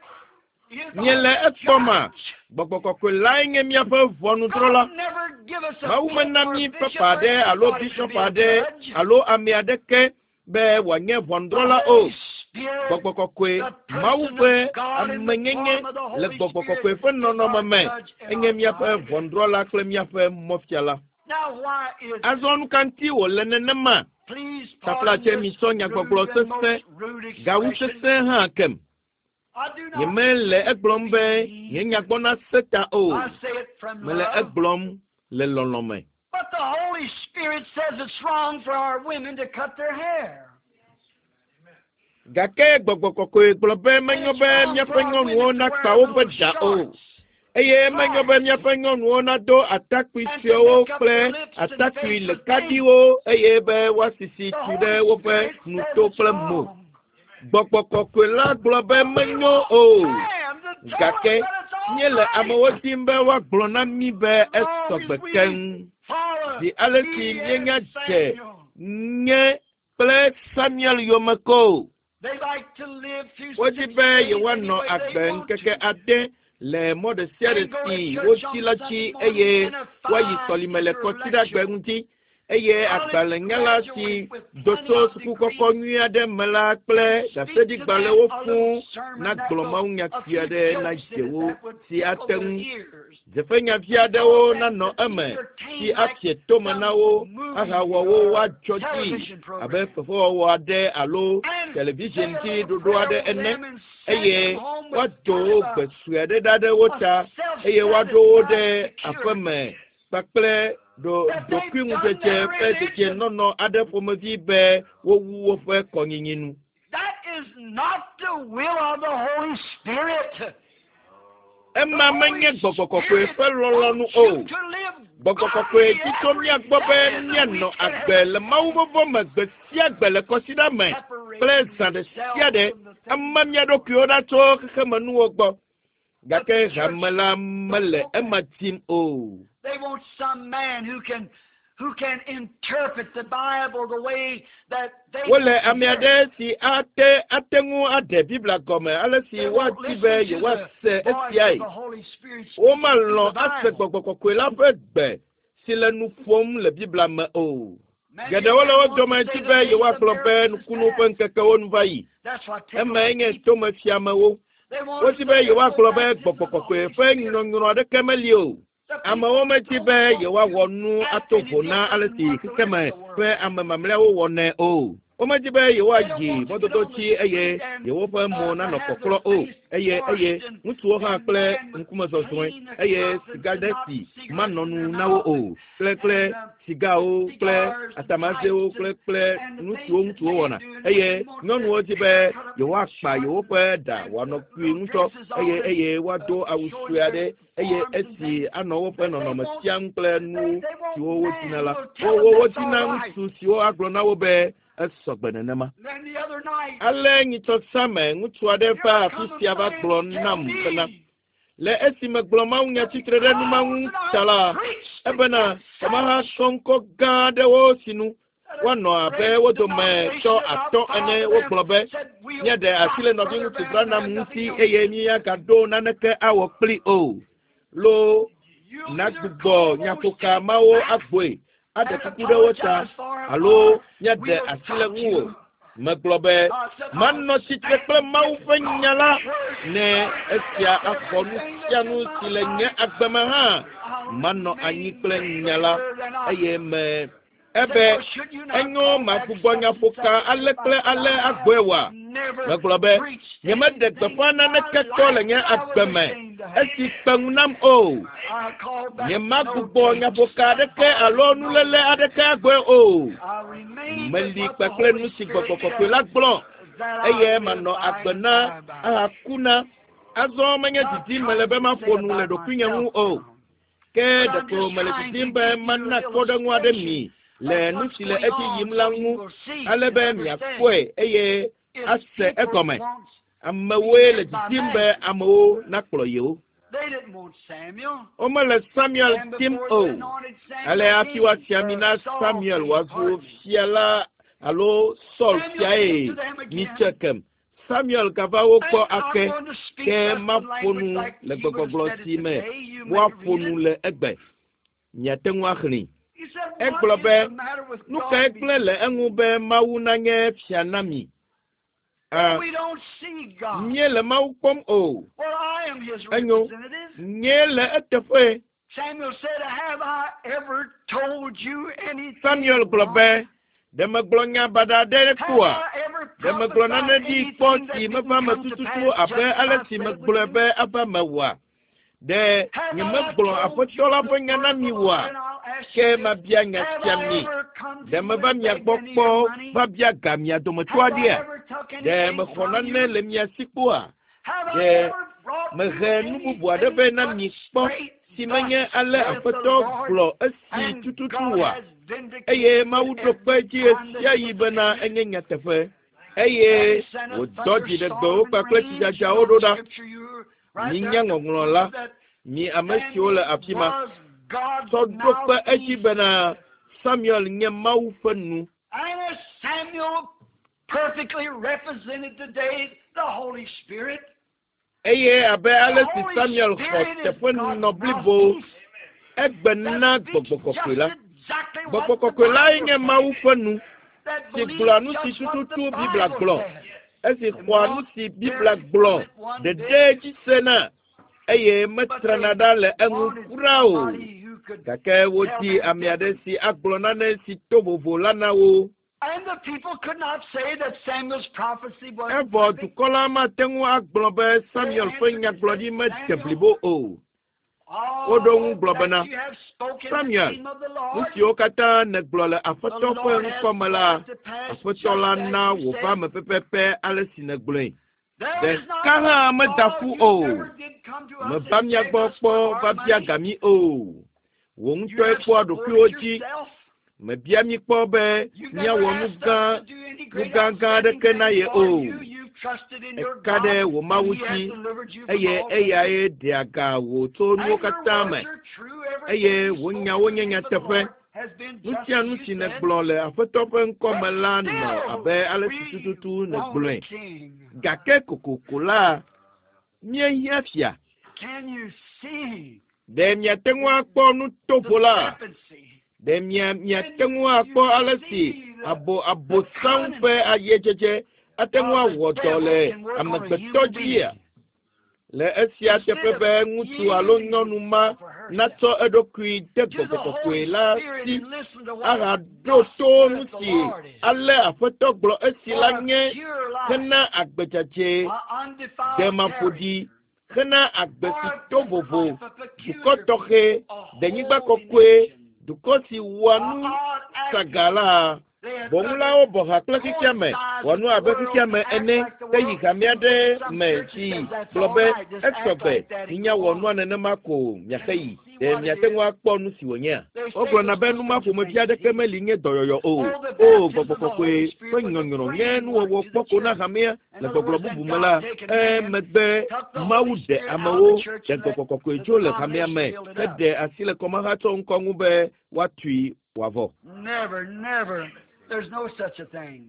Speaker 2: is
Speaker 1: Míele
Speaker 2: our
Speaker 1: ekpɔma,
Speaker 2: judge?
Speaker 1: gbɔgbɔ kɔkɔe lae nye míaƒe ʋɔnudrɔ̃la.
Speaker 2: God never give us a
Speaker 1: Mawu
Speaker 2: pope
Speaker 1: mena
Speaker 2: or
Speaker 1: mí
Speaker 2: a bishop
Speaker 1: papa
Speaker 2: or
Speaker 1: aɖe alo
Speaker 2: anybody to
Speaker 1: bishɔp
Speaker 2: be a
Speaker 1: aɖe
Speaker 2: judge.
Speaker 1: alo ame aɖeke be wòanye
Speaker 2: The
Speaker 1: ʋɔnudrɔ̃la o.
Speaker 2: Holy Spirit,
Speaker 1: Gbɔgbɔ kɔkɔe,
Speaker 2: the
Speaker 1: Mawu
Speaker 2: person
Speaker 1: ƒe
Speaker 2: of God in the
Speaker 1: amenyenye
Speaker 2: form of the
Speaker 1: le
Speaker 2: Holy
Speaker 1: gbɔgbɔ
Speaker 2: Spirit
Speaker 1: kɔkɔe ƒe
Speaker 2: is
Speaker 1: nɔnɔme
Speaker 2: our
Speaker 1: me
Speaker 2: judge and
Speaker 1: enye
Speaker 2: our
Speaker 1: míaƒe
Speaker 2: guide.
Speaker 1: ʋɔnudrɔ̃la kple míaƒe mɔfiala.
Speaker 2: Now, why is it?
Speaker 1: Azɔ nu ka ŋuti wòle nenema?
Speaker 2: Please pardon
Speaker 1: Taflatse
Speaker 2: this
Speaker 1: misɔ nyagbɔgblɔ
Speaker 2: rude and
Speaker 1: sesẽ,
Speaker 2: most rude
Speaker 1: gawu
Speaker 2: expression.
Speaker 1: sesẽ hã kem.
Speaker 2: I do not
Speaker 1: Nyemele egblɔm be nye nyagbɔ nase ta o.
Speaker 2: I say it from
Speaker 1: Mele
Speaker 2: love.
Speaker 1: egblɔm le lɔlɔ̃ me.
Speaker 2: But the Holy Spirit says it's wrong for our women to cut their hair.
Speaker 1: Gake gbɔgbɔ kɔkɔe gblɔ be
Speaker 2: And
Speaker 1: menyo
Speaker 2: it's
Speaker 1: be
Speaker 2: wrong for
Speaker 1: míaƒe
Speaker 2: our
Speaker 1: nyɔnuwo
Speaker 2: women to
Speaker 1: nakpa
Speaker 2: wear
Speaker 1: woƒe
Speaker 2: little
Speaker 1: ɖa o.
Speaker 2: shorts
Speaker 1: Eye menyo be míaƒe nyɔnuwo nado atakpui
Speaker 2: and to
Speaker 1: suewo
Speaker 2: make up
Speaker 1: kple
Speaker 2: their lips and
Speaker 1: atakpui
Speaker 2: face with paint.
Speaker 1: lekaɖiwo eye be woasisi
Speaker 2: The
Speaker 1: tsi ɖe
Speaker 2: Holy
Speaker 1: woƒe
Speaker 2: Spirit says
Speaker 1: nuto
Speaker 2: it's
Speaker 1: kple mo.
Speaker 2: wrong.
Speaker 1: Gbɔgbɔ kɔkɔe la gblɔ be
Speaker 2: We
Speaker 1: menyo
Speaker 2: want
Speaker 1: o.
Speaker 2: man to tell us
Speaker 1: Gake
Speaker 2: that it's all
Speaker 1: míele
Speaker 2: right.
Speaker 1: amewo dim be woagblɔ na mí be
Speaker 2: As long
Speaker 1: esɔgbe
Speaker 2: as we
Speaker 1: keŋ.
Speaker 2: follow
Speaker 1: Zi ale si
Speaker 2: me
Speaker 1: míenya
Speaker 2: and
Speaker 1: dze
Speaker 2: Samuel.
Speaker 1: nye kple Samuel yome ko.
Speaker 2: They like to live through
Speaker 1: Wodi
Speaker 2: six
Speaker 1: be
Speaker 2: days any
Speaker 1: yewoanɔ
Speaker 2: way they
Speaker 1: agbe
Speaker 2: want
Speaker 1: ŋkeke
Speaker 2: to.
Speaker 1: ade le mɔ ɖe sia ɖe
Speaker 2: And go to
Speaker 1: si
Speaker 2: church
Speaker 1: wodzi
Speaker 2: on
Speaker 1: la
Speaker 2: Sunday
Speaker 1: dzi
Speaker 2: morning
Speaker 1: eye
Speaker 2: and a
Speaker 1: woayi
Speaker 2: fine
Speaker 1: sɔlime le
Speaker 2: tutor
Speaker 1: kɔsiɖagbe
Speaker 2: lecture.
Speaker 1: ŋuti eye
Speaker 2: College
Speaker 1: agbalẽnyala si
Speaker 2: graduate with
Speaker 1: do
Speaker 2: plenty
Speaker 1: tso
Speaker 2: of
Speaker 1: sukukɔkɔ
Speaker 2: degrees
Speaker 1: nyui aɖe me la kple
Speaker 2: and speak to
Speaker 1: ɖaseɖigbalẽwo
Speaker 2: them a
Speaker 1: fũu
Speaker 2: little sermon that
Speaker 1: nagblɔ
Speaker 2: will
Speaker 1: mawunya
Speaker 2: a
Speaker 1: kpui
Speaker 2: few
Speaker 1: aɖe na
Speaker 2: jokes in it
Speaker 1: dzewo
Speaker 2: that would
Speaker 1: si
Speaker 2: tickle
Speaker 1: ate
Speaker 2: their
Speaker 1: ŋu
Speaker 2: ears.
Speaker 1: dzeƒenyavi aɖewo
Speaker 2: Because that's
Speaker 1: nanɔ
Speaker 2: to
Speaker 1: eme
Speaker 2: be
Speaker 1: si
Speaker 2: entertained like
Speaker 1: afie tome na wo
Speaker 2: some movie
Speaker 1: ahawɔ wo
Speaker 2: or
Speaker 1: woadzɔ dzi
Speaker 2: television
Speaker 1: abe
Speaker 2: program.
Speaker 1: fefewɔwɔ aɖe alo
Speaker 2: And
Speaker 1: television
Speaker 2: say a
Speaker 1: dzi
Speaker 2: little
Speaker 1: ɖoɖo
Speaker 2: prayer
Speaker 1: aɖe
Speaker 2: with
Speaker 1: ene
Speaker 2: them and send
Speaker 1: eye
Speaker 2: them home with
Speaker 1: woado
Speaker 2: kind
Speaker 1: wo
Speaker 2: of a,
Speaker 1: gbe sue aɖe ɖa ɖe wo
Speaker 2: a
Speaker 1: ta eye woaɖo wo ɖe
Speaker 2: self-satisfied
Speaker 1: aƒeme
Speaker 2: security
Speaker 1: kpakple ɖo
Speaker 2: that they've done
Speaker 1: ɖokuiŋudzedze
Speaker 2: their
Speaker 1: ƒe
Speaker 2: religion.
Speaker 1: dedienɔnɔ aɖe ƒomevi be wowu woƒe kɔnyinyi nu.
Speaker 2: That is not the will of the Holy Spirit. The
Speaker 1: Ema
Speaker 2: Holy
Speaker 1: menye gbɔgbɔ kɔkɔe
Speaker 2: Spirit
Speaker 1: ƒe lɔlɔ̃nu
Speaker 2: wants
Speaker 1: o.
Speaker 2: you to live
Speaker 1: Gbɔgbɔ kɔkɔe
Speaker 2: godly
Speaker 1: dzi tso
Speaker 2: every
Speaker 1: mía gbɔ be
Speaker 2: day of the
Speaker 1: míanɔ
Speaker 2: week and
Speaker 1: agbe
Speaker 2: every
Speaker 1: le Mawu vɔvɔ̃ me gbe sia gbe le kɔsiɖa me kple
Speaker 2: separating
Speaker 1: zã ɖe sia
Speaker 2: yourself
Speaker 1: ɖe
Speaker 2: from the things
Speaker 1: ema mía ɖokuiwo ɖa tso xexemenuwo gbɔ.
Speaker 2: But
Speaker 1: Gake
Speaker 2: the church
Speaker 1: hame la
Speaker 2: don't
Speaker 1: mele
Speaker 2: want that.
Speaker 1: ema dim o.
Speaker 2: They want some man who can who can interpret the Bible the way that they
Speaker 1: Wole
Speaker 2: can
Speaker 1: ame
Speaker 2: hear it.
Speaker 1: aɖe si ate ate ŋu aɖe Biblia gɔme ale si
Speaker 2: They won't
Speaker 1: woadi be
Speaker 2: listen to the
Speaker 1: yewoase
Speaker 2: voice of
Speaker 1: esiae.
Speaker 2: the Holy Spirit speaking through
Speaker 1: Womalɔ̃
Speaker 2: the
Speaker 1: ase
Speaker 2: Bible.
Speaker 1: gbɔgbɔ kɔkɔe la ƒe gbe si le nu ƒom le Biblia me o.
Speaker 2: Many of
Speaker 1: Geɖewo le
Speaker 2: them
Speaker 1: wo
Speaker 2: want to
Speaker 1: dome
Speaker 2: say
Speaker 1: di
Speaker 2: the
Speaker 1: be
Speaker 2: days of
Speaker 1: yewoagblɔ be
Speaker 2: miracles is
Speaker 1: nukunu ƒe
Speaker 2: past.
Speaker 1: ŋkekewo nu va yi.
Speaker 2: That's what tickles
Speaker 1: Emae
Speaker 2: the
Speaker 1: nye
Speaker 2: people.
Speaker 1: tomefiamewo.
Speaker 2: They want
Speaker 1: Wodi
Speaker 2: to
Speaker 1: be
Speaker 2: say there's no
Speaker 1: yewoagblɔ be
Speaker 2: baptism
Speaker 1: gbɔgbɔ
Speaker 2: of the
Speaker 1: kɔkɔe
Speaker 2: Holy
Speaker 1: ƒe
Speaker 2: Spirit.
Speaker 1: nyɔnyrɔ aɖeke meli o.
Speaker 2: The
Speaker 1: Amewo
Speaker 2: people
Speaker 1: medi
Speaker 2: don't
Speaker 1: be
Speaker 2: want
Speaker 1: yewoawɔ
Speaker 2: to
Speaker 1: nu
Speaker 2: act
Speaker 1: ato
Speaker 2: any
Speaker 1: vo na
Speaker 2: different
Speaker 1: ale
Speaker 2: than
Speaker 1: si
Speaker 2: what the rest
Speaker 1: xexeme
Speaker 2: of the world
Speaker 1: ƒe
Speaker 2: does.
Speaker 1: ame mamlɛawo wɔnɛ o. Womedi be yewoayi mɔdodo dzi eye yewoƒe mo nanɔ kɔklɔ o eye eye ŋutsuwo hã kple ŋkumezɔzɔe eye sigadesi manɔ nu na wo o kple kple sigawo kple atamazewo kple kple nu siwo ŋutsuwo wɔna eye nyɔnuwo di be yewoakpa yewoƒe ɖa wòanɔ kpui ŋutɔ eye eye woado awu sue aɖe eye esi anɔ woƒe nɔnɔme siam kple nu siwo wodina la wo wodina ŋutsu siwo agblɔ na wo be esɔgbe nenema. Ale nyitsɔsame ŋutsu aɖe va afi sia va gblɔ nam bena le esi megblɔ mawunya tsitre ɖe numa ŋu ta la ebena ameha sɔŋkɔ gã aɖewo sinu woanɔ abe wo dome tsɔ atɔ̃ ene wogblɔ be míaɖe asi le nɔviŋutsu Branham ŋuti eye míagaɖo naneke awɔ kpli o. Lo nagbugbɔ nyaƒoka mawo agboe aɖe kuku ɖe wo ta alo míaɖe asi le ŋuwò. Megblɔ be manɔ tsitre kple Mawu ƒe nya la ne esia axɔ nu sia nu si le nye agbe me hã manɔ anyi kple nya la eye me ebe enyo magbugbɔ nyaƒoka ale kple ale agboe wa. Megblɔ be nyemeɖe gbeƒã naneke kpɔ le nye agbe me esi kpe ŋu nam o. Nyemagbugbɔ nyaƒoka aɖeke alo nuléle aɖeke agboe o. Meli kpakple nu si gbɔgbɔ kɔkɔe la gblɔ eye manɔ agbe na ahaku na. Azɔ menye didim mele be maƒo nu le ɖokuinye ŋu o. Ke ɖeko mele didim be mana kpɔɖeŋu aɖe mi le nu si le edzi yim la ŋu ale be miakpɔe eye ase egɔme. Amewoe le didim be amewo nakplɔ yewo. Womele Samuel dim o. Ale hafi woasi ami na Samuel wòazu fia la alo Saul fiae nyitsɔ kem. Samuel gava wo gbɔ ake ke maƒo nu le gbegbɔgblɔ si me woaƒo nu le egbe. Miate ŋu axlẽe. Egblɔ be nu kae gblẽ le eŋu be Mawu nanye fia na mi? Ah, míele Mawu kpɔm o. Enyo, nyee le eteƒe. Samuel gblɔ be ɖe megblɔ nya baɖa aɖe kpɔa? Ɖe megblɔ nane ɖi kpɔ si meva me tututu abe ale si megblɔe be ava mewɔa? Ɖe nyemegblɔ Aƒetɔ la ƒe nya na mi oa? Ke mabia nya sia mi. Ɖe meva mia gbɔ kpɔ va bia ga mia dometɔ aɖea? Ɖe mexɔ nane le mia si kpɔa? Ɖe mehe nu bubu aɖe vɛ na mi kpɔ si menye ale Aƒetɔ gblɔ esi tututu oa? Eye Mawu ɖo kpe edzi ɣesiaɣi bena enye nyateƒe. Eye wòdɔ dziɖegbewo kpakple tsidzadzawo ɖo ɖa. Minya ŋɔŋlɔ la, mi ame siwo le afi ma. Tsɔ ɖo kpe edzi bena Samuel nye Mawu ƒe nu. Eye abe ale si Samuel xɔ teƒenɔ blibo egbe na gbɔgbɔ kɔkɔe la. Gbɔgbɔ kɔkɔe lae nye Mawu ƒe nu si gblɔa nu si tututu Biblia gblɔ. Esi xɔa nu si Biblia gblɔ ɖeɖe dzi sena eye metrana ɖa le eŋu kura o. Gake wodi ame aɖe si agblɔ nane si to vovo la na wo. Evɔ dukɔ la mate ŋu agblɔ be Samuel ƒe nyagblɔɖi mede blibo o. Woɖo ŋu gblɔ bena, Samuel, nu siwo katã nègblɔ le Aƒetɔ ƒe ŋkɔ me la, Aƒetɔ la na wòva me pɛpɛpɛ ale si nègblɔe. Ɖeka hã meda ƒu o. Meva mia gbɔ kpɔ va bia ga mi o. Wò ŋutɔe kpɔa ɖokuiwò dzi. Mebia mi kpɔ be míawɔ nu gã nu gãgã aɖeke na ye o. Eka ɖe wò Mawu dzi eye eyae ɖea ga wò tso nuwo katã me eye wò nyawo nye nyateƒe. Nu sia nu si nègblɔ le Aƒetɔ ƒe ŋkɔ me la nɔ abe ale si tututu nègblɔe. Gake kokoko la, míehiã fia. Ɖe miate ŋu akpɔ nu tovo la? Ɖe mia miate ŋu akpɔ ale si abo abosam ƒe ayedzedze ate ŋu awɔ dɔ le amegbetɔ dzia? Le esia teƒe be ŋutsu alo nyɔnu ma natsɔ eɖokui de
Speaker 2: to the
Speaker 1: gbɔgbɔ kɔkɔe
Speaker 2: Holy
Speaker 1: la
Speaker 2: Spirit
Speaker 1: si
Speaker 2: and listen to what
Speaker 1: ahaɖo
Speaker 2: thus
Speaker 1: to
Speaker 2: saith
Speaker 1: nu
Speaker 2: the
Speaker 1: si
Speaker 2: Lord is.
Speaker 1: ale Aƒetɔ gblɔ esi
Speaker 2: For
Speaker 1: la
Speaker 2: a
Speaker 1: nye
Speaker 2: pure life,
Speaker 1: hena agbedzadze
Speaker 2: a undefiled
Speaker 1: demaƒoɖi
Speaker 2: character,
Speaker 1: hena agbe
Speaker 2: for
Speaker 1: si
Speaker 2: a
Speaker 1: to vovo
Speaker 2: life of
Speaker 1: dukɔ
Speaker 2: peculiar
Speaker 1: tɔxɛ
Speaker 2: people, a
Speaker 1: denyigba
Speaker 2: holy
Speaker 1: kɔkɔe
Speaker 2: nation,
Speaker 1: dukɔ si wɔa
Speaker 2: a
Speaker 1: nu
Speaker 2: odd acting.
Speaker 1: saga la
Speaker 2: They had
Speaker 1: bɔŋulawo bɔ ha kple
Speaker 2: rather
Speaker 1: xexeame
Speaker 2: coincide
Speaker 1: wɔ
Speaker 2: with
Speaker 1: nu
Speaker 2: the
Speaker 1: abe
Speaker 2: world
Speaker 1: xexeame
Speaker 2: to act
Speaker 1: ene
Speaker 2: like the
Speaker 1: ke yi
Speaker 2: world.
Speaker 1: hame aɖe
Speaker 2: Some
Speaker 1: me
Speaker 2: churches
Speaker 1: si
Speaker 2: says that's
Speaker 1: gblɔ
Speaker 2: all
Speaker 1: be
Speaker 2: right, just act
Speaker 1: esɔgbe
Speaker 2: like that and
Speaker 1: minya
Speaker 2: go
Speaker 1: wɔ nua
Speaker 2: on.
Speaker 1: nenema ko miaxe
Speaker 2: And
Speaker 1: yi
Speaker 2: see
Speaker 1: ɖe
Speaker 2: what it
Speaker 1: miate ŋu
Speaker 2: is.
Speaker 1: akpɔ nu si wònyea
Speaker 2: They say
Speaker 1: wogblɔna
Speaker 2: there's
Speaker 1: be
Speaker 2: no
Speaker 1: nu ma
Speaker 2: such a
Speaker 1: ƒomevi
Speaker 2: thing as
Speaker 1: aɖeke
Speaker 2: healing.
Speaker 1: meli nye dɔyɔyɔ o
Speaker 2: Oh, the
Speaker 1: o
Speaker 2: baptism
Speaker 1: gbɔgbɔ
Speaker 2: of the
Speaker 1: kɔkɔe
Speaker 2: Holy
Speaker 1: ƒe
Speaker 2: Spirit was a
Speaker 1: nyɔnyrɔ nye
Speaker 2: framework
Speaker 1: nuwɔwɔ
Speaker 2: to the
Speaker 1: kpɔ ko na
Speaker 2: church.
Speaker 1: hamea
Speaker 2: In
Speaker 1: le
Speaker 2: other
Speaker 1: gbɔgblɔ
Speaker 2: words, that
Speaker 1: bubu me
Speaker 2: God
Speaker 1: la
Speaker 2: taken man,
Speaker 1: emegbe
Speaker 2: took the
Speaker 1: Mawu
Speaker 2: Holy
Speaker 1: ɖe
Speaker 2: Spirit out of
Speaker 1: amewo
Speaker 2: the church
Speaker 1: ɖe
Speaker 2: and let
Speaker 1: gbɔgbɔ kɔkɔe
Speaker 2: the
Speaker 1: tso le hamea
Speaker 2: denomination
Speaker 1: me
Speaker 2: build it up.
Speaker 1: heɖe asi le kɔmahatsɔ ŋkɔ ŋu be woatui wòavɔ
Speaker 2: Never, never. There's no such a thing.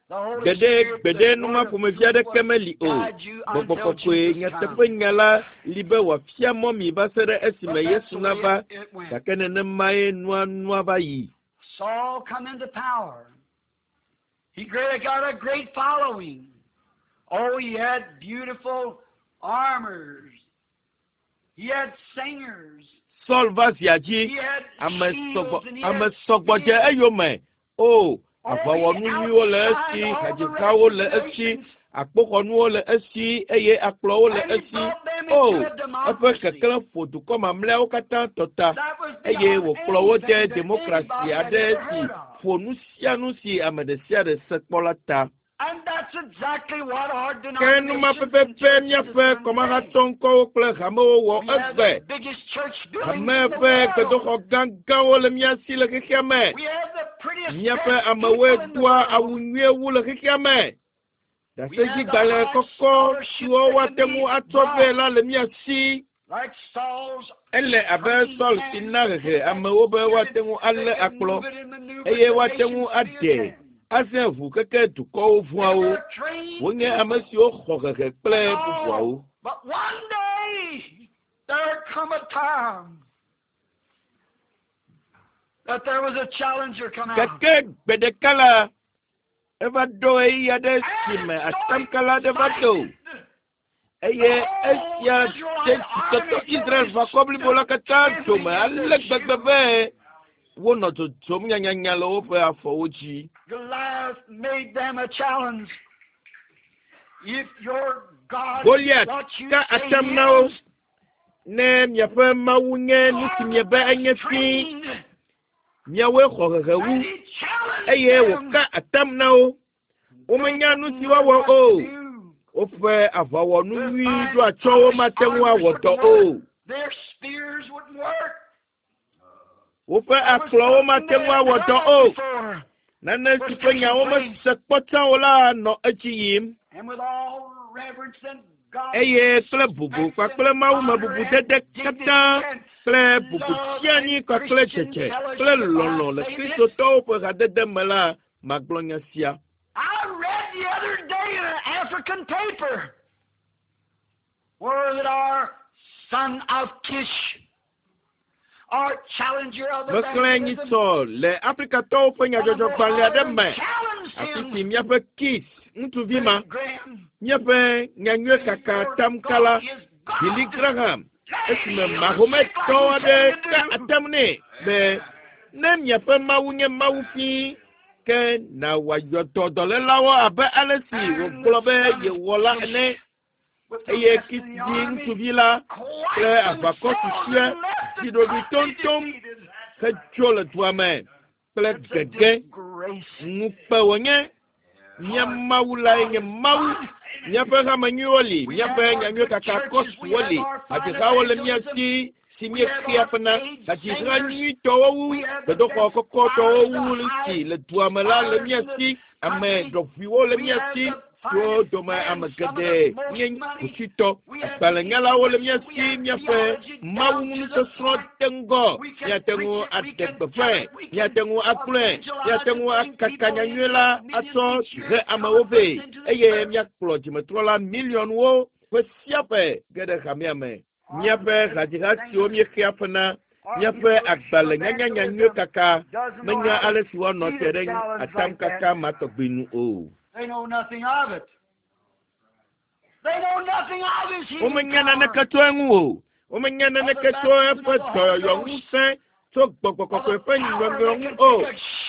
Speaker 2: The Holy
Speaker 1: gbeɖe
Speaker 2: Spirit,
Speaker 1: gbeɖe
Speaker 2: the
Speaker 1: nu ma
Speaker 2: word of
Speaker 1: ƒomevi
Speaker 2: truth
Speaker 1: aɖeke
Speaker 2: will
Speaker 1: meli o
Speaker 2: guide you
Speaker 1: gbɔgbɔ
Speaker 2: until
Speaker 1: kɔkɔe
Speaker 2: Jesus
Speaker 1: nyateƒe
Speaker 2: comes.
Speaker 1: nya la li be wòafia mɔ mi va se ɖe
Speaker 2: But
Speaker 1: esime
Speaker 2: that's
Speaker 1: Yesu
Speaker 2: the way
Speaker 1: nava
Speaker 2: it, it went.
Speaker 1: gake nenemae nua nua va yi
Speaker 2: Saul come into power. He great, got a great following. Oh, he had beautiful armors. He had singers.
Speaker 1: Saul va zia dzi
Speaker 2: He had
Speaker 1: ame
Speaker 2: shields
Speaker 1: sɔgbɔ
Speaker 2: and he
Speaker 1: ame
Speaker 2: had
Speaker 1: sɔgbɔ dze
Speaker 2: spears.
Speaker 1: eyome o
Speaker 2: Oh, he
Speaker 1: aʋawɔnu nyuiwo le esi
Speaker 2: outshined all the rest
Speaker 1: hadzihawo
Speaker 2: of
Speaker 1: le
Speaker 2: the
Speaker 1: esi
Speaker 2: nations.
Speaker 1: akpoxɔnuwo le esi eye akplɔwo le
Speaker 2: And he
Speaker 1: esi
Speaker 2: brought them
Speaker 1: o
Speaker 2: into a
Speaker 1: eƒe
Speaker 2: democracy.
Speaker 1: keklẽ ƒo dukɔ mamlɛawo katã tɔ ta
Speaker 2: That was
Speaker 1: eye
Speaker 2: beyond
Speaker 1: wòkplɔ wo de
Speaker 2: anything that
Speaker 1: demokrasi
Speaker 2: anybody had
Speaker 1: aɖe
Speaker 2: ever
Speaker 1: si
Speaker 2: heard of.
Speaker 1: ƒo nu sia nu si ame ɖe sia ɖe se kpɔ la ta
Speaker 2: And that's exactly what our
Speaker 1: ke nu ma
Speaker 2: denominations and
Speaker 1: pɛpɛpɛ
Speaker 2: churches
Speaker 1: míaƒe
Speaker 2: has done today.
Speaker 1: kɔmahatɔ ŋkɔwo kple hamewo wɔ
Speaker 2: We have
Speaker 1: egbe
Speaker 2: the biggest church buildings
Speaker 1: hame
Speaker 2: in the
Speaker 1: ƒe
Speaker 2: world.
Speaker 1: gbedoxɔ gãgãwo le mía si le xexea me
Speaker 2: We have the prettiest
Speaker 1: míaƒe
Speaker 2: dressed
Speaker 1: amewoe
Speaker 2: people in the
Speaker 1: doa awu
Speaker 2: world.
Speaker 1: nyuie wu le xexea me
Speaker 2: We have the
Speaker 1: ɖasedzigbalẽ
Speaker 2: highest
Speaker 1: kɔkɔ
Speaker 2: scholarship
Speaker 1: siwo
Speaker 2: that can
Speaker 1: woate ŋu
Speaker 2: be
Speaker 1: atsɔ vɛ
Speaker 2: brought,
Speaker 1: la le mía si
Speaker 2: like Saul's
Speaker 1: ele abe
Speaker 2: trained
Speaker 1: Saul si
Speaker 2: hands
Speaker 1: na
Speaker 2: to
Speaker 1: hehe
Speaker 2: take that
Speaker 1: amewo be
Speaker 2: spear
Speaker 1: woate
Speaker 2: and
Speaker 1: ŋu
Speaker 2: they
Speaker 1: alé
Speaker 2: could
Speaker 1: akplɔ
Speaker 2: move it and maneuver
Speaker 1: eye
Speaker 2: the
Speaker 1: woate ŋu
Speaker 2: nations
Speaker 1: aɖe
Speaker 2: feared them.
Speaker 1: azẽ ʋu keke dukɔwo
Speaker 2: They
Speaker 1: vɔ̃awo
Speaker 2: were trained
Speaker 1: wonye ame
Speaker 2: people.
Speaker 1: siwo xɔ hehe kple
Speaker 2: And
Speaker 1: bubuawo
Speaker 2: all. But one day there come a time that there was a challenger come out.
Speaker 1: gake gbe ɖeka la eva ɖo ɣeyiɣi aɖe si
Speaker 2: And
Speaker 1: me
Speaker 2: so he
Speaker 1: atamkala aɖe va do
Speaker 2: frightened the
Speaker 1: eye
Speaker 2: whole
Speaker 1: esia de
Speaker 2: Israelite
Speaker 1: dzitɔtɔ
Speaker 2: army till
Speaker 1: Israel
Speaker 2: they
Speaker 1: ʋakɔ blibo
Speaker 2: stood
Speaker 1: la katã dome
Speaker 2: trembling at
Speaker 1: ale
Speaker 2: their
Speaker 1: gbegbe
Speaker 2: shoes.
Speaker 1: be wonɔ dzodzom nyanyanya le woƒe afɔwo dzi
Speaker 2: Goliath made them a challenge. If your God is
Speaker 1: Goliat
Speaker 2: what you
Speaker 1: ka
Speaker 2: say
Speaker 1: atam
Speaker 2: he
Speaker 1: na wo
Speaker 2: is,
Speaker 1: ne miaƒe Mawu nye
Speaker 2: you
Speaker 1: nu
Speaker 2: are
Speaker 1: si
Speaker 2: the
Speaker 1: miebe
Speaker 2: best
Speaker 1: enye fi
Speaker 2: trained.
Speaker 1: miawoe xɔ hehe wu
Speaker 2: And he challenged
Speaker 1: eye
Speaker 2: them.
Speaker 1: wòka atam na wo
Speaker 2: They
Speaker 1: womenya nu
Speaker 2: didn't
Speaker 1: si
Speaker 2: know
Speaker 1: woawɔ
Speaker 2: what to
Speaker 1: o
Speaker 2: do.
Speaker 1: woƒe aʋawɔnu
Speaker 2: Their
Speaker 1: nyui
Speaker 2: fine
Speaker 1: ɖo atsyɔ̃wo
Speaker 2: polished
Speaker 1: mate ŋu
Speaker 2: armors
Speaker 1: awɔ dɔ
Speaker 2: wouldn't work.
Speaker 1: o
Speaker 2: Their spears wouldn't work.
Speaker 1: woƒe
Speaker 2: There was
Speaker 1: akplɔwo
Speaker 2: something
Speaker 1: mate
Speaker 2: they
Speaker 1: ŋu
Speaker 2: hadn't
Speaker 1: awɔ dɔ
Speaker 2: heard
Speaker 1: o
Speaker 2: before
Speaker 1: nane
Speaker 2: was
Speaker 1: si ƒe
Speaker 2: taking
Speaker 1: nyawo
Speaker 2: place.
Speaker 1: mese kpɔ tsã o la nɔ edzi yim
Speaker 2: And with all reverence and godly
Speaker 1: eye kple bubu
Speaker 2: respect
Speaker 1: kpakple
Speaker 2: and
Speaker 1: mawume
Speaker 2: honor
Speaker 1: bubu
Speaker 2: and
Speaker 1: dede
Speaker 2: dignity
Speaker 1: katã
Speaker 2: and
Speaker 1: kple bubu
Speaker 2: love
Speaker 1: tsianyi
Speaker 2: and
Speaker 1: kpakple
Speaker 2: Christian
Speaker 1: dzedze kple
Speaker 2: fellowship, I
Speaker 1: lɔlɔ̃ le
Speaker 2: say this.
Speaker 1: kristotɔwo ƒe hadede me la magblɔ nya sia
Speaker 2: I read the other day in an African paper where that our son of Kish, our challenger of
Speaker 1: mexlẽ
Speaker 2: evangelism,
Speaker 1: nyitsɔ le afrikatɔwo ƒe
Speaker 2: one of
Speaker 1: nyadzɔdzɔgbalẽ aɖe
Speaker 2: Mohammedan
Speaker 1: me
Speaker 2: challenged
Speaker 1: afi
Speaker 2: him,
Speaker 1: si míaƒe kis ŋutsuvi ma
Speaker 2: Billy Graham,
Speaker 1: míaƒe nyanyuie
Speaker 2: if
Speaker 1: kaka
Speaker 2: your
Speaker 1: atamkala
Speaker 2: God is
Speaker 1: Billy
Speaker 2: God,
Speaker 1: Graham
Speaker 2: let him
Speaker 1: esime
Speaker 2: heal the sick
Speaker 1: mahometɔ
Speaker 2: like you
Speaker 1: aɖe
Speaker 2: said you
Speaker 1: ka
Speaker 2: do.
Speaker 1: atam nɛ be ne miaƒe Mawu nye Mawu fii ke na wòayɔ dɔ dɔlélawo abe ale si
Speaker 2: And the
Speaker 1: wògblɔ be
Speaker 2: son of
Speaker 1: yewɔ la
Speaker 2: Kish,
Speaker 1: ene
Speaker 2: with the
Speaker 1: eye
Speaker 2: rest of
Speaker 1: Kis
Speaker 2: the
Speaker 1: vi
Speaker 2: army,
Speaker 1: ŋutsuvi la
Speaker 2: quite
Speaker 1: kple aʋakɔ
Speaker 2: themselves
Speaker 1: susɔe
Speaker 2: and left
Speaker 1: si
Speaker 2: the
Speaker 1: ɖoɖoe
Speaker 2: country
Speaker 1: toŋtoŋ
Speaker 2: defeated.
Speaker 1: hedzo le dua me kple
Speaker 2: It's a
Speaker 1: gege
Speaker 2: disgrace.
Speaker 1: ŋukpe wònye mía
Speaker 2: Our
Speaker 1: Mawu lae
Speaker 2: God
Speaker 1: nye
Speaker 2: is
Speaker 1: Mawu
Speaker 2: God.
Speaker 1: míaƒe hame nyuiwo li
Speaker 2: We
Speaker 1: míaƒe
Speaker 2: have our
Speaker 1: nyanyuie
Speaker 2: good
Speaker 1: kaka
Speaker 2: churches. We
Speaker 1: kɔsuwo
Speaker 2: have
Speaker 1: li
Speaker 2: our fine
Speaker 1: hadzihawo le mía
Speaker 2: evangelism.
Speaker 1: si si
Speaker 2: We have
Speaker 1: míexea
Speaker 2: our
Speaker 1: ƒe na
Speaker 2: paid
Speaker 1: hadziha
Speaker 2: singers.
Speaker 1: nyuitɔwo wu
Speaker 2: We have the
Speaker 1: gbedoxɔ
Speaker 2: best
Speaker 1: kɔkɔtɔwo
Speaker 2: choirs, the
Speaker 1: wu si
Speaker 2: highest
Speaker 1: le dua me la le
Speaker 2: choirs
Speaker 1: mía
Speaker 2: in the
Speaker 1: si ame
Speaker 2: country.
Speaker 1: ɖɔʋuiwo le
Speaker 2: We
Speaker 1: mía
Speaker 2: have
Speaker 1: si
Speaker 2: the
Speaker 1: siwo
Speaker 2: finest
Speaker 1: dome ame
Speaker 2: bands, some of
Speaker 1: geɖe
Speaker 2: the most
Speaker 1: nye
Speaker 2: money.
Speaker 1: kusitɔ
Speaker 2: We have the
Speaker 1: agbalẽnyalawo le mía
Speaker 2: intellect. We
Speaker 1: si
Speaker 2: have
Speaker 1: míaƒe
Speaker 2: theology
Speaker 1: mawu
Speaker 2: down to the
Speaker 1: ŋunusɔsrɔ̃
Speaker 2: point.
Speaker 1: de ŋgɔ
Speaker 2: We can
Speaker 1: míate
Speaker 2: preach
Speaker 1: ŋu
Speaker 2: it. We
Speaker 1: aɖe
Speaker 2: can tell
Speaker 1: gbeƒãe
Speaker 2: it. We can
Speaker 1: míate ŋu agblɔe
Speaker 2: evangelize
Speaker 1: míate
Speaker 2: and
Speaker 1: ŋu
Speaker 2: bring
Speaker 1: akaka
Speaker 2: people
Speaker 1: nyanyui
Speaker 2: in
Speaker 1: la
Speaker 2: millions
Speaker 1: atsɔ
Speaker 2: each
Speaker 1: he
Speaker 2: year,
Speaker 1: amewo
Speaker 2: converts
Speaker 1: vɛ
Speaker 2: into the
Speaker 1: eye
Speaker 2: church.
Speaker 1: míakplɔ dzimetrɔla miliɔnwo ƒe sia ƒe ge ɖe hamea me
Speaker 2: Our
Speaker 1: míaƒe
Speaker 2: good
Speaker 1: hadziha siwo
Speaker 2: singers,
Speaker 1: míexea ƒe na
Speaker 2: our
Speaker 1: míaƒe agbalẽ nyanyanyanyuie
Speaker 2: evangelism
Speaker 1: kaka
Speaker 2: doesn't know
Speaker 1: menya
Speaker 2: how to
Speaker 1: ale si woanɔ
Speaker 2: meet
Speaker 1: te
Speaker 2: a
Speaker 1: ɖe
Speaker 2: challenge like that.
Speaker 1: atamkaka ma tɔgbi nu o
Speaker 2: They know nothing of it. They know nothing of his healing
Speaker 1: womenya
Speaker 2: power.
Speaker 1: naneke tso eŋu o Womenya naneke tso eƒe dɔyɔyɔ ŋusẽ tso gbɔgbɔ kɔkɔe ƒe nyɔnyrɔ ŋu o.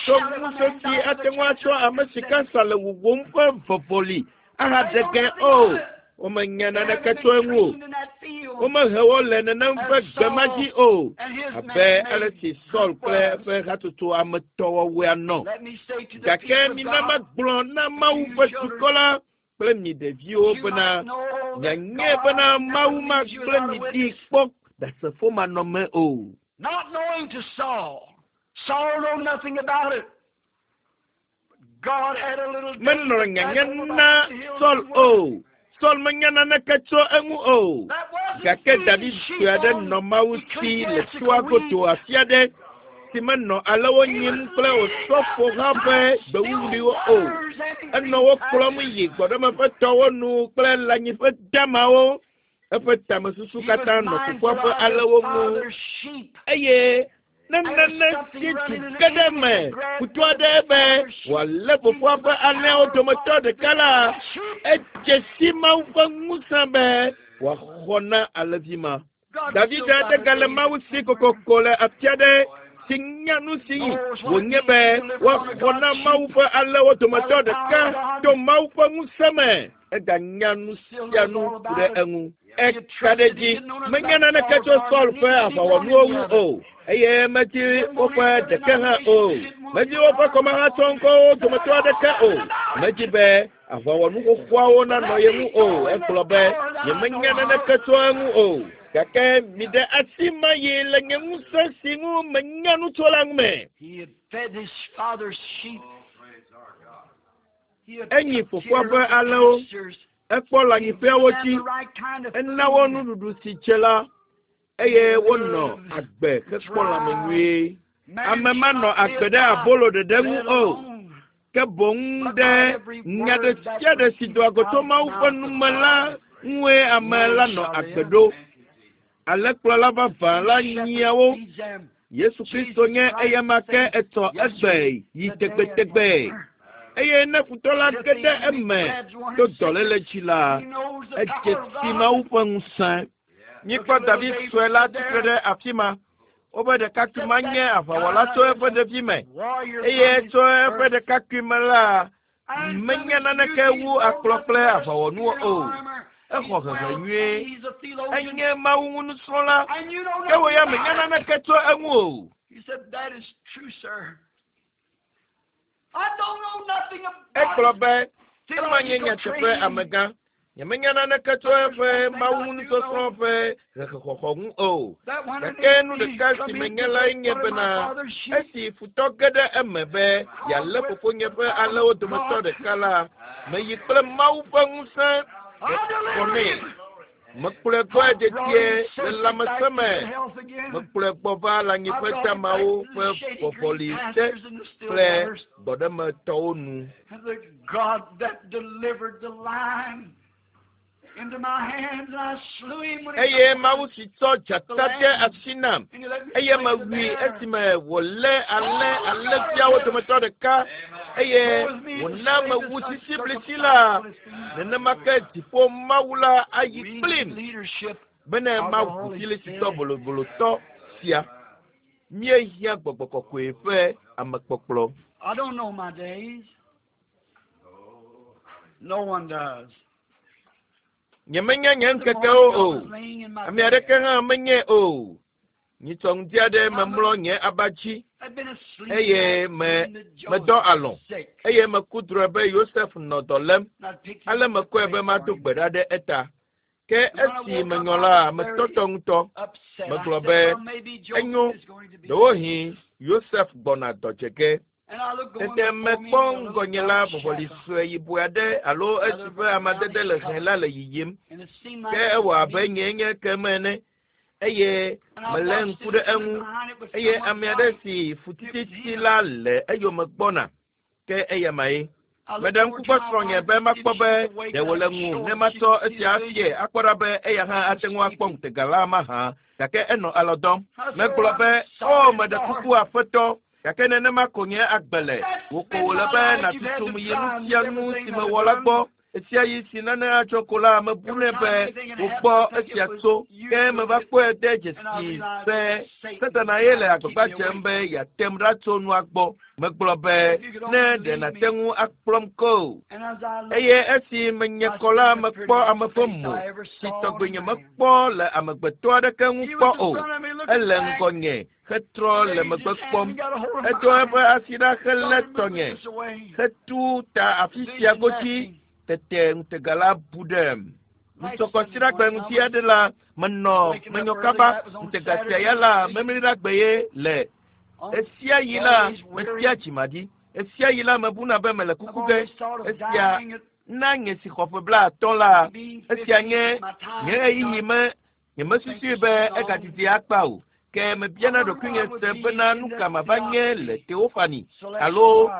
Speaker 1: Tso ŋusẽ si ate ŋu atsɔ ame si kansa le wuwum ƒe vɔvɔli ahaɖe ge o. Womenya naneke tso eŋu o. Womehe wo le nenem ƒe gbe ma dzi o. Abe ale si Saul kple eƒe hatsotso ametɔwɔwɔea nɔ. Gake mina magblɔ na Mawu ƒe dukɔ la kple mi ɖeviwo bena mianye bena Mawu magblẽ mi ɖi kpɔ ɖasefo manɔme o.
Speaker 2: Not knowing to Saul. Saul know nothing about it. God had a little
Speaker 1: Menɔ nyanya na Saul o. Saul menya naneke tso eŋu o. Gake David sue aɖe nɔ Mawu si le toa godo afi aɖe si menɔ alewo nyim kple osɔfoha ƒe gbewuwuliwo o. Enɔ wo kplɔm yi gbɔɖeme ƒe tɔwo nu kple lãnyiƒe damawo. Eƒe tamesusu katã nɔ fofoa ƒe alewo ŋu. Eye ne nane si du ge ɖe eme kutu aɖe be wòalé fofoa ƒe alẽawo dometɔ ɖeka la, edze si Mawu ƒe ŋusẽ be wòaxɔ na alẽvi ma. David aɖe gale Mawu si kokoko le afi aɖe si nya nu si wònye be woaxɔ na Mawu ƒe alẽwo dometɔ ɖeka to Mawu ƒe ŋusẽ me. Eganya nu sia nu ku ɖe eŋu. Eka ɖe dzi menya naneke tso Saul ƒe aʋawɔnuwo ŋu o. Eye medzi woƒe ɖeke hã o. Medzi woƒe kɔmahatsɔŋkɔwo dometɔ aɖeke o. Medzi be aʋawɔnu xoxoawo nanɔ ye ŋu o. Egblɔ be nyemenya naneke tso eŋu o. Gake miɖe asi ma yi le nye ŋusẽ si ŋu menya nu tso la ŋu me.
Speaker 2: He had fed his father's sheep. He had
Speaker 1: Enyi
Speaker 2: took
Speaker 1: fofoa
Speaker 2: care
Speaker 1: ƒe
Speaker 2: of the
Speaker 1: alẽwo.
Speaker 2: pastures.
Speaker 1: Ekpɔ lãnyiƒeawo
Speaker 2: He
Speaker 1: dzi.
Speaker 2: gave them the right kind of
Speaker 1: Ena wo
Speaker 2: food.
Speaker 1: nuɖuɖu si dze la eye wonɔ agbe hekpɔ lãme nyuie.
Speaker 2: Man
Speaker 1: Ame manɔ
Speaker 2: shall not
Speaker 1: agbe
Speaker 2: live
Speaker 1: ɖe
Speaker 2: by
Speaker 1: abolo ɖeɖe ŋu
Speaker 2: bread
Speaker 1: o.
Speaker 2: alone,
Speaker 1: Ke boŋ ɖe nya ɖe sia ɖe si doa go tso Mawu ƒe nume la ŋue ame la nɔ agbe ɖo. Alẽkplɔla vavã la nyia wo.
Speaker 2: Feeds them.
Speaker 1: Yesu Kristo nye eyama ke etɔ egbe yi tegbetegbe. Eye ne futɔ la ge ɖe eme to dɔléle dzi la,
Speaker 2: He knows the
Speaker 1: edze
Speaker 2: power of
Speaker 1: si
Speaker 2: God.
Speaker 1: Mawu ƒe ŋusẽ. Míekpɔ David sue la tsitre ɖe afi ma. Wobe ɖekakpui ma nye aʋawɔla tso eƒe ɖevime.
Speaker 2: Warrior
Speaker 1: Eye
Speaker 2: from his
Speaker 1: tso eƒe
Speaker 2: birth.
Speaker 1: ɖekakpui me la,
Speaker 2: And from
Speaker 1: menya
Speaker 2: his
Speaker 1: naneke
Speaker 2: youth
Speaker 1: wu
Speaker 2: he's
Speaker 1: akplɔ kple
Speaker 2: known the
Speaker 1: aʋawɔnuwo
Speaker 2: spear
Speaker 1: o.
Speaker 2: armor.
Speaker 1: Exɔ
Speaker 2: He's
Speaker 1: hehe
Speaker 2: well
Speaker 1: nyuie.
Speaker 2: trained. He's a theologian.
Speaker 1: Enye Mawu ŋu nusrɔ̃la.
Speaker 2: And you know
Speaker 1: Ke wò ya
Speaker 2: nothing
Speaker 1: menya
Speaker 2: about it.
Speaker 1: naneke tso eŋu o.
Speaker 2: He said, that is true, sir. I don't know nothing about
Speaker 1: Egblɔ be ema nye
Speaker 2: theological
Speaker 1: nyateƒe
Speaker 2: training.
Speaker 1: amegã. Nyemenya naneke tso eƒe Mawu ŋu nusɔsrɔ̃ ƒe hehexɔxɔ ŋu o.
Speaker 2: That when an
Speaker 1: Gake nu
Speaker 2: enemy
Speaker 1: ɖeka si
Speaker 2: come in
Speaker 1: menye
Speaker 2: to
Speaker 1: lae
Speaker 2: take
Speaker 1: nye
Speaker 2: one of my
Speaker 1: bena
Speaker 2: father's sheep,
Speaker 1: esi futɔ ge ɖe eme be yealé fofonye ƒe alẽwo dometɔ ɖeka la, meyi kple Mawu ƒe ŋusẽ
Speaker 2: I
Speaker 1: xɔ
Speaker 2: delivered
Speaker 1: nɛ.
Speaker 2: him.
Speaker 1: Mekplɔe gbɔe
Speaker 2: I brought
Speaker 1: dedie
Speaker 2: him
Speaker 1: le
Speaker 2: safely
Speaker 1: lãmesẽ
Speaker 2: back to
Speaker 1: me.
Speaker 2: good health again.
Speaker 1: Mekplɔe gbɔ va
Speaker 2: I
Speaker 1: lãnyiƒe
Speaker 2: brought him back
Speaker 1: damawo
Speaker 2: to the
Speaker 1: ƒe
Speaker 2: shady green
Speaker 1: vɔvɔli te
Speaker 2: pastures and the still
Speaker 1: kple
Speaker 2: waters.
Speaker 1: gbɔɖemetɔwo nu.
Speaker 2: And the God that delivered the lion into my hands, and I slew him when he
Speaker 1: Eye
Speaker 2: got
Speaker 1: Mawu si tsɔ dzata de asi nam
Speaker 2: And he let me
Speaker 1: eye
Speaker 2: slay the
Speaker 1: mewui
Speaker 2: bear.
Speaker 1: esime wòlé alẽ alẽviawo dometɔ ɖeka eye wòna mewu sisiblisi la nenema ke dziƒo Mawu la ayi
Speaker 2: We need
Speaker 1: kplim
Speaker 2: leadership
Speaker 1: bene
Speaker 2: of the
Speaker 1: mawu
Speaker 2: Holy
Speaker 1: filisitɔ
Speaker 2: Spirit.
Speaker 1: bolobolotɔ sia. Míehiã gbɔgbɔ kɔkɔe ƒe amekpɔkplɔ.
Speaker 2: I don't know my days. No one does.
Speaker 1: Nyemenya nye
Speaker 2: The
Speaker 1: ŋkekewo
Speaker 2: morning I
Speaker 1: o.
Speaker 2: was laying in my
Speaker 1: Ame
Speaker 2: bed.
Speaker 1: aɖeke hã menye o. Nyitsɔ ŋdi aɖe memlɔ nye aba dzi
Speaker 2: I'd been asleep
Speaker 1: eye me
Speaker 2: and that
Speaker 1: medɔ
Speaker 2: Joseph
Speaker 1: alɔ̃
Speaker 2: was sick.
Speaker 1: eye meku drɔ̃e be Yosef nɔ dɔ lém.
Speaker 2: And I picked him
Speaker 1: Ale
Speaker 2: up to
Speaker 1: mekɔe
Speaker 2: pray
Speaker 1: be
Speaker 2: for
Speaker 1: mado
Speaker 2: him.
Speaker 1: gbe ɖa ɖe eta. Ke
Speaker 2: And when I
Speaker 1: esi
Speaker 2: woke up,
Speaker 1: menyɔ
Speaker 2: I
Speaker 1: la,
Speaker 2: was very
Speaker 1: metɔtɔ ŋutɔ.
Speaker 2: upset. I
Speaker 1: Megblɔ
Speaker 2: said,
Speaker 1: be
Speaker 2: well, maybe Joseph
Speaker 1: enyo,
Speaker 2: is going to be
Speaker 1: ɖewohĩ Yosef gbɔna dɔ dze ge.
Speaker 2: And I looked going
Speaker 1: Tete
Speaker 2: before me
Speaker 1: mekpɔ
Speaker 2: a little
Speaker 1: ŋgɔnye la
Speaker 2: brown
Speaker 1: vɔvɔli
Speaker 2: shadow.
Speaker 1: sue yibɔe aɖe alo esi ƒe amadede le hẽ la le yiyim.
Speaker 2: And it seemed like
Speaker 1: Ke
Speaker 2: it
Speaker 1: ewɔ
Speaker 2: was
Speaker 1: abe
Speaker 2: me.
Speaker 1: nyee nye ke me ene eye
Speaker 2: And I
Speaker 1: melé
Speaker 2: watched
Speaker 1: ŋku
Speaker 2: it
Speaker 1: ɖe
Speaker 2: coming
Speaker 1: eŋu
Speaker 2: behind it with
Speaker 1: eye
Speaker 2: someone's
Speaker 1: ame aɖe
Speaker 2: light.
Speaker 1: si fu
Speaker 2: It was
Speaker 1: tititi
Speaker 2: him.
Speaker 1: la le eyome gbɔna. Ke eyama ye.
Speaker 2: I looked
Speaker 1: Meɖe
Speaker 2: over
Speaker 1: ŋku
Speaker 2: to
Speaker 1: kpɔ
Speaker 2: my
Speaker 1: srɔ̃nye
Speaker 2: wife
Speaker 1: be
Speaker 2: to see if
Speaker 1: makpɔ
Speaker 2: she
Speaker 1: be
Speaker 2: was awake,
Speaker 1: ɖe
Speaker 2: and
Speaker 1: wòle
Speaker 2: I
Speaker 1: ŋu
Speaker 2: show
Speaker 1: ne
Speaker 2: her she
Speaker 1: matsɔ
Speaker 2: could see
Speaker 1: esia
Speaker 2: the
Speaker 1: afie
Speaker 2: vision.
Speaker 1: akpɔ ɖa be eya hã
Speaker 2: She
Speaker 1: ate
Speaker 2: was
Speaker 1: ŋu akpɔ
Speaker 2: sleeping.
Speaker 1: ŋutega la mahã. Gake enɔ alɔ dɔm.
Speaker 2: I said,
Speaker 1: Megblɔ
Speaker 2: I'm
Speaker 1: be, o
Speaker 2: sorry,
Speaker 1: meɖe
Speaker 2: Lord.
Speaker 1: kuku aƒetɔ. Gake nenema ko nye agbe le.
Speaker 2: That's
Speaker 1: Wò ko
Speaker 2: been
Speaker 1: wòle
Speaker 2: my
Speaker 1: be
Speaker 2: life. You've had
Speaker 1: nàtutum
Speaker 2: to
Speaker 1: yi nu
Speaker 2: try me
Speaker 1: sia nu
Speaker 2: everything
Speaker 1: si
Speaker 2: that I've
Speaker 1: mewɔ la
Speaker 2: done.
Speaker 1: gbɔ. Esia yi si nane atsɔ ko la mebunɛ be wògbɔ esia tso ke meva kpɔe de dzesi be Satana ye le agbagba dzem be yeatem ɖa tso nua gbɔ. Megblɔ be ne ɖe nàte ŋu akplɔm ko. Eye esi menye kɔ la mekpɔ ame ƒe mo si tɔgbe nye mekpɔ le amegbetɔ aɖeke ŋu kpɔ o. Ele ŋgɔnye hetrɔ le megbe kpɔm. Edo eƒe asi ɖa helé tɔnye hetu ta afi sia godzi. Tete ŋutega la bu ɖem. Ŋusɔkɔsiɖagbe ŋuti aɖe la menɔ menyɔ kaba ŋutega sia ya la memliɖagbe ye le. Esia yi la metia dzimaɖi. Esia yi la mebuna be mele kuku ge. Esia na nye si xɔ ƒe blaatɔ̃ la esia nye nye ɣeyiɣi me nyemesusui be egadidi akpa o. Ke mebiana ɖokuinye se bena nu ka mava nye le Teofani alo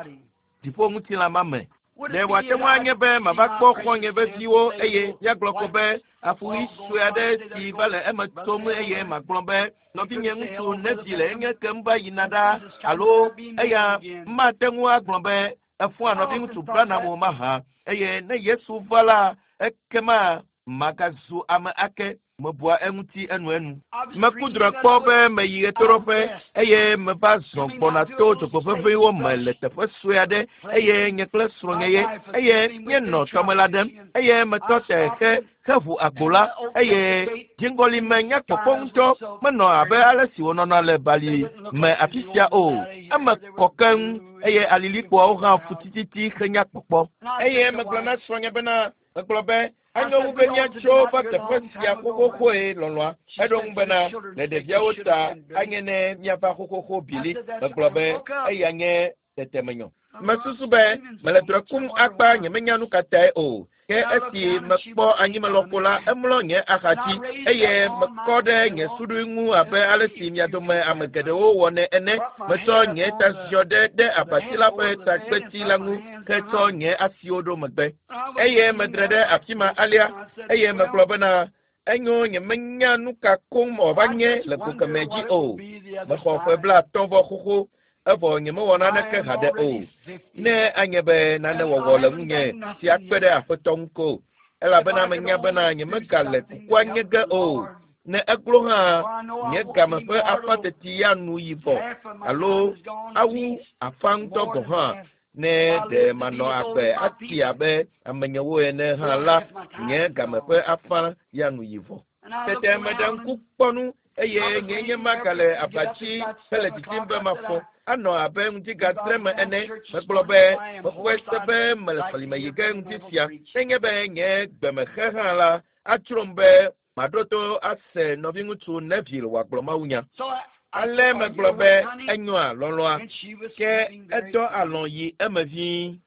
Speaker 1: dziƒoŋutilã ma me. Ɖe wòate ŋu anye be mava kpɔ xɔ̃nye veviwo eye míagblɔ ko be afuɣi sue aɖe si va le eme tom eye magblɔ be nɔvinye ŋutsu Neville enye kem va yina ɖa alo eya mate ŋu agblɔ be efɔa nɔviŋutsu Branham o mahã eye ne Yesu va la ekema magazu ame ake. Mebua eŋuti enuenu. Meku drɔ̃e kpɔ be meyi ɣetoɖoƒe eye meva zɔ gbɔna to dzogbeʋeʋĩwo me le teƒe sue aɖe eye nye kple srɔ̃nye ye eye míenɔ tɔmela ɖem eye metɔ te he heʋu agbo la eye dziŋgɔli me nya kpɔkpɔ ŋutɔ menɔ abe ale si wònɔna le bali me afi sia o. Eme kɔ keŋ eye alilikpoawo hã fu tititi henya kpɔkpɔ. Eye megblɔ na srɔ̃nye bena megblɔ be anyo wu be míatso va teƒe sia xoxoxoe lɔlɔ̃a. Eɖo ŋu bena le ɖeviawo ta anye ne míava xoxoxo bili. Megblɔ be eya nye tetemenyɔ. Mesusu be mele drɔ̃e kum akpa nyemenya nu ka tae o. Ke esi mekpɔ anyimelɔƒo la emlɔ nye axadzi eye mekɔ ɖe nye suɖui ŋu abe ale si mia dome ame geɖewo wɔnɛ ene. Metsɔ nye taziɔ ɖe ɖe abati la ƒe tagbeti la ŋu hetsɔ nye asiwo ɖo megbe. Eye medre ɖe afi ma alea eye megblɔ bena enyo nyemenya nu ka koŋ wòava nye le go kemɛ dzi o. Mexɔ ƒe blaatɔ̃ vɔ xoxo evɔ nyemewɔ naneke haɖe o. Ne anye be nane wɔwɔ le ŋunye si akpe ɖe aƒetɔ ŋu ko elabena menya bena nyemegale kukua nye ge o. Ne eglo hã nye game ƒe afã teti ya nu yi vɔ alo awu afã ŋutɔ gɔ̃ hã. Ne ɖe manɔ agbe ati abe amenyewo ene hã la nye game ƒe afã ya nu yi vɔ. Tete meɖe ŋku kpɔ nu eye nye nye magale abatsi hele didim be mafɔ. Anɔ abe ŋutigatre me ene. Megblɔ be mexɔe se be mele sɔlime yi ge ŋuti sia. Nenye be nye gbemexe hã la atrom be maɖo to ase nɔviŋutsu Neville wòagblɔ mawunya. Ale megblɔ be enyoa lɔlɔ̃a ke edɔ alɔ̃ yi eme vie.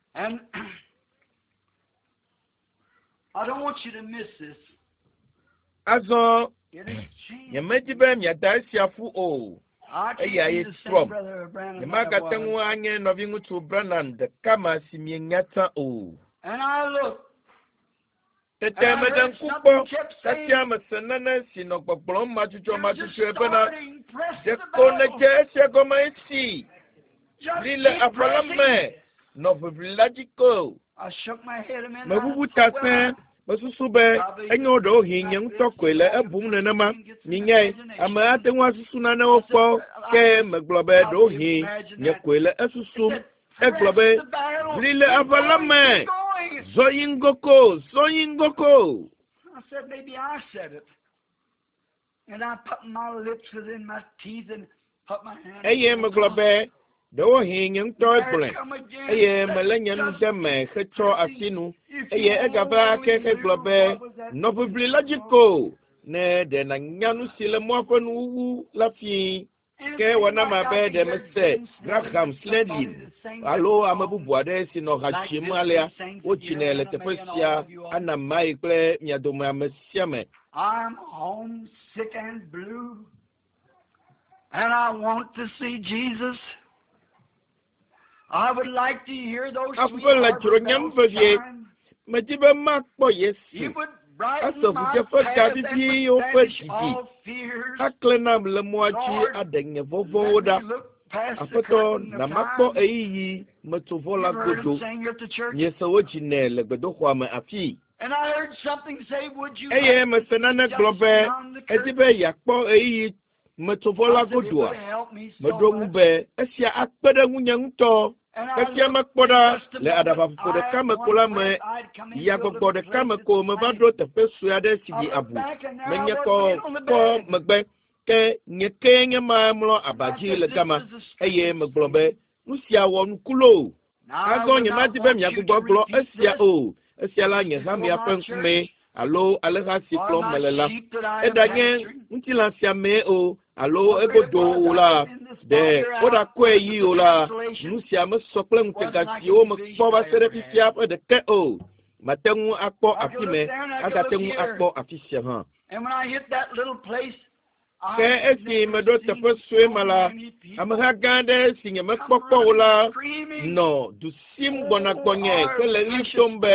Speaker 1: Azɔ nyemedi be miada esia ƒu o. Eya ye trɔm. Nyemagate ŋu anye nɔviŋutsu Branham ɖeka ma si mienya tsã o. Tete meɖe ŋku kpɔ kasia mese nane si nɔ gbɔgblɔm madzudzɔmadzudzɔe bena ɖeko nedze esia gɔme esi ʋli le aʋa la me nɔ ʋiʋli la dzi ko. Meʋuʋu ta sẽe. Mesusu be enyo ɖewohĩ nye ŋutɔ koe le ebum nenema. Minyae, ame ate ŋu asusu nanewo kpɔ ke megblɔ be ɖewohĩ nye koe le esusum. Egblɔ be ʋli le aʋa la me. Zɔ yi ŋgɔ ko, zɔ yi ŋgɔ ko. Eye megblɔ be ɖewohĩ nye ŋutɔ egblɔe eye melé nye nu ɖe me hetsɔ asi nu eye egava ake hegblɔ be nɔ ʋiʋli la dzi ko ne ɖe nànya nu si le mɔa ƒe nuwuwu la fii. Ke wɔna ma be ɖe mese Graham Snedlin alo ame bubu aɖe si nɔ ha dzim alea wodzinɛ le teƒe sia ana mae kple mia dome ame sia ame.
Speaker 2: I'm homesick and blue, and I want to see Jesus. I would like to hear those sweet
Speaker 1: Aƒe le
Speaker 2: harbor
Speaker 1: dzronyem
Speaker 2: bells
Speaker 1: vevie.
Speaker 2: chime.
Speaker 1: Medi be makpɔ Yesu.
Speaker 2: He would brighten
Speaker 1: Ase
Speaker 2: my
Speaker 1: ʋudzeƒe
Speaker 2: path
Speaker 1: ga
Speaker 2: and
Speaker 1: viviwo
Speaker 2: would
Speaker 1: ƒe
Speaker 2: banish
Speaker 1: didi.
Speaker 2: all fears.
Speaker 1: Aklẽ nam le mɔa dzi
Speaker 2: Lord,
Speaker 1: aɖe nye vɔvɔ̃wo
Speaker 2: Let
Speaker 1: ɖa.
Speaker 2: me look
Speaker 1: Aƒetɔ, na makpɔ ɣeyiɣi metsovɔ la godo. Miese wo dzi nɛ le gbedoxɔa me afii. Eye mese nane gblɔ be edi be yeakpɔ ɣeyiɣi metsovɔ la godoa. Meɖo ŋu be esia akpe ɖe ŋunye ŋutɔ. Kasia mekpɔ ɖa le aɖabaƒoƒo ɖeka me ko la me, yagbɔgbɔ ɖeka me ko meva ɖo teƒe sue aɖe si ɖi abu. Menye kɔ kɔ megbe ke nye kee nye ma mlɔ aba dzi le gama eye megblɔ be nu sia wɔ nuku loo. Azɔ nyemadi be miagbugbɔ gblɔ esia o. Esia la nye hamea ƒe ŋkume alo alẽha si kplɔm mele la. Eɖanye ŋutilã sia mee o alo egodo o la, ɖe woɖakɔe yi o la, nu sia mesɔ kple ŋutega siwo mekpɔ va se ɖe fifia ƒe ɖeke o. Mate ŋu akpɔ afi me, agate ŋu akpɔ afi sia hã. Ke esi meɖo teƒe sue ma la, ameha gã aɖe si nyemekpɔ kpɔ o la nɔ du sim gbɔna gbɔnye hele ɣli dom be,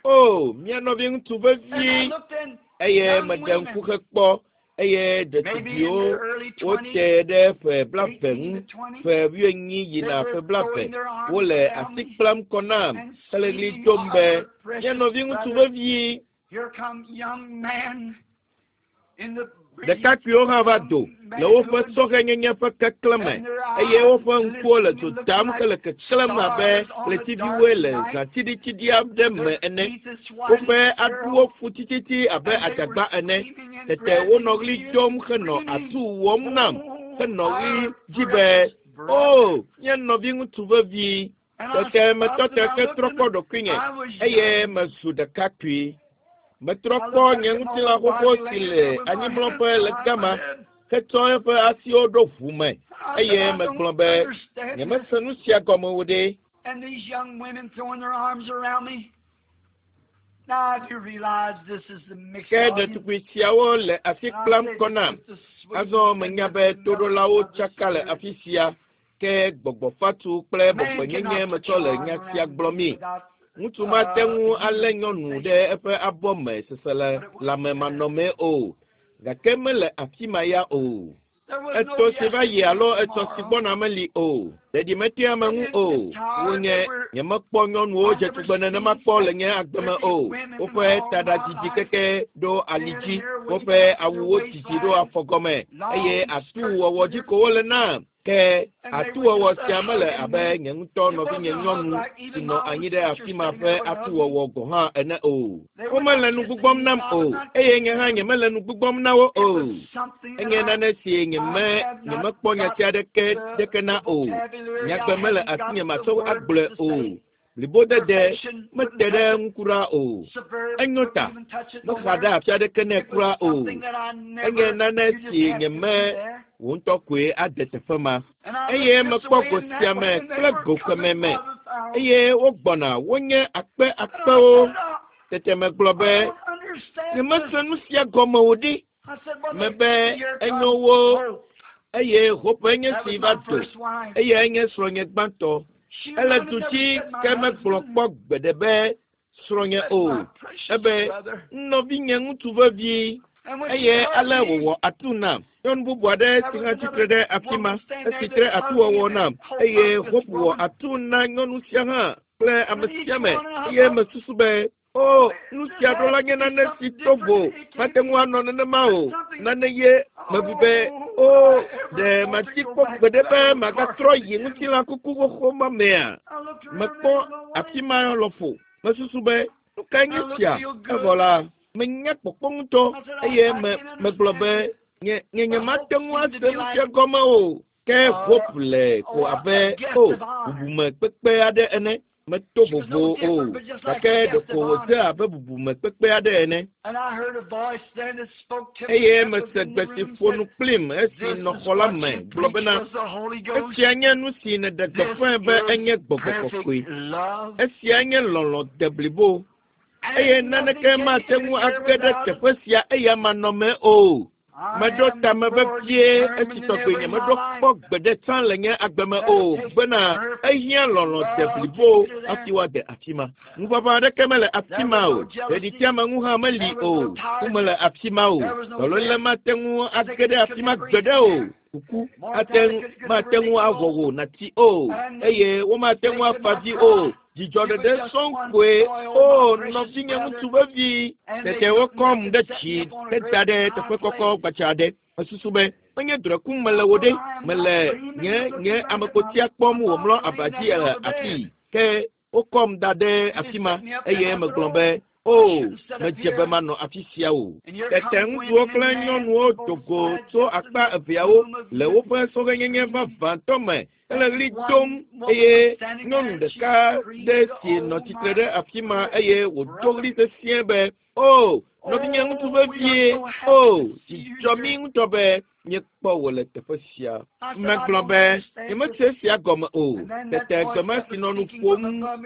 Speaker 1: o, mía nɔviŋutsu vevi. Eye meɖe ŋku hekpɔ eye ɖetugbiwo wote ɖe ƒe blaeve ŋu, ƒe wuienyi yina ƒe blaeve, wole asi kplam kɔ nam hele ɣli dom be, mía nɔviŋutsu vevi. Ɖekakpuiwo hã va do le woƒe sɔhɛnyenye ƒe keklẽ me eye woƒe ŋkuwo le dzo dam hele keklẽm abe ɣletiviwoe le zãtsiɖitsiɖi aɖe me ene. Woƒe aɖuwo fu tititi abe adzagba ene. Tete wonɔ ɣli dom henɔ atu wɔm nam henɔ ɣli dzi be, o, nye nɔviŋutsu vevi. Tete metɔ te hetrɔ kpɔ ɖokuinye eye mezu ɖekakpui. Metrɔ kpɔ nye ŋutilã xoxo si le anyimlɔƒe le gama hetsɔ eƒe asiwo ɖo ʋu me eye megblɔ be nyemese nu sia gɔme o ɖe.
Speaker 2: And these young women throwing their arms around me. Now I do realize this is the mixed
Speaker 1: Ke
Speaker 2: audience.
Speaker 1: ɖetugbui siawo le asi kplam kɔ nam. Azɔ menya be toɖolawo tsaka le afi sia ke gbɔgbɔ fatu kple bɔbɔenyenye metsɔ le nya sia gblɔmii. Ŋutsu mate ŋu alé nyɔnu ɖe eƒe abɔ me seselelãmemanɔmee o, gake mele afi ma ya o. Etɔ si va yi alo etɔ si gbɔna meli o. Ɖeɖi metea ame ŋu o. Wonye nyemekpɔ nyɔnuwo dze tugbe nenema kpɔ le nye agbe me o. Woƒe taɖa didi keke ɖo ali dzi, woƒe awuwo didi ɖo afɔgɔme eye atuwɔwɔ dzi ko wole nam. Ke atuwɔwɔ sia mele abe nye ŋutɔ nɔvinye nyɔnu si nɔ anyi ɖe afi ma ƒe atuwɔwɔ gɔ̃ hã ene o. Womele nu gbugbɔm nam o eye nye hã nyemele nu gbugbɔm na wo o. Enye nane si nyeme nyemekpɔ nyati aɖeke ɖeke na o. Nyagbe mele asinye matsɔ agblɔe o. Blibodede mete ɖe ŋu kura o. Enyo ta mexa ɖe afi aɖeke nɛ kura o. Enye nane si nyeme wò ŋutɔ koe ade teƒe ma. Eye mekpɔ go sia me kple go kemɛ me eye wogbɔna wonye akpe akpewo. Tete megblɔ be nyemese nu sia gɔme o ɖi. Mebe enyo wo eye Hope nye si va do eye nye srɔ̃nye gbãtɔ. Ele du dzi ke megblɔ kpɔ gbeɖe be srɔ̃nye o. Ebe nɔvinye ŋutsu vevi eye ale wòwɔ atu nam. Nyɔnu bubu aɖe si hã tsitre ɖe afi ma esi tre atuwɔwɔ nam eye Hope wɔ atu na nyɔnu sia hã kple ame sia ame eye mesusu be o nu sia ɖo la nye nane si to vo mate ŋu anɔ nenema o. Nane ye mebu be o ɖe mati kpɔ gbeɖe be magatrɔ yi ŋutilã kuku xoxo ma mea. Mekpɔ afi ma lɔƒo. Mesusu be nu kae nye sia? Evɔ la menya kpɔkpɔ ŋutɔ eye me megblɔ be nye nye nyemate ŋu ase nu sia gɔme o. Ke Hope le ko abe o bubume kpekpe aɖe ene. Meto vovo o gake ɖeko wòdze abe bubume kpekpe aɖe ene. Eye mese gbe si ƒo nu kplim esi nɔ xɔ la me gblɔ bena esia nye nu si nèɖe gbeƒãe be enye gbɔgbɔ kɔkɔe. Esia nye lɔlɔ̃ deblibo eye naneke mate ŋu age ɖe teƒe sia eya manɔmee o. Meɖo tame vevie esi tɔgbe nye meɖo kpɔ gbeɖe tsã le nye agbe me o bena ehiã lɔlɔ̃ de blibo hafi woade afi ma. Ŋuʋaʋã aɖeke mele afi ma o. Ɖeɖiteameŋu hã meli o. Ku mele afi ma o. Dɔléle mate ŋu age ɖe afi ma gbeɖe o. Kuku ate ŋu mate ŋu awɔ wò nàti o eye womate ŋu afa dzi o. Dzidzɔ ɖeɖe sɔŋ koe o nɔvinye ŋutsu vevi. Tete wokɔm ɖe dzi heda ɖe teƒe kɔkɔ gbadza aɖe. Mesusu be menye drɔ̃e kum mele wo ɖe. Mele nye nye amekpotia kpɔm wòmlɔ aba dzi le afii. Ke wokɔm da ɖe afi ma eye megblɔ be o medze be manɔ afi sia o. Tete ŋutsuwo kple nyɔnuwo do go tso akpa eveawo le woƒe sɔhɛnyenye vavãtɔ me hele ɣli dom eye nyɔnu ɖeka ɖe si nɔ tsitre ɖe afi ma eye wòdo ɣli sesĩe be o nɔvinye ŋutsu vevie o dzidzɔ mí ŋutɔ be míekpɔ wò le teƒe sia. Megblɔ be nyemese esia gɔme o. Tete gbema si nɔ nu ƒom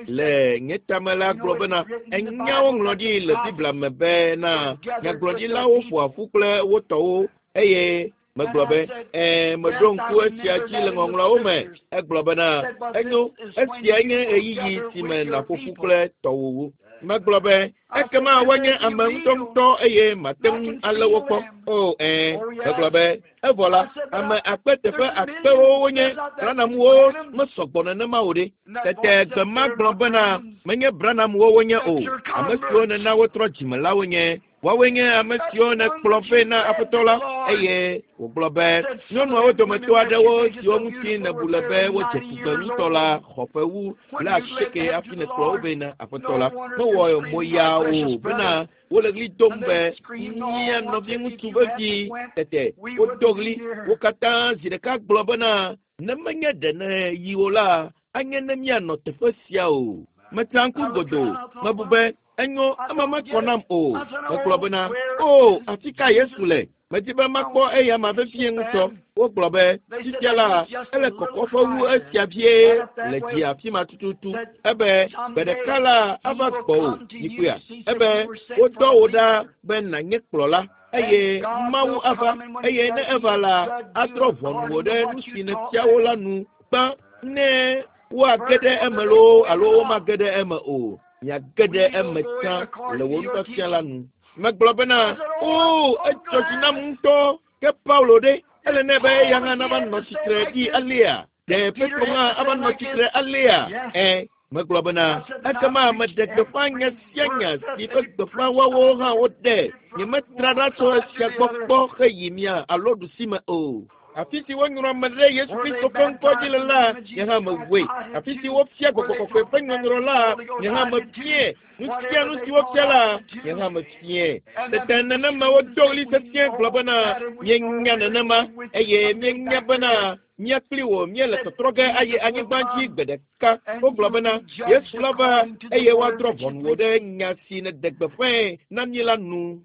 Speaker 1: le nye tame la gblɔ bena enya woŋlɔ ɖi le Biblia me bena nyagblɔɖilawo ƒoa ƒu kple wo tɔwo eye megblɔ be ɛɛ meɖo ŋku esia dzi le ŋɔŋlɔawo me. Egblɔ bena enyo esia nye ɣeyiɣi si me nàƒo ƒu kple tɔwòwo. Megblɔ be ekema woanye ame ŋutɔŋutɔ eye mate ŋu alé wo kpɔ. O ɛɛ megblɔ be evɔ la ame akpe teƒe akpewo wonye Branhamwo mesɔgbɔ nenema o ɖe. Tete gbema gblɔ bena menye Branhamwo wonye o. Ame siwo nena wotrɔ dzime la wonye. Woawoe nye ame siwo nèkplɔ vɛ na Aƒetɔ la eye wògblɔ be nyɔnuawo dometɔ aɖewo siwo ŋuti nèbu le be wodze tugbe ŋutɔ la xɔ ƒe wu blaasieke hafi nèkplɔ wo vɛ na Aƒetɔ la. Mewɔ moya o bena wole ɣli dom be mía nɔviŋutsu vevi. Tete wodo ɣli wo katã zi ɖeka gblɔ bena ne menye ɖe ne yi o la anye ne míanɔ teƒe sia o. Metsa ŋku godoo mebu be enyo ema mekɔ nam o. Megblɔ bena o afi ka Yesu le? Medi be makpɔ eya ma vevie ŋutɔ. Wogblɔ be fifia la ele kɔkɔƒe wu esia vie le dzi afi ma tututu. Ebe gbe ɖeka la ava gbɔwò yikpea. Ebe wodɔ wò ɖa be nànye kplɔla eye Mawu ava eye ne eva la adrɔ̃ ʋɔnu wò ɖe nu si nèfia wo la nu gbã ne woage ɖe eme loo alo womage ɖe eme o. Miage ɖe eme tsã le wò nufiafia la nu. Megblɔ bena o edzɔ dzi nam ŋutɔ ke Paulo ɖe ele nɛ be eya hã nava nɔ tsitre ɖi alea. Ɖe Petro hã ava nɔ tsitre alea. Ɛ megblɔ bena ekema meɖe gbeƒã nya sia nya si ƒe gbeƒã woawo hã woɖe. Nyemetra ɖa tso esia gbɔ kpɔ heyi mia alo ɖusime o. Afi si wonyrɔ ame ɖe Yesu Kristo ƒe ŋkɔ dzi le la, nye hã mewɔe. Afi si wofia gbɔgbɔ kɔkɔe ƒe nyɔnyrɔ la, nye hã mefiae. Nu sia nu si wofia la, nye hã mefiae. Tete nenema wodo ɣli sesĩe gblɔ bena míenya nenema eye míenya bena mía kpli wò míele tɔtrɔ ge ayi anyigba dzi gbe ɖeka. Wogblɔ bena Yesu la va eye woadrɔ̃ ʋɔnu wò ɖe nya si nèɖe gbeƒãe na mí la nu.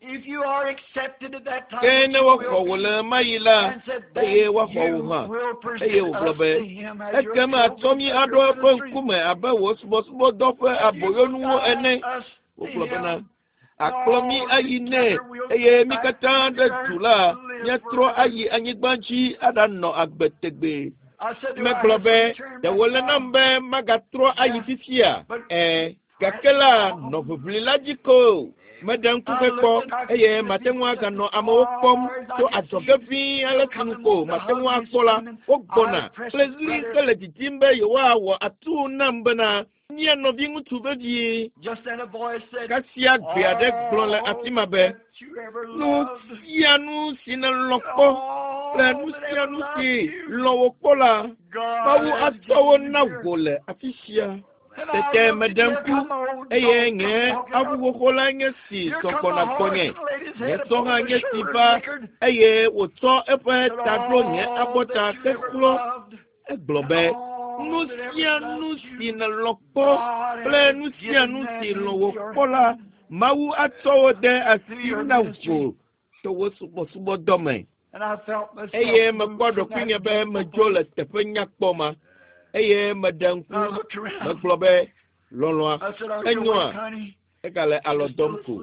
Speaker 2: If you are accepted at that time,
Speaker 1: Ke ne
Speaker 2: which you
Speaker 1: woaxɔ
Speaker 2: will
Speaker 1: wò
Speaker 2: be,
Speaker 1: le ɣemaɣi la
Speaker 2: and said,
Speaker 1: eye
Speaker 2: then
Speaker 1: woaxɔ
Speaker 2: you
Speaker 1: wò hã.
Speaker 2: will present
Speaker 1: Eye wògblɔ
Speaker 2: us
Speaker 1: be
Speaker 2: to him as your
Speaker 1: ekema atsɔ
Speaker 2: trophies
Speaker 1: mí
Speaker 2: of
Speaker 1: aɖo
Speaker 2: your
Speaker 1: eƒe
Speaker 2: ministry.
Speaker 1: ŋkume abe wò subɔsubɔdɔ ƒe aboyonuwo ene.
Speaker 2: Us to
Speaker 1: Wogblɔ bena
Speaker 2: him.
Speaker 1: akplɔ mí ayi nɛ eye mí katã ɖe du la míatrɔ ayi anyigba dzi aɖanɔ agbe tegbee.
Speaker 2: I said, do I
Speaker 1: Megblɔ
Speaker 2: have
Speaker 1: be
Speaker 2: to return
Speaker 1: ɖe
Speaker 2: back
Speaker 1: wòle
Speaker 2: now?
Speaker 1: nam be magatrɔ ayi fifia? Ɛ gake la nɔ ʋiʋli la dzi ko. Meɖe ŋku hekpɔ eye mate ŋu aganɔ amewo kpɔm tso adzɔge ʋĩi ale si nu ko mate ŋu akpɔ la wogbɔna kple ɣli hele didim be yewoawɔ atuu nam bena mía nɔviŋutsu vevie.
Speaker 2: Just then a voice said,
Speaker 1: Kasia gbe aɖe gblɔ le afi ma be
Speaker 2: that you ever
Speaker 1: nu
Speaker 2: loved,
Speaker 1: sia nu si nèlɔ̃ kpɔ kple
Speaker 2: all
Speaker 1: nu
Speaker 2: that
Speaker 1: sia
Speaker 2: ever
Speaker 1: nu
Speaker 2: loved
Speaker 1: si
Speaker 2: you,
Speaker 1: lɔ̃ wò kpɔ la
Speaker 2: God
Speaker 1: Mawu
Speaker 2: has
Speaker 1: atsɔ wo
Speaker 2: given
Speaker 1: na
Speaker 2: you here.
Speaker 1: wò le afi sia.
Speaker 2: And I
Speaker 1: Tete
Speaker 2: looked,
Speaker 1: meɖe
Speaker 2: here
Speaker 1: ŋku
Speaker 2: come old
Speaker 1: eye
Speaker 2: dog
Speaker 1: nye
Speaker 2: come walking
Speaker 1: avu
Speaker 2: up.
Speaker 1: xoxo la nye si
Speaker 2: Here
Speaker 1: zɔ
Speaker 2: come
Speaker 1: gbɔna
Speaker 2: the horse
Speaker 1: gbɔnye.
Speaker 2: and laid his
Speaker 1: Nye
Speaker 2: head
Speaker 1: sɔ
Speaker 2: upon
Speaker 1: hã
Speaker 2: my
Speaker 1: nye si
Speaker 2: shoulder
Speaker 1: va
Speaker 2: and nickered.
Speaker 1: eye wòtsɔ eƒe
Speaker 2: Said,
Speaker 1: ta ɖo nye
Speaker 2: all
Speaker 1: abɔta
Speaker 2: that you ever
Speaker 1: hexlɔ.
Speaker 2: loved
Speaker 1: Egblɔ
Speaker 2: and
Speaker 1: be nu
Speaker 2: all that ever
Speaker 1: sia nu
Speaker 2: loved
Speaker 1: si
Speaker 2: you,
Speaker 1: nèlɔ̃ kpɔ
Speaker 2: God
Speaker 1: kple
Speaker 2: has
Speaker 1: nu sia
Speaker 2: given
Speaker 1: nu si
Speaker 2: them
Speaker 1: lɔ̃
Speaker 2: into
Speaker 1: wò
Speaker 2: your
Speaker 1: kpɔ la
Speaker 2: hand
Speaker 1: Mawu atsɔ wo de
Speaker 2: through
Speaker 1: asi
Speaker 2: your
Speaker 1: na
Speaker 2: ministry.
Speaker 1: wò to wò subɔsubɔdɔ me.
Speaker 2: And I felt myself
Speaker 1: Eye
Speaker 2: moved
Speaker 1: mekpɔ
Speaker 2: from that
Speaker 1: ɖokuinye be
Speaker 2: beautiful
Speaker 1: medzo le
Speaker 2: place.
Speaker 1: teƒe nyakpɔ ma eye meɖe
Speaker 2: And I
Speaker 1: ŋku
Speaker 2: looked around.
Speaker 1: megblɔ be lɔlɔ̃a
Speaker 2: I said, are you
Speaker 1: enyoa
Speaker 2: awake, honey?
Speaker 1: Egale alɔ dɔm ko.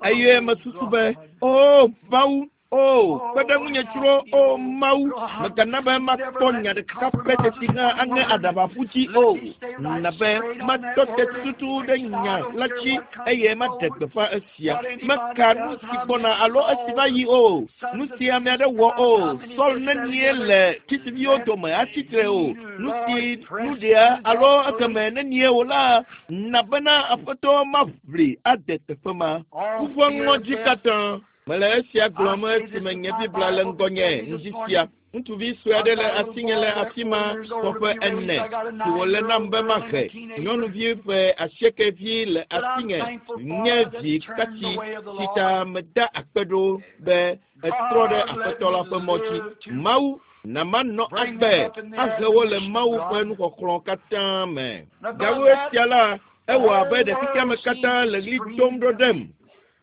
Speaker 1: Eye mesusu be, o Mawu, o kpe ɖe ŋunye tsro, o Mawu, mègana be makpɔ nya ɖeka pɛ teti hã aŋe aɖaba ƒu dzi o. Na be matɔ te tututu ɖe nya la dzi eye maɖe gbeƒã esia. Meka nu si gbɔna alo esi va yi o. Nu si ame aɖe wɔ o. Saul nenie le tsitsiviwo dome atsitre o. Nu si nu ɖea alo ekeme nenie o la, na bena Aƒetɔ maʋli ade teƒe ma. Kuƒe ŋɔdzi katã. Mele esia gblɔm esime nye Biblia le ŋgɔnye ŋdi sia. Ŋutsuvi sue aɖe le asinye le afi ma xɔ ƒe ene si wòle nam be mahe. Nyɔnuvi ƒe asieke vi le asinye nye vi katsi si ta meda akpe ɖo be etrɔ ɖe Aƒetɔ la ƒe mɔ dzi. Mawu na manɔ agbe ahe wo le Mawu ƒe nuxɔxlɔ̃ katã me. Gawu esia la, ewɔ abe ɖe xexeame katã le ɣli dom ɖo ɖem.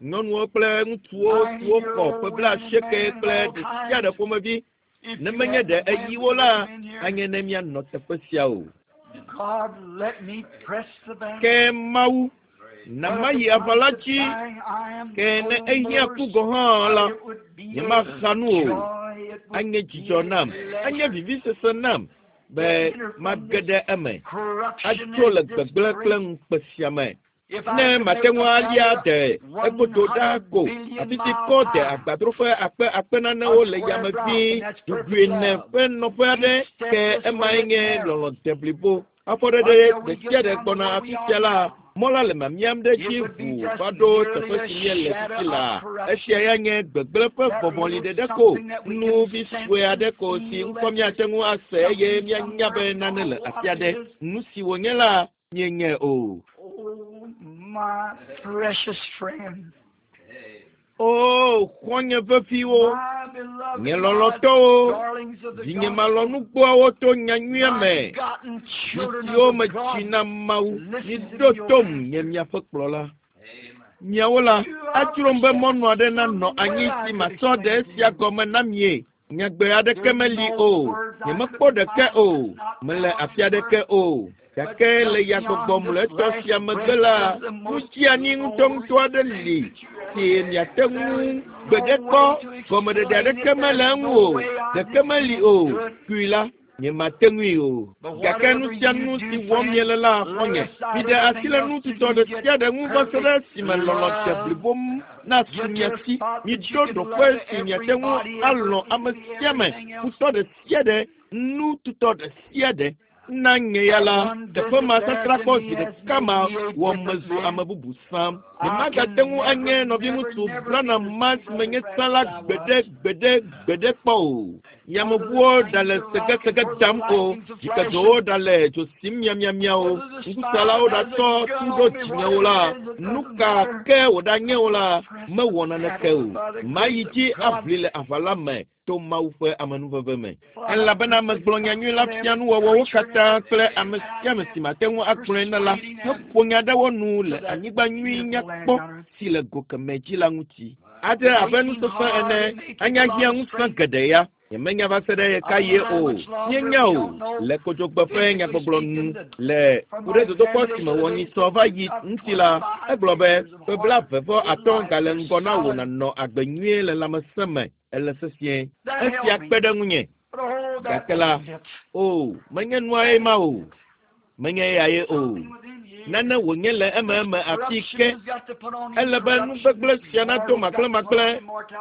Speaker 1: Nyɔnuwo kple ŋutsuwo siwo xɔ ƒe blaasieke kple ɖe sia ɖe ƒomevi. Ne menye ɖe eyi wo la, anye ne míanɔ teƒe sia o. Ke Mawu na mayi aʋa la dzi, ke ne ehiã ku gɔ̃ hã la, nyemaxa nu o. Anye dzidzɔ nam, anye vivisese nam be mage ɖe eme, atso le gbegblẽ kple ŋukpe sia me. Ne mate ŋu alia de egodo ɖa ko, afi si kɔ de agbadroƒe akpe akpe nanewo le yame vie, ɖoɖoe ene ƒe nɔƒe aɖe, ke emae nye lɔlɔ̃ deblibo. Afɔɖeɖe ɖe sia ɖe gbɔna afi sia la, mɔ la le mamiam ɖe dzi ʋuu va ɖo teƒe si míele fifi laa. Esia ya nye gbegblẽ ƒe vɔvɔli ɖeɖe ko, nu vi sue aɖe ko si ŋkɔ míate ŋu ase eye míanya be nane le afi aɖe. Nu si wònye la, míenyae o.
Speaker 2: My precious friend.
Speaker 1: O, xɔ̃nye veviwo, nye lɔlɔ̃tɔwo, vinye malɔ̃nugbɔawo to nyanyuia me, vi siwo metsi na Mawu, miɖo tom nye miaƒe kplɔla. Miawo la, adzrom be mɔnu aɖe nanɔ anyi si masɔ ɖe esia gɔme na mie. Nyagbe aɖeke meli o, nyemekpɔ ɖeke o, mele afi aɖeke o. Gake le yagbɔgbɔ mlɔetɔ sia megbe la, nu dziani ŋutɔŋutɔ aɖe li si miate ŋu gbeɖe kpɔ. Gɔmeɖeɖe aɖeke mele eŋu o, ɖeke meli o. Kui la, nyemate ŋui o. Gake nu sia nu si wɔm miele la xɔ̃nye, miɖe asi le nu tutɔ ɖe sia ɖe ŋu va se ɖe esime lɔlɔ̃ deblibo nasu mia si. Miɖo ɖoƒe si miate ŋu alɔ̃ ame sia ame, futɔ ɖe sia ɖe, nu tutɔ ɖe sia ɖe. Na nye ya la, teƒe ma sasrã kpɔ zi ɖeka ma wɔ mezu ame bubu sãm. Nyemagate ŋu anye nɔviŋutsu Branham ma si menye tsã la gbeɖe gbeɖe gbeɖe kpɔ o. Yameʋuwo ɖale segesege dam o, dzikedzowo ɖale dzo sim miamiamia o, ŋkusalawo ɖatsɔ tu ɖo dzinye o la, nu ka ke wòɖanye o la, mewɔ naneke o. Mayi dzi aʋli le aʋa la me to Mawu ƒe amenuveve me. Elabena megblɔ nyanyui la fia nuwɔwɔwo katã kple ame sia ame si mate ŋu agblɔe na la, heƒo nya ɖe wo nu le anyigba nyui nyakpɔ si le go kemɛ dzi la ŋuti. Adze abe nusese ene, anya hiã ŋusẽ geɖe ya. Nyemenya va se ɖe ɣekaɣie o. Míenya o. Le kodzogbe ƒe nyagbɔgblɔ nu le ku ɖe dodokpɔ si me wɔnyisɔ va yi ŋuti la, egblɔ be ƒe blaeve vɔ atɔ̃ gale ŋgɔ na wò nànɔ agbe nyuie le lãmesẽ me. Ele sesĩe. Esia kpe ɖe ŋunye. Gake la, o, menye nuae ma o. Menye eyae o. Nane wònye le ememe afi ke. Ele be nu gbegblẽ sia nado makplẽmakplẽ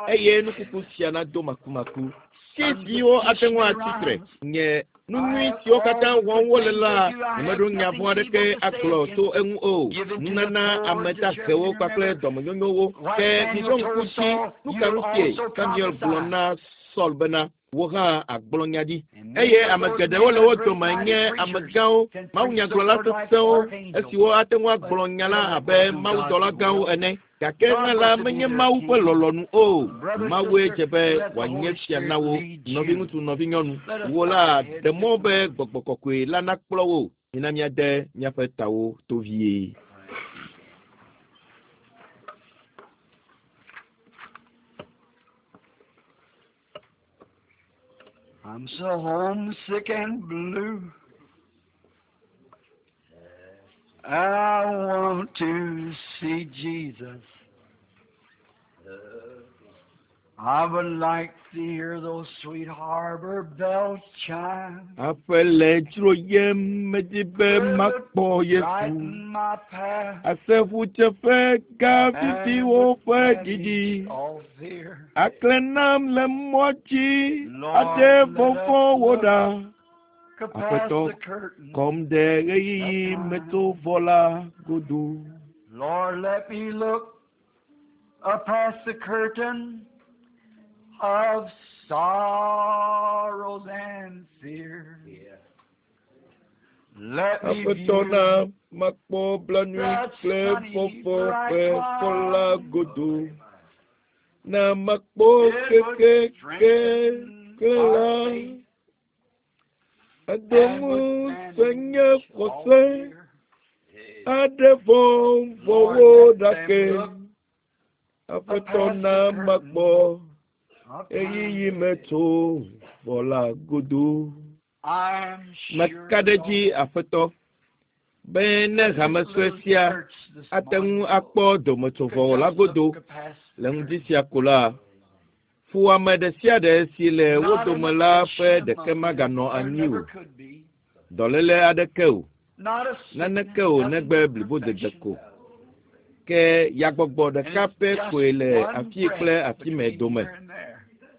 Speaker 1: eye nukuku sia nado makumaku. Tsiziwo ate ŋu atsi tre. Nye nu nyui siwo katã wɔm wole la, nyemeɖo nya vɔ̃ aɖeke agblɔ tso eŋu o. Nunana ame dahewo kpakple dɔmenyonyowo. Ke miɖo ŋku dzi, nu ka ŋutie Samuel gblɔ na Saul bena, wò hã agblɔ nya ɖi. Eye ame geɖewo le wo dome nye amegãwo, mawunyagblɔla sesẽwo, esiwo ate ŋu agblɔ nya la abe mawudɔla gãwo ene. Gake hã la menye Mawu ƒe lɔlɔ̃nu o. Mawue dze be wòanye fia na wo. Nɔviŋutsu, nɔvinyɔnu, wò la ɖe mɔ be gbɔgbɔ kɔkɔe la nakplɔ wò. Mina míade míaƒe tawo to vie.
Speaker 2: I'm so homesick and blue. And I want to see Jesus. I would like to hear those sweet harbor bells chime.
Speaker 1: Aƒe le dzroyem medi be makpɔ Yesu.
Speaker 2: Brighten my path.
Speaker 1: Ase ƒudzeƒe gã viviwo ƒe
Speaker 2: and
Speaker 1: ɖiɖi.
Speaker 2: banish all fear.
Speaker 1: Aklẽ nam le mɔ dzi
Speaker 2: Lord,
Speaker 1: aɖe
Speaker 2: let us
Speaker 1: vɔvɔ̃wo
Speaker 2: look
Speaker 1: ɖa.
Speaker 2: Past
Speaker 1: Aƒetɔ
Speaker 2: the curtain.
Speaker 1: kɔm ɖe ɣeyiɣi metovɔ la godo.
Speaker 2: Lord, let me look up past the curtain of sorrows and fear. Let me
Speaker 1: Aƒetɔ
Speaker 2: view
Speaker 1: na makpɔ blanui
Speaker 2: that
Speaker 1: kple
Speaker 2: sunny
Speaker 1: vɔvɔ̃
Speaker 2: bright
Speaker 1: ƒe fɔ la
Speaker 2: cloud.
Speaker 1: godo. Na makpɔ
Speaker 2: It would
Speaker 1: keke
Speaker 2: strengthen
Speaker 1: ke
Speaker 2: our
Speaker 1: la.
Speaker 2: faith
Speaker 1: Ado
Speaker 2: and would
Speaker 1: ŋusẽ nye
Speaker 2: banish all
Speaker 1: xɔse.
Speaker 2: fear.
Speaker 1: Aɖe
Speaker 2: Lord,
Speaker 1: vɔvɔ̃wo
Speaker 2: let
Speaker 1: ɖa
Speaker 2: them
Speaker 1: ke.
Speaker 2: look
Speaker 1: Aƒetɔ
Speaker 2: past
Speaker 1: na
Speaker 2: the curtain
Speaker 1: makpɔ
Speaker 2: of
Speaker 1: ɣeyiɣi
Speaker 2: time.
Speaker 1: metovɔ la godo.
Speaker 2: I'm sure,
Speaker 1: Meka ɖe dzi
Speaker 2: Lord,
Speaker 1: Aƒetɔ be ne
Speaker 2: that this
Speaker 1: hame sue
Speaker 2: little
Speaker 1: sia
Speaker 2: church this
Speaker 1: ate ŋu
Speaker 2: morning
Speaker 1: akpɔ
Speaker 2: could
Speaker 1: dometsovɔwɔ la
Speaker 2: just
Speaker 1: godo
Speaker 2: look past the
Speaker 1: le ŋdi
Speaker 2: curtain.
Speaker 1: sia ko la, fuwɔame ɖe sia ɖe si le wo
Speaker 2: Not an
Speaker 1: dome la ƒe
Speaker 2: affliction
Speaker 1: ɖeke
Speaker 2: among them.
Speaker 1: maganɔ
Speaker 2: There
Speaker 1: anyi o.
Speaker 2: never could be.
Speaker 1: Dɔléle aɖeke o,
Speaker 2: Not a sickness,
Speaker 1: naneke o
Speaker 2: nothing
Speaker 1: negbe
Speaker 2: but
Speaker 1: blibodede
Speaker 2: perfection.
Speaker 1: ko. Ke yagbɔgbɔ
Speaker 2: And
Speaker 1: ɖeka
Speaker 2: it's
Speaker 1: pɛ
Speaker 2: just
Speaker 1: koe le
Speaker 2: one
Speaker 1: afii kple
Speaker 2: breath
Speaker 1: afi me
Speaker 2: between
Speaker 1: dome.
Speaker 2: here and there.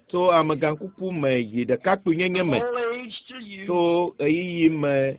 Speaker 1: Tso amegãkuku me yi ɖekakpuinyenye
Speaker 2: From
Speaker 1: me,
Speaker 2: old age to youth,
Speaker 1: tso ɣeyiɣi me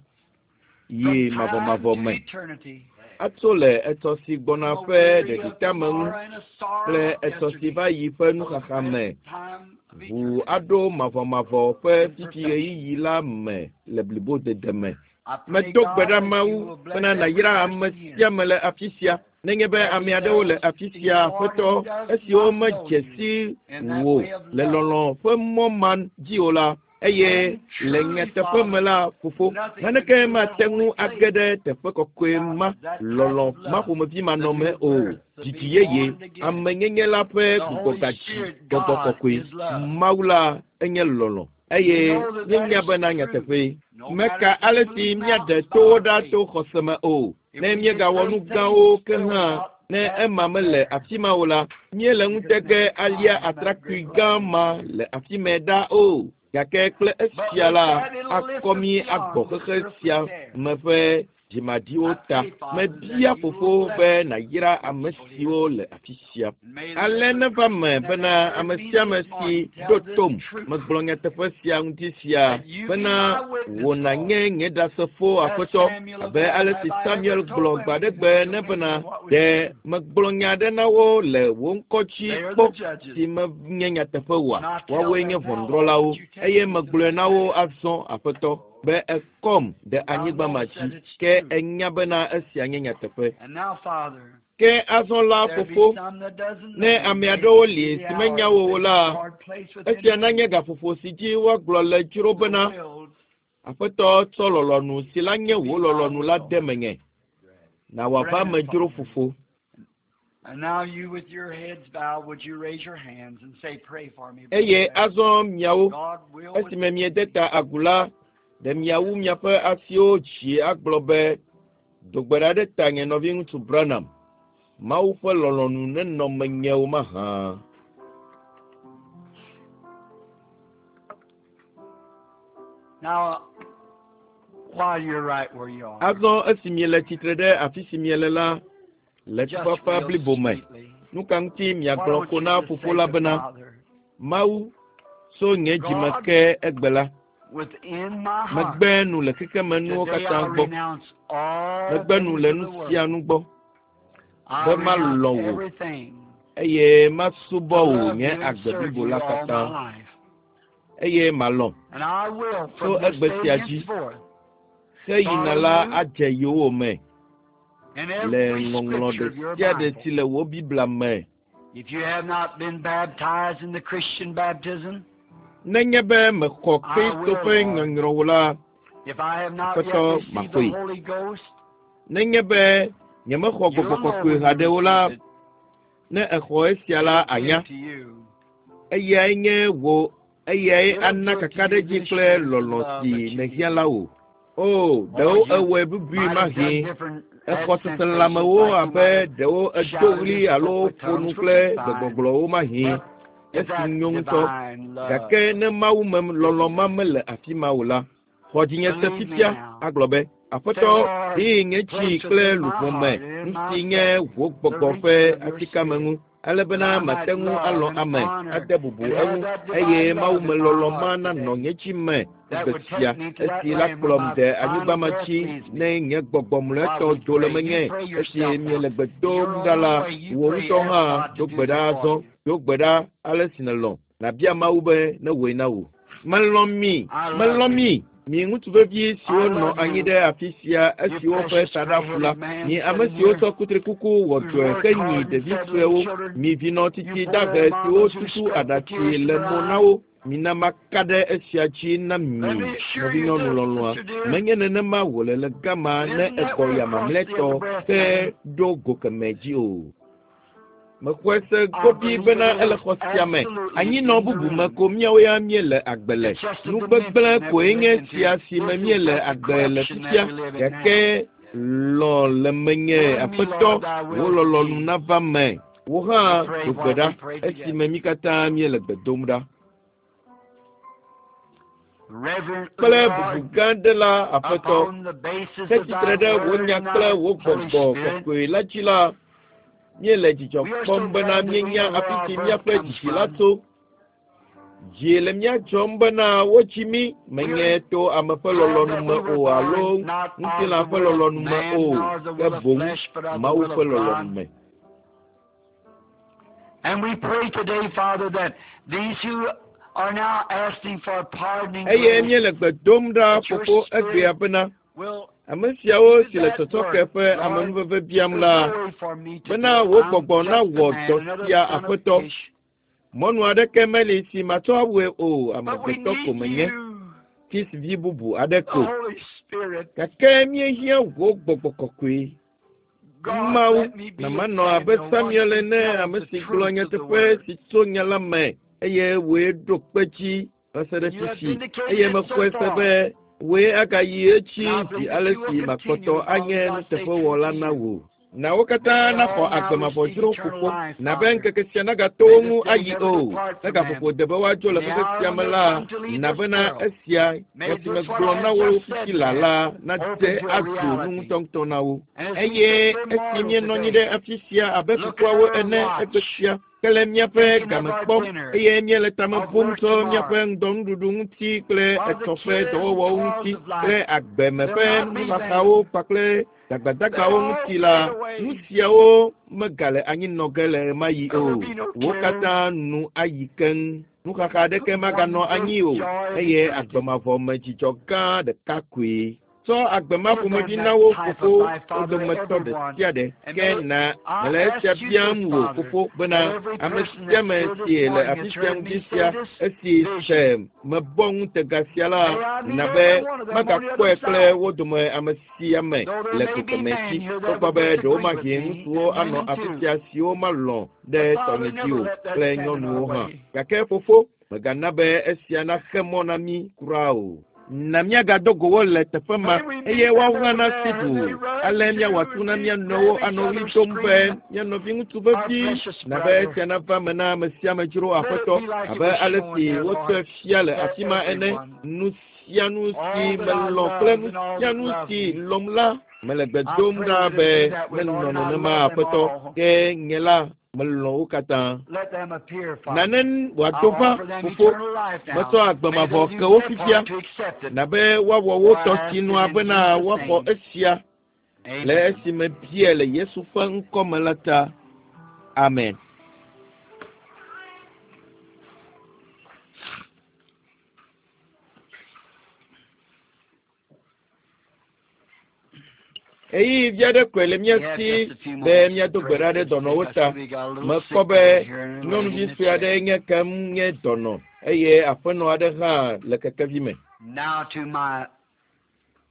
Speaker 1: yi
Speaker 2: from time
Speaker 1: mavɔmavɔ
Speaker 2: to
Speaker 1: me.
Speaker 2: eternity.
Speaker 1: Atso le etsɔ si gbɔna
Speaker 2: From a
Speaker 1: ƒe
Speaker 2: weary of
Speaker 1: ɖeɖiteameŋu
Speaker 2: tomorrow and a sorrow
Speaker 1: kple
Speaker 2: of
Speaker 1: etsɔ si
Speaker 2: yesterday
Speaker 1: va yi ƒe
Speaker 2: to the
Speaker 1: nuxaxa me
Speaker 2: present time of
Speaker 1: ʋu
Speaker 2: eternity
Speaker 1: aɖo mavɔmavɔ ƒe
Speaker 2: in
Speaker 1: fifi
Speaker 2: perfection.
Speaker 1: ɣeyiɣi la me le blibodede me.
Speaker 2: I pray,
Speaker 1: Medo gbe
Speaker 2: God,
Speaker 1: ɖa
Speaker 2: that you
Speaker 1: Mawu
Speaker 2: will bless
Speaker 1: bena
Speaker 2: every
Speaker 1: nàyra ame
Speaker 2: person here.
Speaker 1: sia ame le afi sia. Nenye be
Speaker 2: There
Speaker 1: ame
Speaker 2: be
Speaker 1: aɖewo le
Speaker 2: those
Speaker 1: afi
Speaker 2: seeking
Speaker 1: sia,
Speaker 2: Lord
Speaker 1: Aƒetɔ,
Speaker 2: who does
Speaker 1: esiwo
Speaker 2: not know
Speaker 1: medze
Speaker 2: you
Speaker 1: si
Speaker 2: in that
Speaker 1: wò
Speaker 2: way of
Speaker 1: le
Speaker 2: love.
Speaker 1: lɔlɔ̃ ƒe mɔ ma dzi o la, eye
Speaker 2: And
Speaker 1: le
Speaker 2: truly,
Speaker 1: nyateƒe me
Speaker 2: Father,
Speaker 1: la, Fofo,
Speaker 2: nothing could
Speaker 1: naneke
Speaker 2: do that
Speaker 1: mate ŋu
Speaker 2: holy
Speaker 1: age
Speaker 2: place
Speaker 1: ɖe teƒe kɔkɔe
Speaker 2: without
Speaker 1: ma,
Speaker 2: that type
Speaker 1: lɔlɔ̃
Speaker 2: of
Speaker 1: ma
Speaker 2: love,
Speaker 1: ƒomevi
Speaker 2: the
Speaker 1: manɔme
Speaker 2: new
Speaker 1: o.
Speaker 2: birth, the
Speaker 1: Dzidzi
Speaker 2: being
Speaker 1: yeye,
Speaker 2: born again.
Speaker 1: amenyenye la ƒe
Speaker 2: The Holy
Speaker 1: gbugbɔgadzi,
Speaker 2: Spirit,
Speaker 1: gbɔgbɔ
Speaker 2: God,
Speaker 1: kɔkɔe,
Speaker 2: is love.
Speaker 1: Mawu la enye lɔlɔ̃
Speaker 2: We
Speaker 1: eye
Speaker 2: know that that
Speaker 1: míenya
Speaker 2: is
Speaker 1: bena
Speaker 2: true.
Speaker 1: nyateƒee.
Speaker 2: No matter
Speaker 1: Meka
Speaker 2: if we
Speaker 1: ale si
Speaker 2: move
Speaker 1: míaɖe
Speaker 2: mountains by
Speaker 1: towo
Speaker 2: our
Speaker 1: ɖa
Speaker 2: faith,
Speaker 1: to xɔse me o.
Speaker 2: if
Speaker 1: Ne
Speaker 2: we did
Speaker 1: míegawɔ nu
Speaker 2: great
Speaker 1: gãwo
Speaker 2: things
Speaker 1: ke
Speaker 2: still
Speaker 1: hã,
Speaker 2: without
Speaker 1: ne
Speaker 2: that
Speaker 1: ema mele
Speaker 2: there,
Speaker 1: afi ma o la, míele
Speaker 2: we could
Speaker 1: ŋutege
Speaker 2: never
Speaker 1: alia
Speaker 2: climb that
Speaker 1: atrakpui
Speaker 2: great
Speaker 1: gã
Speaker 2: ladder.
Speaker 1: ma le afi mɛ ɖa o. Gake kple
Speaker 2: But
Speaker 1: esia
Speaker 2: with
Speaker 1: la,
Speaker 2: that little lift
Speaker 1: akɔ
Speaker 2: of
Speaker 1: mí agbɔ
Speaker 2: beyond the
Speaker 1: xexe
Speaker 2: surface
Speaker 1: sia
Speaker 2: there,
Speaker 1: me ƒe dzimaɖiwo
Speaker 2: I
Speaker 1: ta.
Speaker 2: pray, Father, that
Speaker 1: Mebia
Speaker 2: you will
Speaker 1: Fofo
Speaker 2: bless
Speaker 1: be nàyra
Speaker 2: the
Speaker 1: ame
Speaker 2: people here.
Speaker 1: siwo le afi sia.
Speaker 2: And may
Speaker 1: Ale
Speaker 2: every
Speaker 1: neva
Speaker 2: person
Speaker 1: me
Speaker 2: that
Speaker 1: bena
Speaker 2: has heard
Speaker 1: ame
Speaker 2: me
Speaker 1: sia ame
Speaker 2: this
Speaker 1: si
Speaker 2: morning
Speaker 1: ɖo
Speaker 2: tell this
Speaker 1: tom
Speaker 2: truth,
Speaker 1: megblɔ nyateƒe sia ŋuti sia
Speaker 2: that you be
Speaker 1: bena
Speaker 2: my witness,
Speaker 1: wò
Speaker 2: Lord,
Speaker 1: nànye nye ɖasefo
Speaker 2: as
Speaker 1: Aƒetɔ
Speaker 2: Samuel of
Speaker 1: abe
Speaker 2: old
Speaker 1: ale
Speaker 2: have
Speaker 1: si
Speaker 2: I ever
Speaker 1: Samuel
Speaker 2: told
Speaker 1: gblɔ
Speaker 2: them
Speaker 1: gbe aɖe
Speaker 2: anything
Speaker 1: gbe
Speaker 2: which
Speaker 1: ne
Speaker 2: against
Speaker 1: bena
Speaker 2: what was
Speaker 1: ɖe
Speaker 2: true.
Speaker 1: megblɔ nya aɖe na wo le wò ŋkɔ dzi
Speaker 2: They are
Speaker 1: kpɔ
Speaker 2: the judges.
Speaker 1: si menye nyateƒe oa?
Speaker 2: And I tell
Speaker 1: Woawoe
Speaker 2: them
Speaker 1: nye
Speaker 2: now, Lord,
Speaker 1: ʋɔnudrɔ̃lawo
Speaker 2: that you take
Speaker 1: eye
Speaker 2: me to
Speaker 1: megblɔe
Speaker 2: that
Speaker 1: na wo
Speaker 2: land.
Speaker 1: azɔ Aƒetɔ be ekɔm ɖe
Speaker 2: Thou
Speaker 1: anyigba ma
Speaker 2: knowest that
Speaker 1: dzi
Speaker 2: it's
Speaker 1: ke
Speaker 2: true.
Speaker 1: enya bena esia nye nyateƒe.
Speaker 2: And now, Father,
Speaker 1: Ke azɔ la
Speaker 2: there be
Speaker 1: Fofo,
Speaker 2: some that doesn't
Speaker 1: ne
Speaker 2: know you.
Speaker 1: ame
Speaker 2: May
Speaker 1: aɖewo
Speaker 2: this be
Speaker 1: li
Speaker 2: the
Speaker 1: si
Speaker 2: hour
Speaker 1: menya
Speaker 2: that
Speaker 1: wò o
Speaker 2: they
Speaker 1: la,
Speaker 2: hard place within
Speaker 1: esia
Speaker 2: the
Speaker 1: nanye gaƒoƒo si dzi woagblɔ le dzro
Speaker 2: the
Speaker 1: bena
Speaker 2: will
Speaker 1: Aƒetɔ tsɔ lɔlɔ̃nu si la nye
Speaker 2: to be
Speaker 1: wò
Speaker 2: thy
Speaker 1: lɔlɔ̃nu la
Speaker 2: will.
Speaker 1: de menye. Na wòava
Speaker 2: Grant
Speaker 1: me
Speaker 2: it,
Speaker 1: dzro
Speaker 2: Father.
Speaker 1: Fofo.
Speaker 2: And now you with your heads bowed, would you raise your hands and say, pray for me, Brother
Speaker 1: Eye
Speaker 2: Branham.
Speaker 1: azɔ miawo,
Speaker 2: God will with
Speaker 1: esime miede ta agu la, ɖe miawu miaƒe asiwo dzi agblɔ be, do gbe ɖa ɖe tanye nɔviŋutsu Branham. Mawu ƒe lɔlɔ̃nu nenɔ menye o mahã.
Speaker 2: Now, while you're right where you are,
Speaker 1: Azɔ esi miele tsitre ɖe afi si miele la, le
Speaker 2: just
Speaker 1: tufafa
Speaker 2: real
Speaker 1: blibo me,
Speaker 2: sweetly,
Speaker 1: nu ka ŋuti
Speaker 2: why
Speaker 1: miagblɔ
Speaker 2: don't
Speaker 1: ko
Speaker 2: you
Speaker 1: na
Speaker 2: just
Speaker 1: Fofo
Speaker 2: say
Speaker 1: la
Speaker 2: to
Speaker 1: bena,
Speaker 2: Father,
Speaker 1: Mawu, tso nye dzime
Speaker 2: God,
Speaker 1: ke egbe la,
Speaker 2: within my heart,
Speaker 1: megbe nu le xexemenuwo
Speaker 2: today
Speaker 1: katã
Speaker 2: I
Speaker 1: gbɔ,
Speaker 2: renounce all
Speaker 1: megbe nu
Speaker 2: things
Speaker 1: le
Speaker 2: of
Speaker 1: nu
Speaker 2: the
Speaker 1: sia
Speaker 2: world.
Speaker 1: nu gbɔ,
Speaker 2: I
Speaker 1: be
Speaker 2: renounce
Speaker 1: malɔ̃ wò
Speaker 2: everything
Speaker 1: eye masubɔ
Speaker 2: to
Speaker 1: wò
Speaker 2: love
Speaker 1: nye
Speaker 2: you and
Speaker 1: agbe
Speaker 2: serve
Speaker 1: blibo
Speaker 2: you
Speaker 1: la
Speaker 2: all my
Speaker 1: katã
Speaker 2: life.
Speaker 1: eye malɔ̃
Speaker 2: And I will,
Speaker 1: tso
Speaker 2: from this
Speaker 1: egbe
Speaker 2: day
Speaker 1: sia dzi
Speaker 2: henceforth,
Speaker 1: ke yina
Speaker 2: follow
Speaker 1: la
Speaker 2: you
Speaker 1: adze yowòme
Speaker 2: in
Speaker 1: le
Speaker 2: every
Speaker 1: ŋɔŋlɔ
Speaker 2: scripture
Speaker 1: ɖe
Speaker 2: of your
Speaker 1: sia ɖe
Speaker 2: Bible.
Speaker 1: si le wò Biblia me.
Speaker 2: If you have not been baptized in the Christian baptism,
Speaker 1: Nenye be mexɔ
Speaker 2: I
Speaker 1: Kristo
Speaker 2: will,
Speaker 1: ƒe
Speaker 2: Lord.
Speaker 1: nyɔnyrɔ o la,
Speaker 2: If I have not yet
Speaker 1: Aƒetɔ
Speaker 2: received the
Speaker 1: maxɔe.
Speaker 2: Holy Ghost,
Speaker 1: Nenye be nyemexɔ
Speaker 2: you'll
Speaker 1: gbɔgbɔ
Speaker 2: know
Speaker 1: kɔkɔe
Speaker 2: when you
Speaker 1: haɖe o la,
Speaker 2: receive it.
Speaker 1: ne exɔ esia la
Speaker 2: It'll give
Speaker 1: anya.
Speaker 2: to you.
Speaker 1: Eyae nye wò eyae
Speaker 2: It'll
Speaker 1: ana
Speaker 2: give to you
Speaker 1: kakaɖedzi
Speaker 2: the
Speaker 1: kple
Speaker 2: assurance of
Speaker 1: lɔlɔ̃
Speaker 2: love
Speaker 1: si
Speaker 2: that you
Speaker 1: nèhiã
Speaker 2: need.
Speaker 1: la wò. O,
Speaker 2: Or
Speaker 1: ɖewo
Speaker 2: you
Speaker 1: ewɔe bubui
Speaker 2: might have done
Speaker 1: mahĩ
Speaker 2: different
Speaker 1: Exɔ seselelãmewo abe ɖewo edo ɣli alo ƒo nu kple gbegbɔgblɔwo mahi. Esi nyo ŋutɔ. Gake ne Mawu me lɔlɔ̃ ma mele afi ma o la, xɔ dzinye se fifia agblɔ be, Aƒetɔ, ɖee nye dzi kple luʋɔ me, nu si nye wò gbɔgbɔ ƒe atikame ŋu, ale bena mate ŋu alɔ̃ ame, ade bubu eŋu, eye Mawu me lɔlɔ̃ ma nanɔ nye dzi me egbe sia, esi la kplɔm de anyigba ma dzi ne nye gbɔgbɔ mlɔetɔ do le menye. Esi miele gbe dom ɖa la, wò ŋutɔ hã do gbe ɖa azɔ, do gbe ɖa ale si nèlɔ̃. Nàbia Mawu be newɔe na wò. Melɔ̃ mi, melɔ̃ mi. Mi ŋutsu vevi siwo nɔ anyi ɖe afi sia esiwo ƒe taɖa ƒu la, mi ame siwo tsɔ kutrikuku wɔ dɔe henyi ɖevi suewo, mi vinɔ tsitsi dahe siwo tutu aɖatsi le mo na wo, mina maka ɖe esia dzi na mi, nɔvinyɔnu lɔlɔ̃a. Menye nenema wòle le gama ne egbɔ ya mamlɛtɔ ke ɖo go kemɛ dzi o. Mexɔe se gobi bena ele xɔ sia me. Anyinɔ bubu me ko míawo ya míele agbe le. Nu gbegblẽ koe nye sia si me míele agbe le fifia. Gake lɔ̃ le menye Aƒetɔ, wò lɔlɔ̃nu nava me. Wò hã do gbe ɖa esime mí katã míele gbe dom ɖa. Kple bubu gã aɖe la, Aƒetɔ, ke tsitre ɖe wò nya kple wò gbɔgbɔ kɔkɔe la dzi la, míele dzidzɔ kpɔm bena míenya afi si míaƒe dzidzi la tso. Dzi le mía dzɔm bena wotsi mí menye to ame ƒe lɔlɔ̃nu me o alo ŋutilã ƒe lɔlɔ̃nu me o, ke boŋ Mawu ƒe lɔlɔ̃nu me.
Speaker 2: And we pray today, Father, that these who are now asking for pardoning
Speaker 1: Eye míele gbe dom ɖa fofo egbea bena
Speaker 2: will
Speaker 1: ame siawo si le tsɔtsɔke ƒe amenuveve biam la, bena wò gbɔgbɔ nawɔ dɔ sia Aƒetɔ. Mɔnu aɖeke meli si matsɔ awɔe o,
Speaker 2: But we
Speaker 1: amegbetɔ ko
Speaker 2: need
Speaker 1: menye,
Speaker 2: you,
Speaker 1: Kis vi bubu aɖe
Speaker 2: the
Speaker 1: ko.
Speaker 2: Holy Spirit.
Speaker 1: Gake míehiã wò gbɔgbɔ kɔkɔe.
Speaker 2: God,
Speaker 1: Mawu,
Speaker 2: let me be
Speaker 1: na
Speaker 2: a
Speaker 1: manɔ abe
Speaker 2: Samuel, one
Speaker 1: Samuel
Speaker 2: who
Speaker 1: ene,
Speaker 2: tells
Speaker 1: ame
Speaker 2: the
Speaker 1: si gblɔ
Speaker 2: truth of the
Speaker 1: nyateƒe
Speaker 2: word.
Speaker 1: si tso nya la me eye wòe ɖo kpe dzi va se ɖe
Speaker 2: You have
Speaker 1: fifi.
Speaker 2: vindicated
Speaker 1: Eye
Speaker 2: it so
Speaker 1: mexɔe se
Speaker 2: far.
Speaker 1: be wòe agayi edzi
Speaker 2: And I
Speaker 1: zi
Speaker 2: believe
Speaker 1: ale
Speaker 2: that you
Speaker 1: si
Speaker 2: will
Speaker 1: makpɔtɔ
Speaker 2: continue as long
Speaker 1: anye
Speaker 2: as I stay true
Speaker 1: nuteƒewɔla
Speaker 2: to
Speaker 1: na
Speaker 2: you.
Speaker 1: wò. Na wo katã
Speaker 2: May they
Speaker 1: naxɔ
Speaker 2: all now
Speaker 1: agbe mavɔ
Speaker 2: receive
Speaker 1: dzro
Speaker 2: eternal
Speaker 1: fofo.
Speaker 2: life,
Speaker 1: Na be
Speaker 2: Father.
Speaker 1: ŋkeke sia nagato wo
Speaker 2: May
Speaker 1: ŋu
Speaker 2: this day
Speaker 1: ayi
Speaker 2: never
Speaker 1: o.
Speaker 2: depart
Speaker 1: Ne
Speaker 2: from them.
Speaker 1: gaƒoƒo de be woadzo le
Speaker 2: In the
Speaker 1: xexe
Speaker 2: hour
Speaker 1: sia
Speaker 2: when
Speaker 1: me
Speaker 2: they
Speaker 1: la,
Speaker 2: come to leave
Speaker 1: na
Speaker 2: this
Speaker 1: bena
Speaker 2: world,
Speaker 1: esia
Speaker 2: may
Speaker 1: nya si
Speaker 2: this what
Speaker 1: megblɔ
Speaker 2: I
Speaker 1: na
Speaker 2: have
Speaker 1: wo
Speaker 2: just said
Speaker 1: fifi
Speaker 2: to
Speaker 1: la
Speaker 2: them
Speaker 1: la nade
Speaker 2: open to a
Speaker 1: azu nu
Speaker 2: reality.
Speaker 1: ŋutɔŋutɔ na wo.
Speaker 2: And as we
Speaker 1: Eye
Speaker 2: sit here
Speaker 1: esi
Speaker 2: mortal
Speaker 1: míenɔ anyi
Speaker 2: today,
Speaker 1: ɖe afi sia abe
Speaker 2: look at
Speaker 1: kukuawo
Speaker 2: our
Speaker 1: ene egbe
Speaker 2: watch,
Speaker 1: sia, ke le míaƒe
Speaker 2: thinking of
Speaker 1: game
Speaker 2: our
Speaker 1: kpɔm
Speaker 2: dinner,
Speaker 1: eye míele tame
Speaker 2: of
Speaker 1: bum
Speaker 2: work
Speaker 1: tso
Speaker 2: tomorrow,
Speaker 1: míaƒe ŋdɔnuɖuɖu ŋuti kple
Speaker 2: while the
Speaker 1: etsɔ ƒe
Speaker 2: cares and
Speaker 1: dɔwɔwɔwo
Speaker 2: toils
Speaker 1: ŋuti
Speaker 2: of life,
Speaker 1: kple agbeme
Speaker 2: they'll
Speaker 1: ƒe
Speaker 2: not be
Speaker 1: nuxaxawo
Speaker 2: vain.
Speaker 1: kpakple
Speaker 2: They'll
Speaker 1: dagbadagbawo
Speaker 2: all
Speaker 1: ŋuti la,
Speaker 2: fade away.
Speaker 1: nu siawo megale anyi nɔ ge le ɣemaɣi
Speaker 2: There
Speaker 1: o.
Speaker 2: will be no
Speaker 1: Wo
Speaker 2: cares.
Speaker 1: katã nu ayi keŋ. Nuxaxa aɖeke maganɔ
Speaker 2: One
Speaker 1: anyi
Speaker 2: great
Speaker 1: o
Speaker 2: joy of
Speaker 1: eye
Speaker 2: eternity.
Speaker 1: agbe mavɔ me dzidzɔ gã ɖeka koe. Tsɔ agbe ma
Speaker 2: Give
Speaker 1: ƒomevi
Speaker 2: them
Speaker 1: na
Speaker 2: that
Speaker 1: wo
Speaker 2: type of
Speaker 1: fofo
Speaker 2: life,
Speaker 1: wo
Speaker 2: Father,
Speaker 1: dometɔ ɖe
Speaker 2: everyone.
Speaker 1: sia ɖe.
Speaker 2: And
Speaker 1: Ke
Speaker 2: may
Speaker 1: na
Speaker 2: I
Speaker 1: mele esia
Speaker 2: ask you
Speaker 1: biam
Speaker 2: this,
Speaker 1: wò
Speaker 2: Father,
Speaker 1: fofo bena
Speaker 2: that every
Speaker 1: ame
Speaker 2: person
Speaker 1: sia
Speaker 2: that's
Speaker 1: ame
Speaker 2: here this
Speaker 1: si le
Speaker 2: morning
Speaker 1: afi
Speaker 2: has
Speaker 1: sia
Speaker 2: heard
Speaker 1: ŋdi
Speaker 2: me say
Speaker 1: sia
Speaker 2: this
Speaker 1: esi se
Speaker 2: vision.
Speaker 1: mebɔ ŋutega sia la,
Speaker 2: May I meet
Speaker 1: na be
Speaker 2: every one of them on the
Speaker 1: magakpɔe
Speaker 2: other
Speaker 1: kple
Speaker 2: side.
Speaker 1: wo dome ame sia ame
Speaker 2: Though there
Speaker 1: le
Speaker 2: may be
Speaker 1: gokeme
Speaker 2: men
Speaker 1: dzi.
Speaker 2: here that
Speaker 1: Togbɔ
Speaker 2: would
Speaker 1: be ɖewo
Speaker 2: disagree with
Speaker 1: mahi
Speaker 2: me,
Speaker 1: ŋutsuwo
Speaker 2: and
Speaker 1: anɔ
Speaker 2: women
Speaker 1: afi
Speaker 2: too.
Speaker 1: sia siwo malɔ̃ ɖe
Speaker 2: But Father,
Speaker 1: tɔnye dzi
Speaker 2: never
Speaker 1: o
Speaker 2: let that
Speaker 1: kple
Speaker 2: stand in our
Speaker 1: nyɔnuwo hã.
Speaker 2: way.
Speaker 1: Gake fofo, mègana be esia naxe mɔ na mí kura o. Na míagado go wo le teƒe ma
Speaker 2: May we
Speaker 1: eye
Speaker 2: meet them
Speaker 1: woawo hã
Speaker 2: over
Speaker 1: nasi
Speaker 2: there as
Speaker 1: du.
Speaker 2: they run
Speaker 1: Ale
Speaker 2: to
Speaker 1: míawɔ atu na
Speaker 2: and
Speaker 1: mía
Speaker 2: be
Speaker 1: nɔewo
Speaker 2: grab each
Speaker 1: anɔ
Speaker 2: other,
Speaker 1: ɣli dom be
Speaker 2: screaming,
Speaker 1: mía nɔviŋutsu
Speaker 2: our
Speaker 1: vevi
Speaker 2: precious
Speaker 1: na be
Speaker 2: brother.
Speaker 1: esia nava me na ame sia ame dzro
Speaker 2: Let it
Speaker 1: Aƒetɔ
Speaker 2: be like it
Speaker 1: abe
Speaker 2: was
Speaker 1: ale
Speaker 2: shown
Speaker 1: si
Speaker 2: there,
Speaker 1: wotsɔe
Speaker 2: Lord,
Speaker 1: fia le
Speaker 2: to
Speaker 1: afi ma ene.
Speaker 2: everyone.
Speaker 1: Nu sia nu si
Speaker 2: All that I
Speaker 1: melɔ̃ kple
Speaker 2: loved
Speaker 1: nu
Speaker 2: and all
Speaker 1: sia
Speaker 2: that
Speaker 1: nu
Speaker 2: loved
Speaker 1: si
Speaker 2: me.
Speaker 1: lɔ̃m la, mele gbe
Speaker 2: I
Speaker 1: dom
Speaker 2: pray
Speaker 1: ɖa
Speaker 2: that it
Speaker 1: be
Speaker 2: be that way, Lord,
Speaker 1: menɔ
Speaker 2: and I
Speaker 1: nenema
Speaker 2: love them
Speaker 1: Aƒetɔ.
Speaker 2: all.
Speaker 1: Ke nye la, melɔ̃ wo katã.
Speaker 2: Let them appear, Father.
Speaker 1: Nane
Speaker 2: I
Speaker 1: wòado va
Speaker 2: offer them
Speaker 1: fofo.
Speaker 2: eternal life now.
Speaker 1: Metsɔ agbe
Speaker 2: May
Speaker 1: mavɔ
Speaker 2: they
Speaker 1: ke
Speaker 2: do
Speaker 1: wo
Speaker 2: their
Speaker 1: fifia.
Speaker 2: part to accept it.
Speaker 1: Na be woawɔ wo
Speaker 2: For I
Speaker 1: tɔ
Speaker 2: ask
Speaker 1: sinua
Speaker 2: it in
Speaker 1: bena
Speaker 2: Jesus'
Speaker 1: woaxɔ
Speaker 2: name.
Speaker 1: esia le
Speaker 2: Amen.
Speaker 1: esime bia le Yesu ƒe ŋkɔ me la ta. Amen. Ɣeyiɣi vi aɖe koe le mía
Speaker 2: We have
Speaker 1: si
Speaker 2: just a few
Speaker 1: be
Speaker 2: moments to
Speaker 1: míado gbe
Speaker 2: pray
Speaker 1: ɖa
Speaker 2: for
Speaker 1: ɖe
Speaker 2: the sick.
Speaker 1: dɔnɔwo
Speaker 2: I
Speaker 1: ta.
Speaker 2: see we got a little
Speaker 1: Mekpɔ
Speaker 2: sick
Speaker 1: be
Speaker 2: lady here and a lady
Speaker 1: nyɔnuvi
Speaker 2: in the
Speaker 1: sue
Speaker 2: chair.
Speaker 1: aɖe nye kem nye dɔnɔ eye aƒenɔ aɖe hã le kekevi me.
Speaker 2: Now to my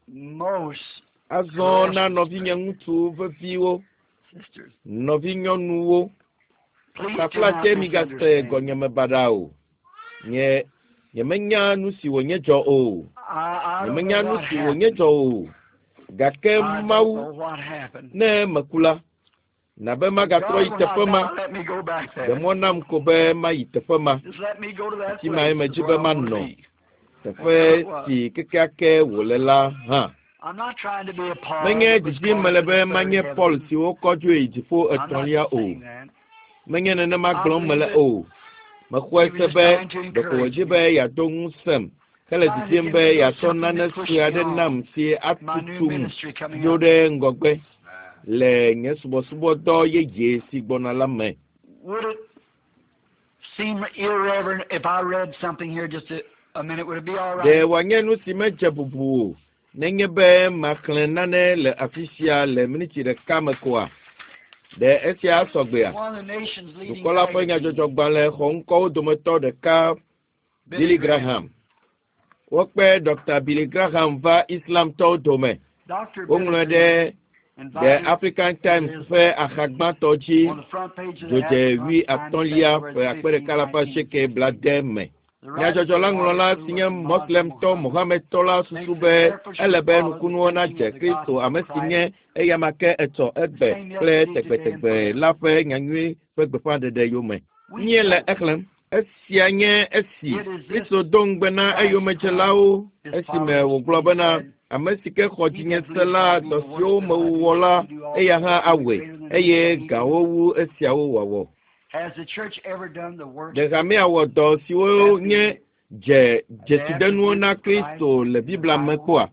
Speaker 2: most
Speaker 1: Azɔ na
Speaker 2: precious
Speaker 1: nɔvinye ŋutsu veviwo,
Speaker 2: sisters,
Speaker 1: nɔvinyɔnuwo,
Speaker 2: please do
Speaker 1: taflatse
Speaker 2: not
Speaker 1: migase
Speaker 2: misunderstand.
Speaker 1: gɔnyeme baɖa o. Nye nyemenya nu si wònye dzɔ o.
Speaker 2: I, I don't
Speaker 1: Nyemenya
Speaker 2: know
Speaker 1: nu
Speaker 2: what
Speaker 1: si wònye
Speaker 2: happened.
Speaker 1: dzɔ o. Gake Mawu, ne meku la, na be magatrɔ yi teƒe ma. Ɖe mɔ nam ko be mayi teƒe ma. Afi mae medzi be manɔ. Teƒe si kekeake wòle la hã. Menye didim mele be manye Paul si wokɔ dzoe yi dziƒo etɔ̃lia o. Menye nenema gblɔm mele o. Mexɔe se be ɖeko wòdzi be yeado ŋusẽm hele didim be yeatsɔ nane sue aɖe nam si atutum dzo ɖe ŋgɔgbe le nye subɔsubɔdɔ yeye si gbɔna la me.
Speaker 2: Would it seem irreverent if I read something here just a, a minute? Would it be all
Speaker 1: Ɖe
Speaker 2: right?
Speaker 1: wòanye nu si medze bubu o nenye be maxlẽ nane le afi sia le miniti ɖeka me koa? Ɖe esia sɔgbea?
Speaker 2: One of the nation's leading
Speaker 1: Dukɔ la ƒe
Speaker 2: magazines,
Speaker 1: nyadzɔdzɔgbalẽ xɔŋkɔwo dometɔ ɖeka Billy Graham. Wokpe Dr. Billy Graham va Islamtɔwo dome.
Speaker 2: Dr.
Speaker 1: Woŋlɔe
Speaker 2: Billy
Speaker 1: ɖe
Speaker 2: Graham
Speaker 1: The
Speaker 2: invited
Speaker 1: African Times ƒe axa gbãtɔ dzi
Speaker 2: on the front page of the
Speaker 1: dzodze
Speaker 2: African
Speaker 1: wui
Speaker 2: Times,
Speaker 1: atɔ̃lia
Speaker 2: February
Speaker 1: ƒe akpe ɖeka alafa asieke blaade me.
Speaker 2: The writer
Speaker 1: Nyadzɔdzɔ la ŋlɔla si nye Moslemtɔ Mohamedtɔ la susu be ele be nukunuwo nadze Kristo ame si nye eyama ke etsɔ egbe kple tegbetegbe la ƒe nyanyui ƒe gbeƒãɖeɖe yome. Míele exlẽm. Esia nye esi Kristo do ŋugbe na eyomedzelawo esime wògblɔ bena ame si ke xɔ dzinye se la dɔ siwo mewɔ la eya hã awɔe eye gãwo wu esiawo wɔwɔ.
Speaker 2: Has the church ever done the work
Speaker 1: Ɖe hamea wɔ dɔ siwo nye dze dzesidenuwo na Kristo le Biblia me kpɔa?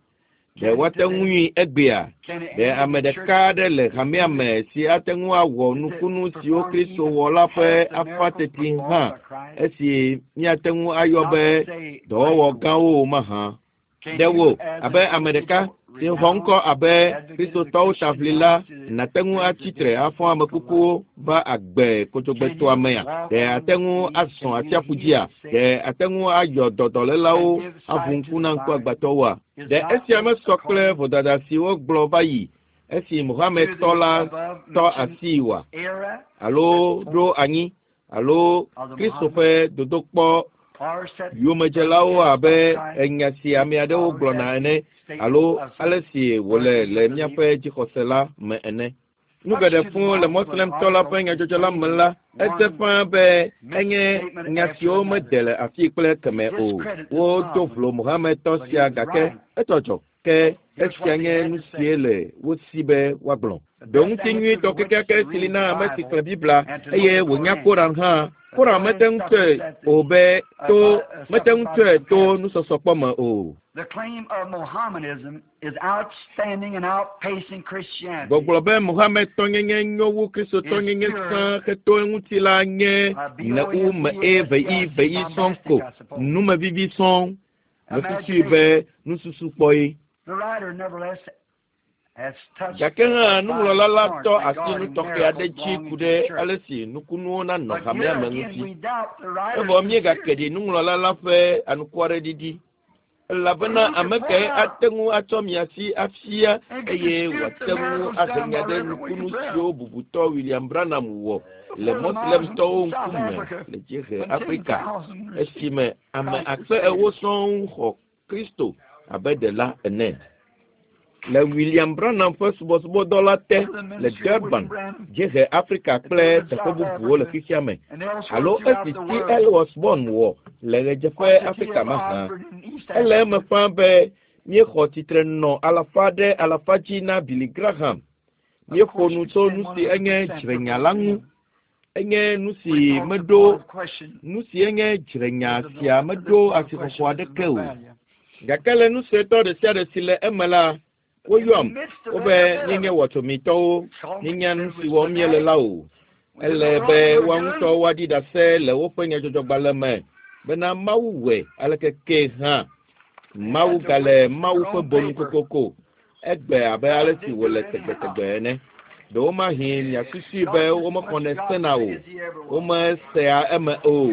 Speaker 1: Ɖe woate ŋui egbea? Ɖe ame ɖeka aɖe le hamea me si ate ŋu awɔ nukunu siwo Kristo wɔ la ƒe afã teti hã esi míate ŋu ayɔ be dɔwɔwɔ gãwo o mahã? Ɖe wò abe ame ɖeka si xɔ ŋkɔ abe Kristotɔwo taʋlila nàte ŋu atsi tre afɔ ame kukuwo va agbe kodzogbetoa mea? Ɖe ate ŋu azɔ atsiaƒu dzia? Ɖe ate ŋu ayɔ dɔ dɔlélawo aʋu ŋku na ŋkuagbãtɔwoa? Ɖe esia mesɔ kple vodada si wogblɔ va yi esi Mohamedtɔ la tɔ asii oa?
Speaker 2: era
Speaker 1: Alo ɖo anyi alo Kristo ƒe dodokpɔ
Speaker 2: or set
Speaker 1: yomedzelawo abe enya si ame aɖewo gblɔna ene alo ale si wòle le míaƒe dzixɔse la me ene. Nu geɖe fũu le Moslemtɔ la ƒe nyadzɔdzɔ la me la, edze ƒãa be enye nya siwo mede le afii kple keme o. Wodo vlo Mohamedtɔ sia gake etɔ dzɔ ke esia nye nu sie le wo si be woagblɔ. Ɖoŋuti nyuitɔ kekeake si li na ame si xlẽ Biblia eye wònya Koran hã. Koran mete ŋu tsɔe o be to mete ŋu tsɔe to nusɔsɔkpɔ me o.
Speaker 2: The claim of Mohammedanism is outstanding and outpacing Christianity.
Speaker 1: Gbɔgblɔ be Mohamedtɔnyenye nyo wu Kristotɔnyenye sã heto eŋuti la nye ne u me e ve i ve i sɔŋ ko numevivi sɔŋ. Mesusui be nususukpɔ ye.
Speaker 2: The writer, nevertheless, has touched
Speaker 1: Gake hã nuŋlɔla la tɔ asi nu tɔxɛ aɖe dzi ku ɖe ale si nukunuwo nanɔ
Speaker 2: But
Speaker 1: hamea
Speaker 2: here
Speaker 1: me
Speaker 2: again,
Speaker 1: ŋuti.
Speaker 2: we doubt the writer's
Speaker 1: Evɔ míegake
Speaker 2: sincerity.
Speaker 1: ɖi nuŋlɔla la ƒe anukwareɖiɖi. Elabena ame kae ate ŋu atsɔ miasi afia eye wòate ŋu ahe nya ɖe nukunu siwo bubutɔ William Branham wɔ le Moslemtɔwo ŋkume le dziehe Afrika esime ame akpe ewo sɔŋ xɔ Kristo abe ɖela ene. Le William Branham ƒe subɔsubɔdɔ la te le Durban, dziehe Afrika kple teƒe bubuwo le xexea me
Speaker 2: And elsewhere
Speaker 1: alo
Speaker 2: throughout
Speaker 1: esi
Speaker 2: the
Speaker 1: T.
Speaker 2: world.
Speaker 1: L. Osborn wɔ le ɣedzeƒe Afrika mahã. Ele eme ƒãa be míexɔ tsitre nɔ alafa ɖe alafa dzi na Billy Graham. Míeƒo nu tso nu si enye dzrenya la ŋu. Enye nu si meɖo nu si enye dzrenya sia meɖo asixɔxɔ aɖeke o. Gake le nu suetɔ ɖe sia ɖe si le eme la, woyɔam wobe míenye wɔtsomitɔwo, míenya nu si wɔm míele la o. Ele be woa ŋutɔ woaɖi ɖase le woƒe nyadzɔdzɔgbalẽ me bena Mawu wɔe aleke ke hã. Mawu gale Mawu ƒe bonu kokoko egbe abe ale si wòle tegbetegbe ene. Ɖewomahi miasusui be womexɔnɛ sena o, womesea eme o.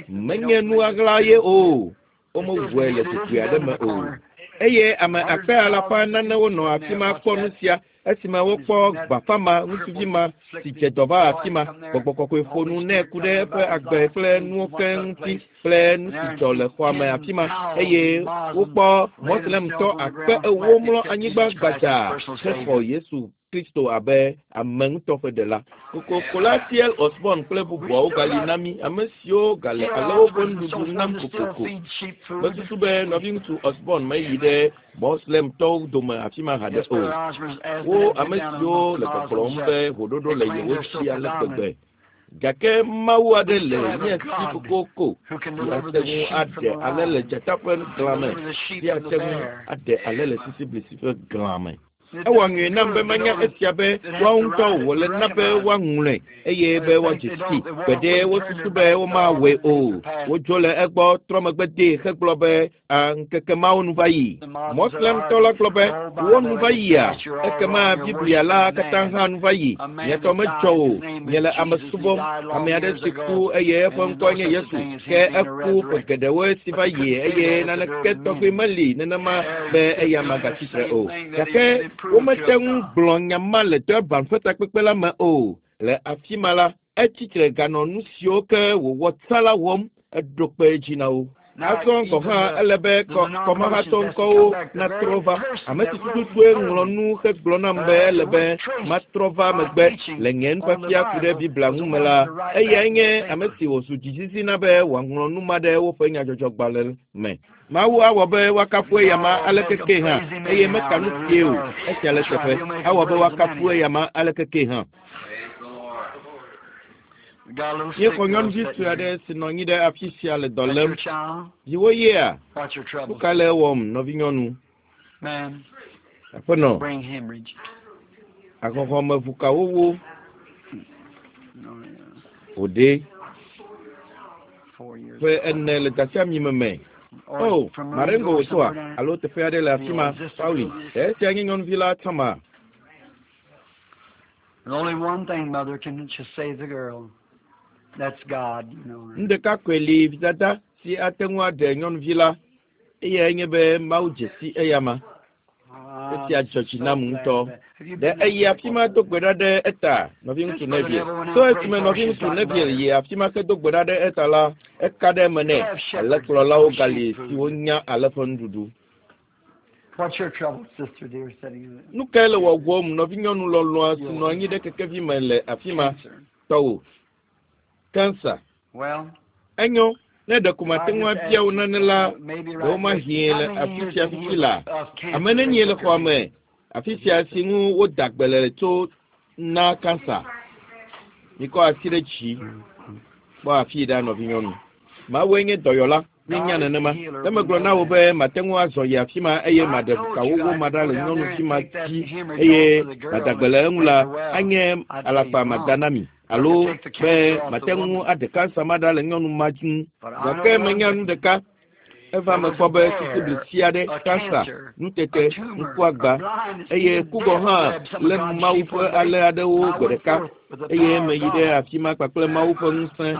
Speaker 1: Menye nu ɣaɣla ye o, womewɔe le dzogoe aɖe me o. Eye ame akpe alafa nanewo nɔ afi ma kpɔ nu sia esime wokpɔ gbafama ŋutsuvi ma si dze dɔ va afi ma. Gbɔgbɔ kɔkɔe ƒo nu nɛ ku ɖe eƒe agbe kple nuwo ke ŋuti kple nu si dzɔ le xɔa me afi ma eye wokpɔ mɔslemtɔ akpe ewo mlɔ anyigba gbadzaa hexɔ Yesu Kristo abe ame ŋutɔ ƒe ɖela. Kokokola T L Osborn kple bubuawo gali na mí, ame siwo gale alewo ƒe nuɖuɖu nam kokoko. Mesusu be nɔviŋutsu Osborn meyi ɖe mɔslemtɔwo dome afi ma haɖe o. Wo ame siwo le gbɔgblɔm be ʋoɖoɖo le yewo si ale gbegbe. Gake Mawu aɖe le mía si kokoko si ate ŋu aɖe ale le dzata ƒe glã me, si ate ŋu aɖe ale le sisiblisi ƒe glã me. Ewɔ nyuie nam be manya esia be woawo ŋutɔ wòle na be woaŋlɔe eye be woadze sii. Gbeɖe wosusu be womawɔe o. Wodzo le egbɔ trɔ megbe dee hegblɔ be a ŋkeke mawo nu va yi. Mɔslemtɔ la gblɔ be wo nu va yia ekema Biblia la katã hã nu va yi. Miatɔ medzɔ o. Miele ame subɔm. Ame aɖe si ku eye eƒe ŋkɔe nye Yesu. Ke eku ƒe geɖewoe si va yi eye naneke tɔgbi meli nenema be eya magatsi tre o. Gake womete ŋu gblɔ nya ma le Durban ƒe takpekpe la me o. Le afi ma la, etsi tre ganɔ nu siwo ke wòwɔ tsã la wɔm eɖo kpe edzi na wo. Azɔ gɔ̃ hã ele be kɔmahatɔ ŋkɔwo natrɔ va. Ame si tututue ŋlɔ nu hegblɔ nam be ele be matrɔ va megbe le nye nufiafia ku ɖe Biblia ŋu me la, eyae nye ame si wòzu dzizizi na be wòaŋlɔ nu ma ɖe woƒe nyadzɔdzɔgbalẽ me. Mawu awɔ be woakafu eyama aleke ke hã eye meka nu kee o. Esia le teƒe. Awɔ be woakafu eyama aleke ke hã. Míexɔ nyɔnuvi sue aɖe si nɔ anyi ɖe afi sia le dɔ lém. Viwò yea? Nu ka le ewɔm, nɔvinyɔnu? Aƒenɔ, ahɔhɔmeʋukawowo wòɖe ƒe ene le dasiamime me. Oh, Marengo wòtɔa alo teƒe aɖe le afi ma, Pauli. Esia nye nyɔnuvi la tsãma.
Speaker 2: There's only one thing, mother, can just save the girl. That's God, you know.
Speaker 1: Nu ɖeka koe li vidada si ate ŋu aɖe nyɔnuvi la eyae nye be Mawu dze si eyama. Esia dzɔ dzi nam ŋutɔ. Ɖe eyi afi ma do gbe ɖa ɖe eta, nɔviŋutsu Neville. To esime nɔviŋutsu Neville yi afi ma ke do gbe ɖa ɖe eta la, eka ɖe eme nɛ. Alẽkplɔlawo gali siwo nya ale ƒe nuɖuɖu.
Speaker 2: What's your trouble, sister dear, sitting in
Speaker 1: Nu kae le wɔwɔm nɔvinyɔnu lɔlɔ̃a si nɔ anyi ɖe kekevi me le afi ma
Speaker 2: cancer?
Speaker 1: tɔwò? Kansa.
Speaker 2: Well,
Speaker 1: Enyo, ne ɖeko mate ŋu abia wò nane la, ɖewomahi le afi sia fifi la. Ame nenie le xɔa me afi sia si ŋu woda gbe le tso na kansa? Mikɔ asi ɖe dzi. Kpɔ afii ɖa nɔvinyɔnu. Mawue nye dɔyɔla. Míenya nenema. Ne megblɔ na wò be mate ŋu azɔ yi afi ma eye maɖe ʋukawowo ma ɖa le nyɔnuvi ma dzi eye mada gbe le eŋu la, anye alakpa mada na mi. Alo be mate ŋu aɖe kansa ma ɖa le nyɔnu ma ŋu. Gake menya nu ɖeka. Eva me kpɔ be sisiblisi aɖe, kansa, nutete, ŋkuagba eye ku gɔ̃ hã lé Mawu ƒe ale aɖewo gbe ɖeka eye meyi ɖe afi ma kpakple Mawu ƒe ŋusẽ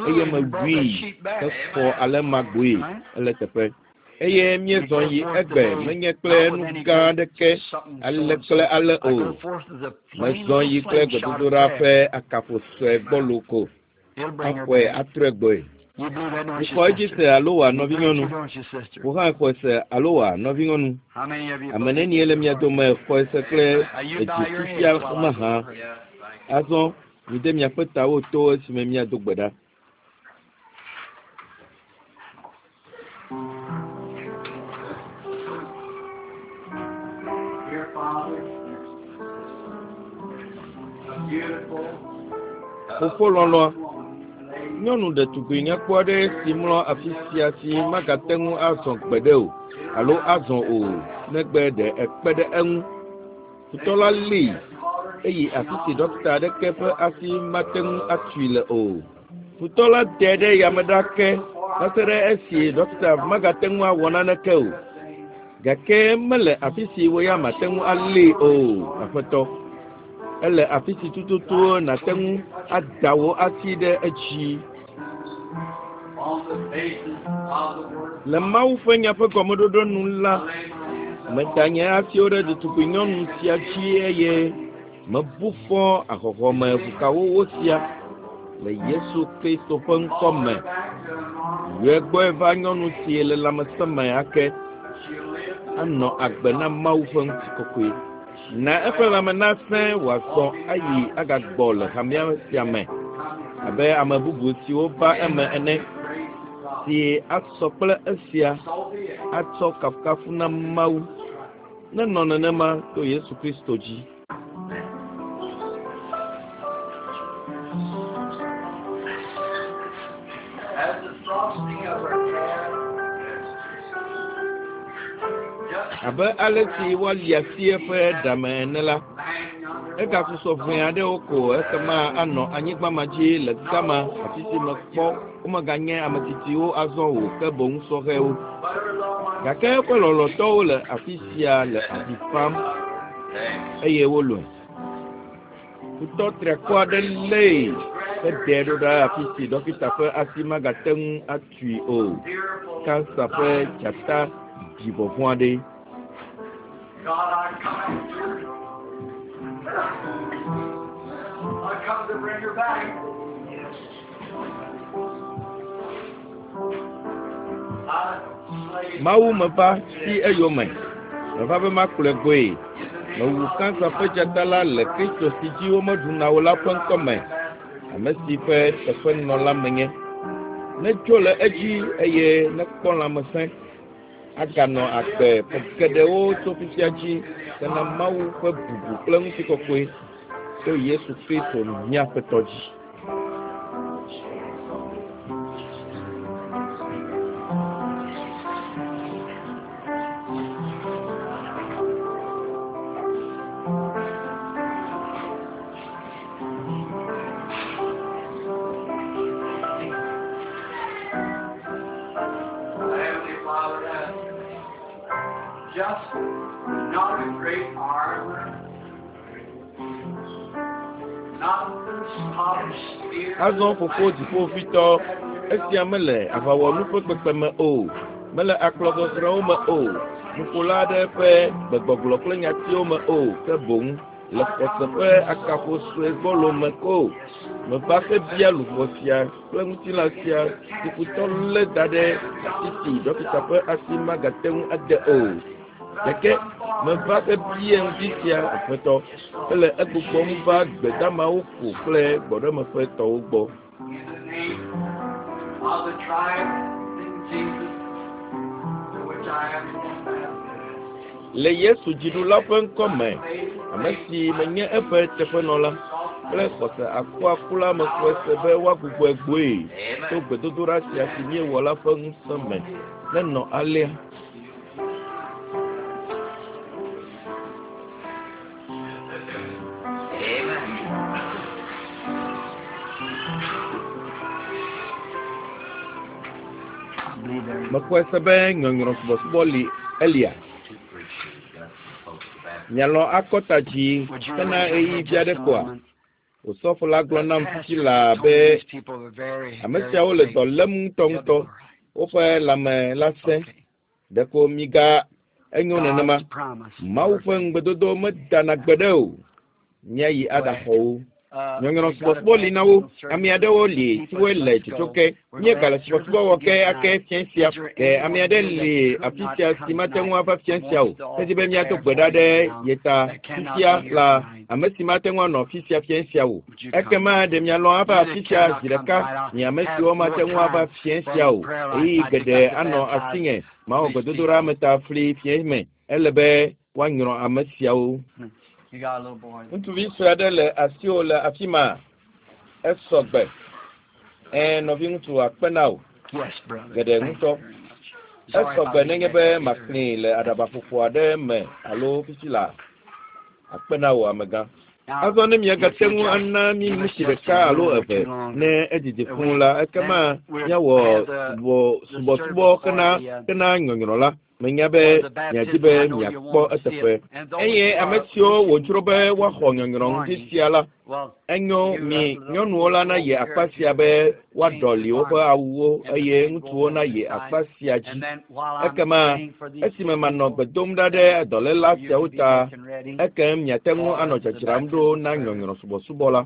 Speaker 1: eye mewui hexɔ ale ma gboe ele teƒe. Eye míezɔ yi egbe menye kple nu gã aɖeke ale kple ale o. Mezɔ yi kple gbedodoɖa ƒe akafo sue gbɔlo ko. Axɔe atrɔe gbɔe. Ixɔ edzi se alo wòa nɔvinyɔnu? Wò hã xɔe se alo wòa nɔvinyɔnu? Ame nenie le mia dome xɔe se kple edzi fifia mahã? Azɔ mide miaƒe tawo to esime míado gbe ɖa.
Speaker 2: Dear Father, a beautiful
Speaker 1: Fofo lɔlɔ̃a, nyɔnu ɖetugbui nyakpɔ aɖe si mlɔ afi sia si magate ŋu azɔ gbeɖe o alo azɔ o negbe ɖe ekpe ɖe eŋu. Futɔ la lée eyi afi si ɖɔkita aɖeke ƒe asi mate ŋu atui le o. Futɔ la tee ɖe yame ɖa ke va se ɖe esi ɖɔkita magate ŋu awɔ naneke o. Gake mele afi si wò ya mate ŋu alée o, Aƒetɔ. Ele afi si tututu nàte ŋu ada wò asi ɖe edzi.
Speaker 2: on the basis of the word.
Speaker 1: Le Mawu ƒe nya ƒe gɔmeɖoɖo nu la, Meda nye asiwo ɖe ɖetugbi nyɔnu sia dzi eye mebu fɔ ahɔhɔme ʋukawowo sia le Yesu Kristo ƒe ŋkɔ me. Yɔe gbɔe va nyɔnu si le lãmesẽ me ake anɔ agbe na Mawu ƒe ŋutikɔkɔe. Na eƒe lãme nasẽ wòazɔ ayi agagbɔ le hamea sia me abe ame bubu siwo va eme ene si asɔ kple esia atsɔ kafukafu na Mawu. Nenɔ nenema to Yesu Kristo dzi.
Speaker 2: As the frosting of her hair, just
Speaker 1: Abe ale si woali asi eƒe ɖame ene la,
Speaker 2: lying yonder.
Speaker 1: egasusɔ ʋɛ aɖewo ko ekema anɔ anyigba ma dzi le gama afi si mekpɔ womeganye ame tsitsiwo azɔ o ke boŋ sɔhɛwo.
Speaker 2: But her loved ones
Speaker 1: Gake eƒe lɔlɔ̃tɔwo le afi sia le avi fam eye wolɔ̃e. Futɔ triakɔ aɖe lée heɖee ɖo ɖa afi si ɖɔkita ƒe asi magate ŋu atui o.
Speaker 2: fearful.
Speaker 1: Kansa ƒe dzata ɖi vɔvɔ̃ aɖe.
Speaker 2: God, I come after her. I come to bring her back. I slay
Speaker 1: Mawu meva si eyome. Meva be makplɔe gbɔe. Mewu kansa ƒe dzata la le Kristo si dzi womeɖuna o la ƒe ŋkɔme, ame si ƒe teƒenɔla menye. Netso le edzi eye nekpɔ lãmesẽ. Aganɔ agbe ƒe geɖewo tso fifia dzi hena Mawu ƒe bubu kple ŋutikɔkɔe to Yesu Kristo mía Aƒetɔ dzi.
Speaker 2: Heavenly Father, that just not a great armor, not the polished spear.
Speaker 1: Azɔ fofo dziƒovitɔ, esia mele aʋawɔnu ƒe kpekpeme o, mele akplɔzɔzrɔ̃wo me o, nuƒola aɖe ƒe gbegbɔgblɔ kple nyatiwo me o, ke boŋ le xɔse ƒe akafo sue gbɔlo me ko. Meva hebia luʋɔ sia kple ŋutilã sia si futɔ lé da ɖe afi si ɖɔkita ƒe asi magate ŋu ade o. Gake meva hebia ŋdi sia Aƒetɔ hele egbugbɔm va gbedamawo ƒo kple gbɔɖemeƒe tɔwo gbɔ.
Speaker 2: In the name of the triumphing Jesus, to which I am an ambassador.
Speaker 1: Le Yesu dziɖula ƒe ŋkɔ me, ame si menye eƒe teƒenɔla kple xɔse akuakula mexɔe se be woagbugbɔe gbɔe to gbedodoɖa sia si míewɔ la ƒe ŋusẽ me. Nenɔ alea.
Speaker 2: I believe there is
Speaker 1: Mexɔe se be nyɔnyrɔ subɔsubɔ li elia.
Speaker 3: Two preachers got some folks to baptize.
Speaker 1: Mialɔ̃ akɔta dzi
Speaker 2: Would you
Speaker 1: hena
Speaker 2: remember
Speaker 1: ɣeyiɣi vi
Speaker 2: just
Speaker 1: aɖe
Speaker 2: a
Speaker 1: koa?
Speaker 2: moment?
Speaker 1: Osɔfo la gblɔ
Speaker 2: The
Speaker 1: nam
Speaker 2: pastor
Speaker 1: fifi laa
Speaker 2: told
Speaker 1: be
Speaker 2: these people were very,
Speaker 1: ame
Speaker 2: very
Speaker 1: siawo le
Speaker 2: sick.
Speaker 1: dɔ lém
Speaker 2: They'll be
Speaker 1: ŋutɔŋutɔ.
Speaker 2: all right.
Speaker 1: Woƒe lãme la sẽ.
Speaker 2: Okay.
Speaker 1: Ɖeko miga enyo nenema.
Speaker 2: God's promise.
Speaker 1: Mawu ƒe ŋugbedodo medana gbeɖe o. Míayi aɖaxɔ wo.
Speaker 2: Uh,
Speaker 1: Nyɔnyrɔ
Speaker 2: we've got a
Speaker 1: subɔsubɔ li na wo.
Speaker 2: baptismal
Speaker 1: Ame
Speaker 2: service.
Speaker 1: aɖewo li
Speaker 2: People
Speaker 1: siwoe le
Speaker 2: must go.
Speaker 1: tsotso ke.
Speaker 2: We're
Speaker 1: Míegale
Speaker 2: glad
Speaker 1: subɔsubɔ
Speaker 2: service
Speaker 1: wɔ ke
Speaker 2: again
Speaker 1: ake
Speaker 2: tonight.
Speaker 1: fiẽ sia.
Speaker 2: Is there
Speaker 1: Ke ame
Speaker 2: anyone
Speaker 1: aɖe
Speaker 2: here
Speaker 1: li
Speaker 2: that could
Speaker 1: afi
Speaker 2: not
Speaker 1: sia
Speaker 2: come
Speaker 1: si mate ŋu
Speaker 2: tonight
Speaker 1: ava fiẽ
Speaker 2: and
Speaker 1: sia o.
Speaker 2: wants to
Speaker 1: Hedi
Speaker 2: offer
Speaker 1: be míado
Speaker 2: prayer
Speaker 1: gbe ɖa
Speaker 2: for
Speaker 1: ɖe
Speaker 2: you now
Speaker 1: ye ta
Speaker 2: that cannot
Speaker 1: fifia
Speaker 2: be here
Speaker 1: la
Speaker 2: tonight?
Speaker 1: ame si mate ŋu anɔ afi sia fiẽ sia o.
Speaker 2: Would you come?
Speaker 1: Ekema ɖe mialɔ̃ ava
Speaker 2: You
Speaker 1: afi
Speaker 2: that
Speaker 1: sia
Speaker 2: cannot
Speaker 1: zi
Speaker 2: come
Speaker 1: ɖeka
Speaker 2: tonight, I'll
Speaker 1: nye ame
Speaker 2: have
Speaker 1: siwo
Speaker 2: more
Speaker 1: mate ŋu ava
Speaker 2: time
Speaker 1: fiẽ
Speaker 2: for
Speaker 1: sia
Speaker 2: the
Speaker 1: o.
Speaker 2: prayer life.
Speaker 1: Ɣeyiɣi
Speaker 2: I think
Speaker 1: geɖe
Speaker 2: I could
Speaker 1: anɔ
Speaker 2: baptize
Speaker 1: asinye mawɔ
Speaker 2: these
Speaker 1: gbedodoɖa
Speaker 2: people.
Speaker 1: me ta fli fiẽ me. Ele be woanyrɔ ame siawo.
Speaker 2: You got a little boy.
Speaker 1: Ŋutsuvi sue aɖe le asiwò le afi ma. Esɔ gbe. Ɛ̃ nɔviŋutsu akpe na wò.
Speaker 2: Yes, brother.
Speaker 1: Geɖe
Speaker 2: Thank
Speaker 1: ŋutɔ.
Speaker 2: you very much. Sorry
Speaker 1: Esɔ
Speaker 2: if I
Speaker 1: gbe
Speaker 2: didn't
Speaker 1: nenye
Speaker 2: get
Speaker 1: be
Speaker 2: to either.
Speaker 1: makli le aɖabaƒoƒo aɖe me alo fifi la. Akpe na wò amegã.
Speaker 2: Now,
Speaker 1: Azɔ ne
Speaker 2: if
Speaker 1: miagate
Speaker 2: you
Speaker 1: ŋu
Speaker 2: just
Speaker 1: ana mí
Speaker 2: give us
Speaker 1: ŋutsu
Speaker 2: just
Speaker 1: ɖeka
Speaker 2: a
Speaker 1: alo
Speaker 2: minute or
Speaker 1: eve
Speaker 2: two longer,
Speaker 1: ne edidi fũu
Speaker 2: we
Speaker 1: la, ekema
Speaker 2: then we'll
Speaker 1: míawɔ
Speaker 2: have the
Speaker 1: subɔ
Speaker 2: the
Speaker 1: subɔsubɔ
Speaker 2: service for
Speaker 1: hena
Speaker 2: the uh,
Speaker 1: hena nyɔnyrɔ la. Menya be miadi be miakpɔ eteƒe. Eye ame siwo wòdzro be woaxɔ nyɔnyrɔ ŋdi sia la, enyo mi nyɔnuwo la nayi akpa sia be woaɖɔli woƒe awuwo eye ŋutsuwo nayi akpa sia dzi. Ekema esime manɔ gbe dom ɖa ɖe dɔléla siawo ta, ekem miate ŋu anɔ dzadzram ɖo na nyɔnyrɔ subɔsubɔ la.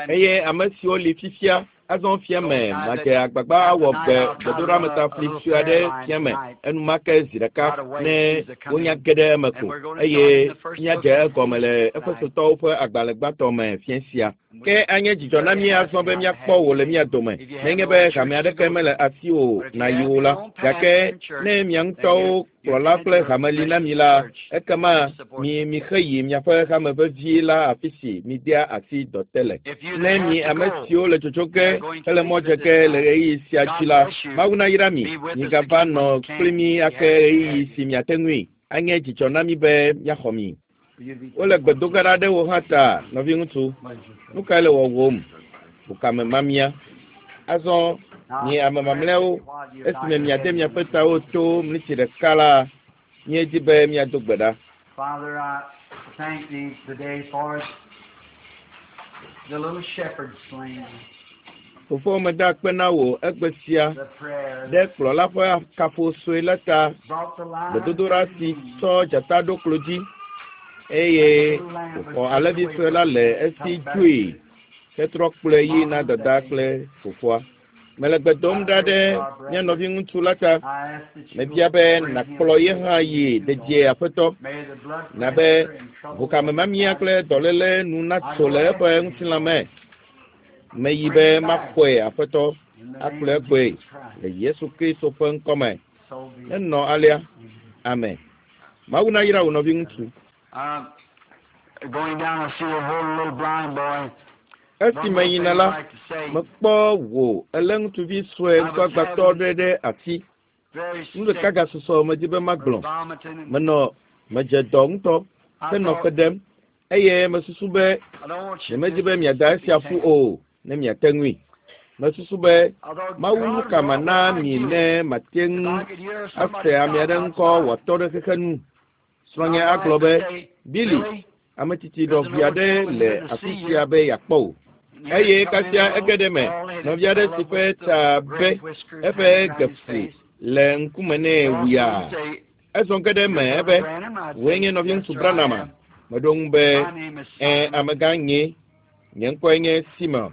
Speaker 1: Eye ame siwo li fifia azɔ fia me madze agbagba awɔ gbe gbedoɖametafli sue aɖe fia me enumake zi ɖeka ne wonya ge ɖe eme ko eye míadze egɔme le Efesotɔwo ƒe agbalẽ gbãtɔ me fia sia. Ke anye dzidzɔ na mí azɔ be míakpɔ wò le mía dome nenye be hame aɖeke mele asiwò nàyi o la, gake ne mia ŋutɔwo kplɔla kple hame li na mi la, ekema mi mixe yi miaƒe hame vevie la afi si midea asi dɔ te le. Ne mi ame siwo le tsotso ge hele mɔ dze ge le ɣeyiɣi sia dzi la, Mawu nayra mi, migava nɔ kpli mí ake ɣeyiɣi si miate ŋui. Anye dzidzɔ na mí be míaxɔ mi. Wole gbedoga ɖa ɖe wò hã ta, nɔviŋutsu. Nu kae le wɔwòm? Bukame mamia. Azɔ mi ame mamlɛawo, esime miade miaƒe tawo to mlitsi ɖeka la, míedi be míado gbe ɖa.
Speaker 2: Father, I thank thee today for the little shepherd slain,
Speaker 1: Fofo meda akpe na wò egbe sia
Speaker 2: the prayer
Speaker 1: ɖe kplɔla ƒe kafo sue la ta,
Speaker 2: brought the lion
Speaker 1: gbedodoɖa si tsɔ dzata ɖo klo dzi eye wòxɔ alẽvi sue la le esi dzoe hetrɔ kplɔe yi na dada kple fofoa. Mele gbe dom ɖa ɖe mía nɔviŋutsu la ta.
Speaker 2: I ask that you
Speaker 1: Mebia be nàkplɔ ye hã yi dedie aƒetɔ.
Speaker 2: May the blood
Speaker 1: Na be
Speaker 2: pressure and trouble
Speaker 1: ʋukame mamia kple dɔléle nu natso le eƒe ŋutilã me. Meyi be maxɔe aƒetɔ
Speaker 2: in the
Speaker 1: akplɔe
Speaker 2: name of
Speaker 1: gbɔe
Speaker 2: Jesus Christ.
Speaker 1: le Yesu Kristo ƒe ŋkɔme.
Speaker 2: So be it.
Speaker 1: Nenɔ alea. Amen. Mawu nayra wò nɔviŋutsu.
Speaker 2: Uh, going down, I see a whole little blind boy.
Speaker 1: Esi meyina la, mekpɔ wò elé ŋutsuvi sue ŋkuagbãtɔ aɖe ɖe asi.
Speaker 2: Very
Speaker 1: Nu ɖeka
Speaker 2: sick,
Speaker 1: gasusɔ medi be magblɔ.
Speaker 2: vomiting. And
Speaker 1: Menɔ medze dɔ ŋutɔ
Speaker 2: I
Speaker 1: henɔ
Speaker 2: thought,
Speaker 1: fe ɖem eye mesusu be
Speaker 2: I don't want you
Speaker 1: nyemedi
Speaker 2: to
Speaker 1: be miada esia ƒu o ne miate ŋui. Mesusu be
Speaker 2: I thought,
Speaker 1: Mawu nu
Speaker 2: God,
Speaker 1: ka
Speaker 2: what
Speaker 1: mana
Speaker 2: would I
Speaker 1: mi
Speaker 2: do
Speaker 1: ne mate
Speaker 2: if
Speaker 1: ŋu
Speaker 2: I could hear somebody
Speaker 1: ase ame
Speaker 2: talk
Speaker 1: aɖe ŋkɔ
Speaker 2: outside?
Speaker 1: wòatɔ ɖe xexe nu. Srɔ̃nye
Speaker 2: My wife
Speaker 1: agblɔ
Speaker 2: would
Speaker 1: be,
Speaker 2: say,
Speaker 1: Billy,
Speaker 2: Billy,
Speaker 1: ame tsitsi ɖɔvi aɖe le afi sia be yeakpɔ wò.
Speaker 2: here
Speaker 1: Eye
Speaker 2: come in
Speaker 1: kasia
Speaker 2: a
Speaker 1: ege ɖe me,
Speaker 2: little bald-headed
Speaker 1: nɔvi aɖe si
Speaker 2: fellow
Speaker 1: ƒe
Speaker 2: with the
Speaker 1: ta
Speaker 2: red
Speaker 1: be
Speaker 2: whiskers
Speaker 1: eƒe
Speaker 2: hanging down his
Speaker 1: gefli
Speaker 2: face.
Speaker 1: le ŋkume nɛ
Speaker 2: Well,
Speaker 1: wuyaa.
Speaker 2: he'd say,
Speaker 1: Ezɔ ge ɖe eme
Speaker 2: "You're
Speaker 1: ebe,
Speaker 2: Brother Branham?" I'd
Speaker 1: wòe
Speaker 2: say,
Speaker 1: nye
Speaker 2: "Yes,
Speaker 1: nɔviŋutsu
Speaker 2: sir, I
Speaker 1: Branham.
Speaker 2: am.
Speaker 1: Meɖo ŋu be,
Speaker 2: My name is
Speaker 1: ẽ
Speaker 2: Simon."
Speaker 1: amegã nye, nye ŋkɔe nye Simon.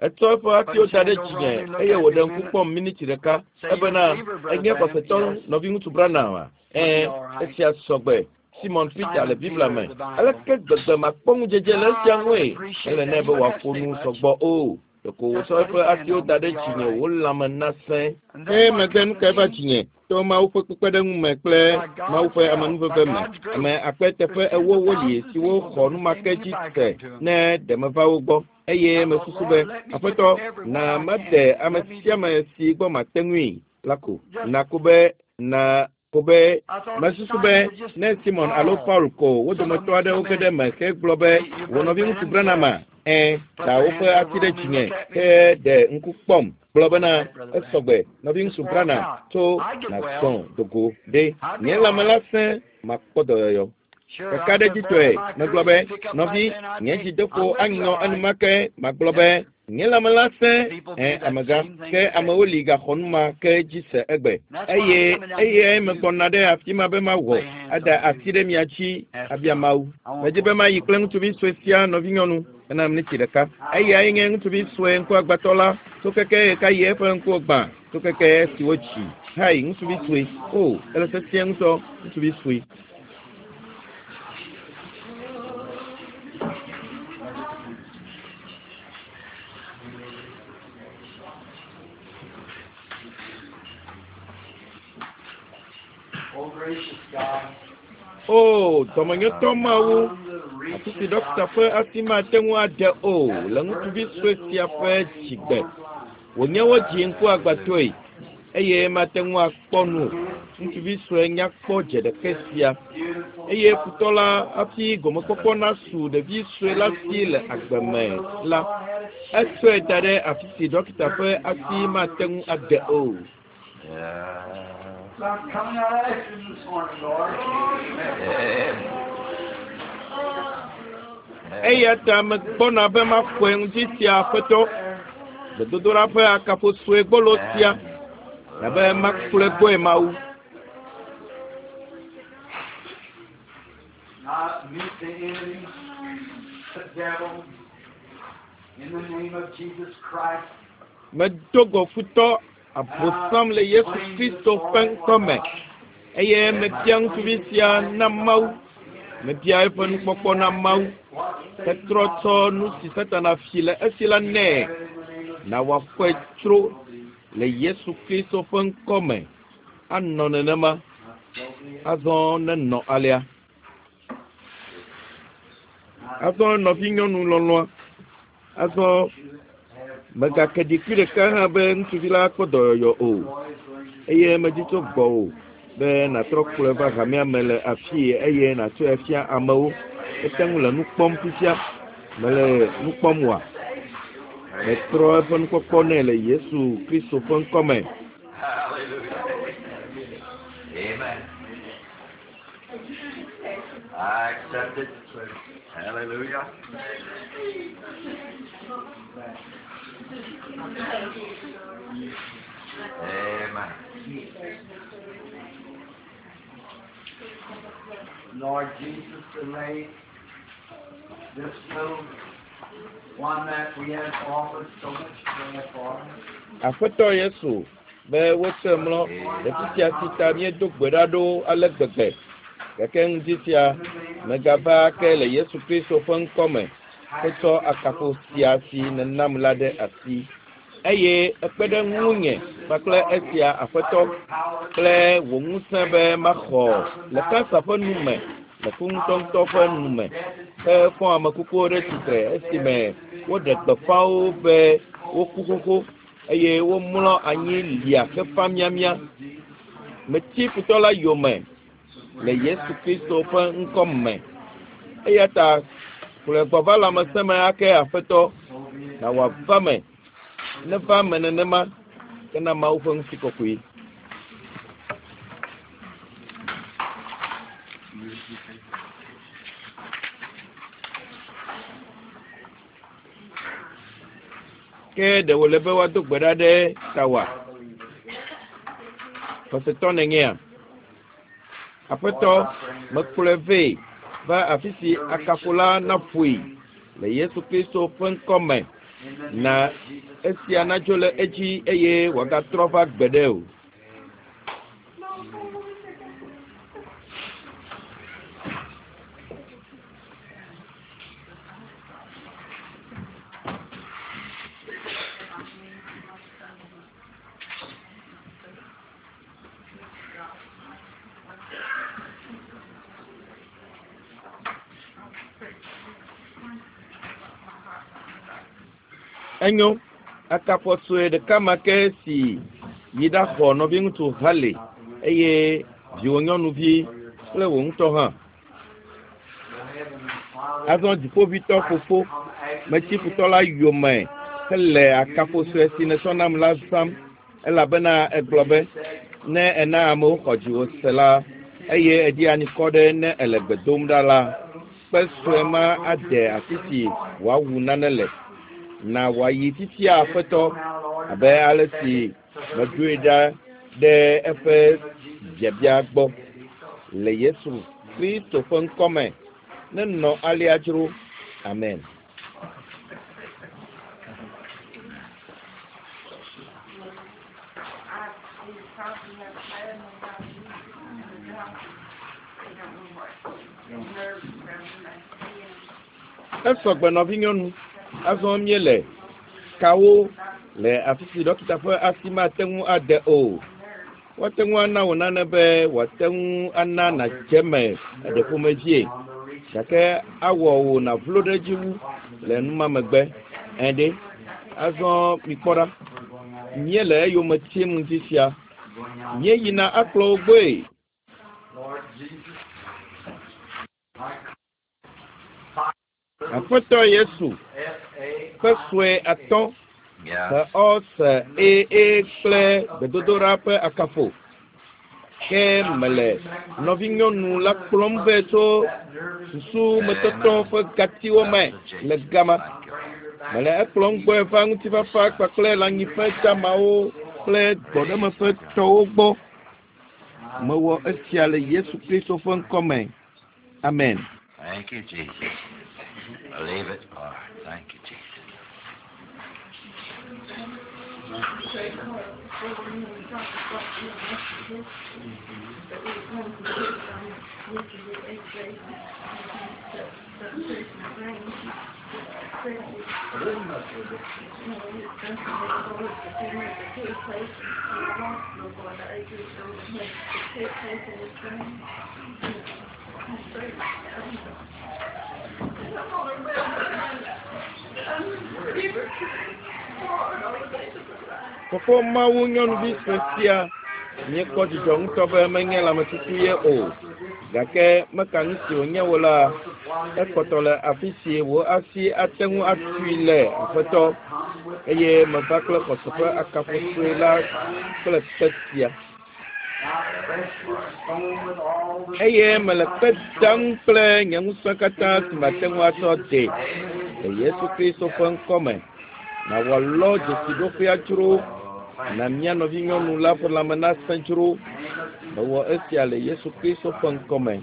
Speaker 1: Etsɔ eƒe asiwo da ɖe dzinye eye wòɖe ŋku kpɔm miniti ɖeka ebena enye xɔsetɔ nɔviŋutsu Branham a? Ẽ, esia sɔgbe. Simon Peter le Biblia me. Aleke gbegbe makpɔ ŋudzedze le esia ŋue? Mele nɛ be wòaƒo nu sɔgbɔ o. Ɖeko wòtsɔ eƒe asiwo da ɖe dzinye wò lãme nasẽ.
Speaker 2: And
Speaker 1: Ke
Speaker 2: then what
Speaker 1: megbe
Speaker 2: come
Speaker 1: nu
Speaker 2: to
Speaker 1: kae va
Speaker 2: me?
Speaker 1: dzinye to Mawu ƒe kpekpeɖeŋu me kple Mawu ƒe amenuveve me. Ame akpe teƒe ewo woli siwo xɔ numake dzi se ne ɖe meva wo gbɔ. Eye mesusu be, aƒetɔ, na made ame sia ame si gbɔ mate ŋui la ko. Na ko be, na ko be,
Speaker 2: I thought
Speaker 1: mesusu be
Speaker 2: Simon
Speaker 1: ne Simon alo Paul ko wo dometɔ aɖewo ge ɖe eme hegblɔ be wò nɔviŋutsu Branham a, ẽ, da woƒe asi ɖe dzinye he ɖe ŋku kpɔm gblɔ bena esɔgbe nɔviŋutsu Branham tso nàzɔ dogo ɖe nye lãme la sẽ makpɔ dɔyɔyɔ.
Speaker 2: Sure, I said,
Speaker 1: Kakaɖedzitɔe
Speaker 2: "Brother, my
Speaker 1: megblɔ be
Speaker 2: courage pick up
Speaker 1: nɔvi
Speaker 2: right then, I'd
Speaker 1: nye
Speaker 2: say,
Speaker 1: dzideƒo
Speaker 2: I'm with you,
Speaker 1: anyɔ
Speaker 2: all right.
Speaker 1: enumake magblɔ be nye lãme la sẽ ẽ amegã ke amewo li gaxɔ nu ma ke dzi se egbe eye eye megbɔna ɖe afi ma be mawɔ ada asi ɖe mia dzi abia Mawu. Medi be mayi kple ŋutsuvi sue sia nɔvinyɔnu ena miniti ɖeka. Eyae nye ŋutsuvi sue ŋkuagbãtɔ la tso keke ɣekaɣi eƒe ŋkuwo gbã tso keke esi wotsi. Hai ŋutsuvi sue o ele sesĩe ŋutɔ ŋutsuvi sue.
Speaker 2: Oh, gracious God.
Speaker 1: O dɔmenyotɔ Mawu,
Speaker 2: On the reach
Speaker 1: afi si
Speaker 2: of
Speaker 1: ɖɔkita ƒe asi mate ŋu ade o le ŋutsuvi sue sia ƒe dzigbe. Wònye wodzi ŋkuagbãtɔe eye mate ŋu akpɔ nu o. Ŋutsuvi sue nyakpɔ dze ɖeke sia eye futɔ la hafi gɔmekpɔkpɔ nasu ɖevi sue la si le agbe me la, etsɔe da ɖe afi si ɖɔkita ƒe asi mate ŋu ade o.
Speaker 3: Yeah.
Speaker 2: So I'm coming out after him this morning, Lord.
Speaker 1: Eya ta megbɔna be maxɔe ŋdi sia Aƒetɔ. Gbedodoɖa ƒe akafo sue gbolo sia abe makplɔe gbɔe Mawu.
Speaker 2: Now meet the enemy, the devil, in the name of Jesus Christ.
Speaker 1: Medo go futɔ Abosam le Yesu Kristo ƒe ŋkɔme eye mebia ŋutsuvi sia na Mawu. Mebia eƒe nukpɔkpɔ na Mawu. Hetrɔ tsɔ nu si Satana fi le esi la nɛ na wòaxɔe tsro le Yesu Kristo ƒe ŋkɔme. Anɔ nenema. Azɔ nenɔ alea. Azɔ nɔvinyɔnu lɔlɔ̃a. Azɔ megake ɖikui ɖeka hã be ŋutsuvi la kpɔ dɔyɔyɔ o. Eye medzi tso gbɔwò be nàtrɔ kplɔe va hamea me le afii eye nàtsɔe fia amewo. Ete ŋu le nu kpɔm fifia. Mele nu kpɔm oa? Metrɔ eƒe nukpɔkpɔ nɛ le Yesu Kristo ƒe ŋkɔme.
Speaker 3: Hallelujah. Amen. I accept it. Hallelujah. Amen.
Speaker 2: Lord Jesus, to lay this little one that we have offered so much prayer for.
Speaker 1: Aƒetɔ Yesu be wotsɔe mlɔ ɖevi sia si ta míedo gbe ɖa ɖo ale gbegbe. Gake ŋdi sia megava ke le Yesu Kristo ƒe ŋkɔme hetsɔ akafo sia si nènam la ɖe asi. Eye ekpe ɖe ŋunye kpakple esia Aƒetɔ kple wò ŋusẽ be maxɔ le kansa ƒe nu me, le ku ŋutɔŋutɔ ƒe nu me, hefɔ ame kukuwo ɖe tsitre esime woɖe gbeƒãwo be woku xoxo eye womlɔ anyi lia hefa miamia. Metsi futɔ la yome le Yesu Kristo ƒe ŋkɔ me. Eya ta kplɔe gbɔ va lãmesẽ me ake Aƒetɔ na wòava me. Neva me nenema ke na Mawu ƒe ŋutikɔkɔe. Ke ɖe wòle be woado gbe ɖa ɖe tawòa? Xɔsetɔ nènyea? Aƒetɔ, mekplɔe vɛ va afi si akafo la naƒoe le Yesu Kristo ƒe ŋkɔme. Na esia nadzo le edzi eye wòagatrɔ va gbeɖe o. Enyo, akafo sue ɖeka ma ke si yi ɖaxɔ nɔviŋutsu Hale eye viwò nyɔnuvi kple wò ŋutɔ hã. Azɔ dziƒoʋĩtɔ fofo, metsi futɔ la yome hele akafo sue si nètsɔ nam la zãm elabena egblɔ be ne ena amewo xɔ dziwò se la eye èdi anikɔ ɖe ne èle gbe dom ɖa la, kpe sue ma ade afi si wòawu nane le. Na wòayi fifia Aƒetɔ abe ale si meɖoe ɖa ɖe eƒe biabia gbɔ le Yesu Kristo ƒe ŋkɔme. Nenɔ alea dzro. Amen. Esɔgbe nɔvinyɔnu. Azɔ míele kawo le afi si ɖɔkita ƒe asi mate ŋu ade o. Woate ŋu ana wò nane be wòate ŋu ana nàdze eme eɖe ƒomevie gake awɔ wò nàvlo ɖe edzi wu le numa megbe. Ẽ ɖe, azɔ mikpɔ ɖa. Míele eyome tim ŋdi sia. Míeyina akplɔ wo gbɔe.
Speaker 2: Lord Jesus, I
Speaker 1: Aƒetɔ Yesu
Speaker 2: F A
Speaker 1: ƒe sue atɔ̃
Speaker 3: Yeah.
Speaker 1: he ɔ se e e kple gbedodoɖa ƒe akafo. Ke mele nɔvinyɔnu la kplɔm vɛ tso susumetɔtɔ ƒe gatiwo me le gama. Mele ekplɔm gbɔe va ŋutifafa kpakple lãnyiƒe damawo kple gbɔɖeme ƒe tɔwo gbɔ. Mewɔ esia le Yesu Kristo ƒe ŋkɔme. Amen.
Speaker 3: Thank you, Jesus. Believe it, Lord. Thank you, Jesus.
Speaker 1: Fofo Mawu nyɔnuvi sue sia míekpɔ dzidzɔ ŋutɔ be menye lãmetutu ye o. Gake meka nu si wònye wo la, ekpɔtɔ le afi si wò asi ate ŋu atui le Aƒetɔ eye meva kple xɔse ƒe akafo sue la kple kpe sia. Eye mele kpe dam kple nye ŋusẽ katã si mate ŋu atsɔ de le Yesu Kristo ƒe ŋkɔme. Na wòalɔ dzesiɖoƒea dzro na mía nɔvinyɔnu la ƒe lãme nasẽ dzro. Mewɔ esia le Yesu Kristo ƒe ŋkɔme.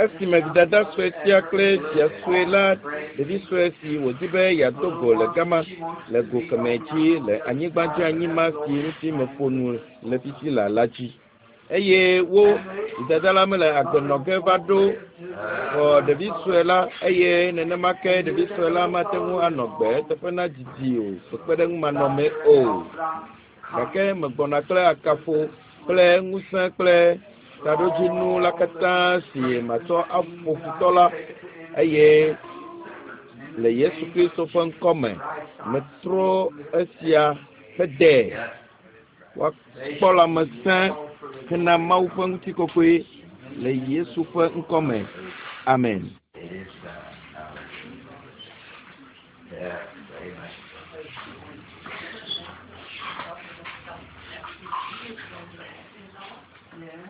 Speaker 1: Esime vidada sue sia kple via sue la ɖevi sue si wòdi be yeado go le gama le go kemɛ dzi le anyigba dzi anyima si ŋuti meƒo nu le fifi la la dzi. Eye wo vidada la mele agbe nɔ ge va ɖo xɔ ɖevi sue la eye nenema ke ɖevi sue la mate ŋu anɔ gbe eteƒe na didi o kpekpeɖeŋumanɔme o. Gake megbɔna kple akafo kple ŋusẽ kple taɖodzinu la katã si matsɔ aƒo futɔ la eye le Yesu Kristo ƒe ŋkɔme metrɔ esia hede woakpɔ lãmesẽ hena Mawu ƒe ŋutikɔkɔe le Yesu ƒe ŋkɔme. Amen.
Speaker 3: It is done. Yes, amen.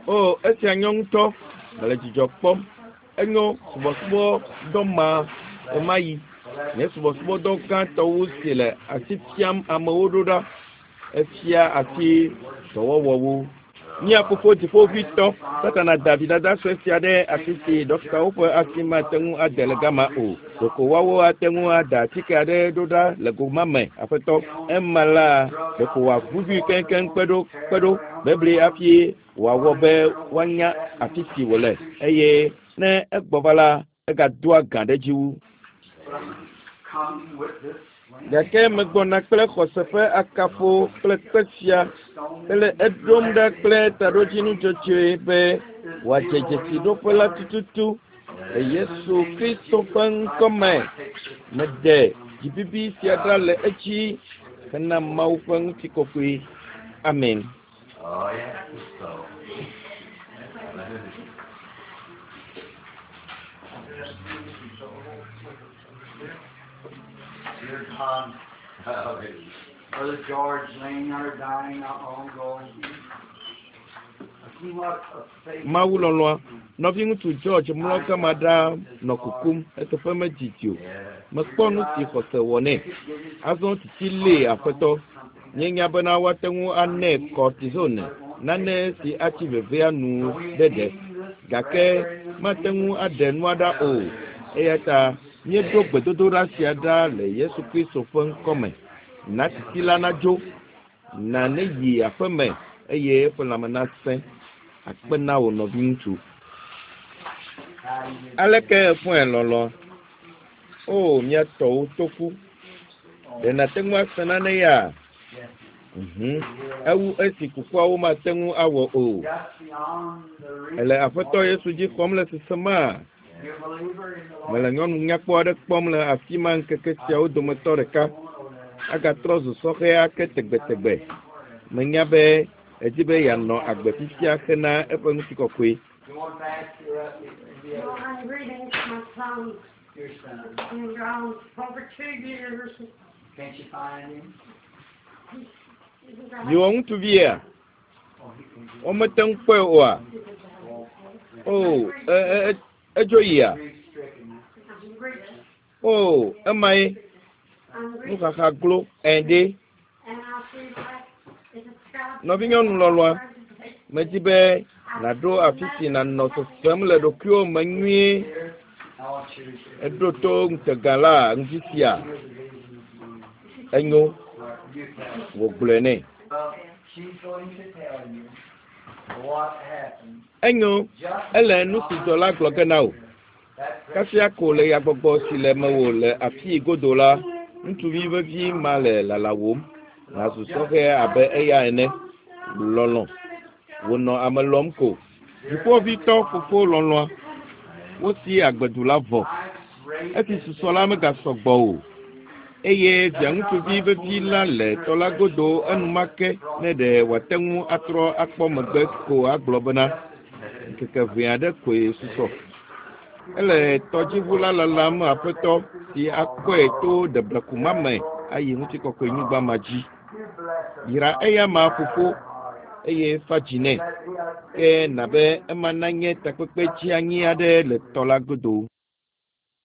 Speaker 1: O, esia nyɔ ŋutɔ. Mele dzidzɔ kpɔm. Enyo subɔsubɔdɔ ma ɣemaɣi. Nye subɔsubɔdɔ gãtɔwo si le asi fiam amewo ɖo ɖa. Efia asi dɔwɔwɔwo. Mía fofo dziƒoʋĩtɔ, Satana da vidada sue sia ɖe afi si ɖɔkitawo ƒe asi mate ŋu ade le gama o. Ɖeko woawo ate ŋu ada atike aɖe ɖo ɖa le go ma me, Aƒetɔ. Ema la, ɖeko wòaʋuʋui keŋkeŋ kpe ɖo kpe ɖo bebli hafi wòawɔ be woanya afi si wòle eye ne egbɔ va la, egadoa gã ɖe edzi wu. Gake megbɔna kple xɔse ƒe akafo kple kpe sia hele eɖom ɖa kple taɖodzinu dzɔdzɔe be wòadze dzesiɖoƒe la tututu le Yesu Kristo ƒe ŋkɔme. Mede dzibibi sia ɖa le edzi hena Mawu ƒe ŋutikɔkɔe. Amen.
Speaker 3: Oh, yes, it's so. Hallelujah.
Speaker 2: Dear God,
Speaker 3: Hallelujah.
Speaker 2: Brother George laying there dying not long ago. I see what a faith
Speaker 1: Mawu lɔlɔ̃a, nɔviŋutsu George mlɔ gama ɖaa nɔ kukum eteƒe medidi o.
Speaker 3: Yes.
Speaker 1: Mekpɔ nu si xɔse wɔ nɛ. Azɔ tsitsi lée Aƒetɔ. Míenya bena woate ŋu anɛ cortisone, nane si atsi vevea nu ɖe ɖe. Gake mate ŋu aɖe nua ɖa o. Eya ta míeɖo gbedodoɖa sia ɖa le Yesu Kristo ƒe ŋkɔme. Na tsitsi la nadzo, na neyi aƒeme eye eƒe lãme nasẽ. Akpe na wò nɔviŋutsu. Aleke èfɔe lɔlɔ̃a? O, mía tɔwo to ƒu. Ɖe nàte ŋu ase nane ya? Mhm. Ewu esi kukuawo mate ŋu awɔ o.
Speaker 2: just beyond the reach
Speaker 1: Ele Aƒetɔ Yesu dzi xɔm le sesema.
Speaker 2: You a believer in the Lord?
Speaker 1: Mele nyɔnu nyakpɔ aɖe kpɔm le afi ma ŋkeke siawo dometɔ ɖeka. Agatrɔ zu sɔhɛ ake tegbetegbe. Menya be edi be yeanɔ agbe fifia hena eƒe ŋutikɔkɔe.
Speaker 2: You want to ask your, uh, the
Speaker 4: Well,
Speaker 2: other,
Speaker 4: I'm greetings to my son.
Speaker 2: your son.
Speaker 4: Been gone over two years.
Speaker 2: Can't you find him?
Speaker 4: He's got-
Speaker 1: Viwò ŋutsuvia,
Speaker 2: Oh, he can do
Speaker 1: womete ŋu kpɔe oa? O, e e edzo yia?
Speaker 2: Grief-stricken.
Speaker 4: I'm grieving.
Speaker 1: O, emae
Speaker 4: I'm grieving.
Speaker 1: nuxaxa glo ɛ̃ ɖe.
Speaker 4: And I feel like if it's God.
Speaker 1: Nɔvinyɔnu lɔlɔ̃a, medi be nàɖo afi si nànɔ sesem le ɖokuiwò me nyuie.
Speaker 2: Here, I want you to
Speaker 1: Eɖo to ŋutega la ŋdi sia.
Speaker 2: hear the vision this morning.
Speaker 1: Enyo,
Speaker 2: All right, you tell.
Speaker 1: wògblɔe nɛ.
Speaker 2: Well, she's going to tell you what happened.
Speaker 1: Enyo,
Speaker 2: Just
Speaker 1: ele nu si dzɔ la gblɔ ge na wò.
Speaker 2: that
Speaker 1: Kasia ko le yagbɔgbɔ si le mewò le afii godo la, ŋutsuvi vevi ma le lalawòm. Nàzu sɔhɛ abe eya ene. Lɔlɔ̃. Wònɔ ame lɔm ko. Dziƒovitɔ fofo lɔlɔ̃a, wosi agbedu la vɔ. Esi susɔ la megasɔ gbɔ o. Eye via ŋutsuvi vevi la le tɔ la godo enumake ne ɖe wòate ŋu atrɔ akpɔ megbe ko agblɔ bena ŋkeke ʋɛ aɖe koe susɔ. Ele tɔdziʋu la lalam aƒetɔ si akɔe to ɖebleku ma me ayi ŋutikɔkɔenyigba ma dzi. Yra eya ma fofo eye fa dzi nɛ. Ke na be ema nanye takpekpe tsianyi aɖe le tɔ la godo.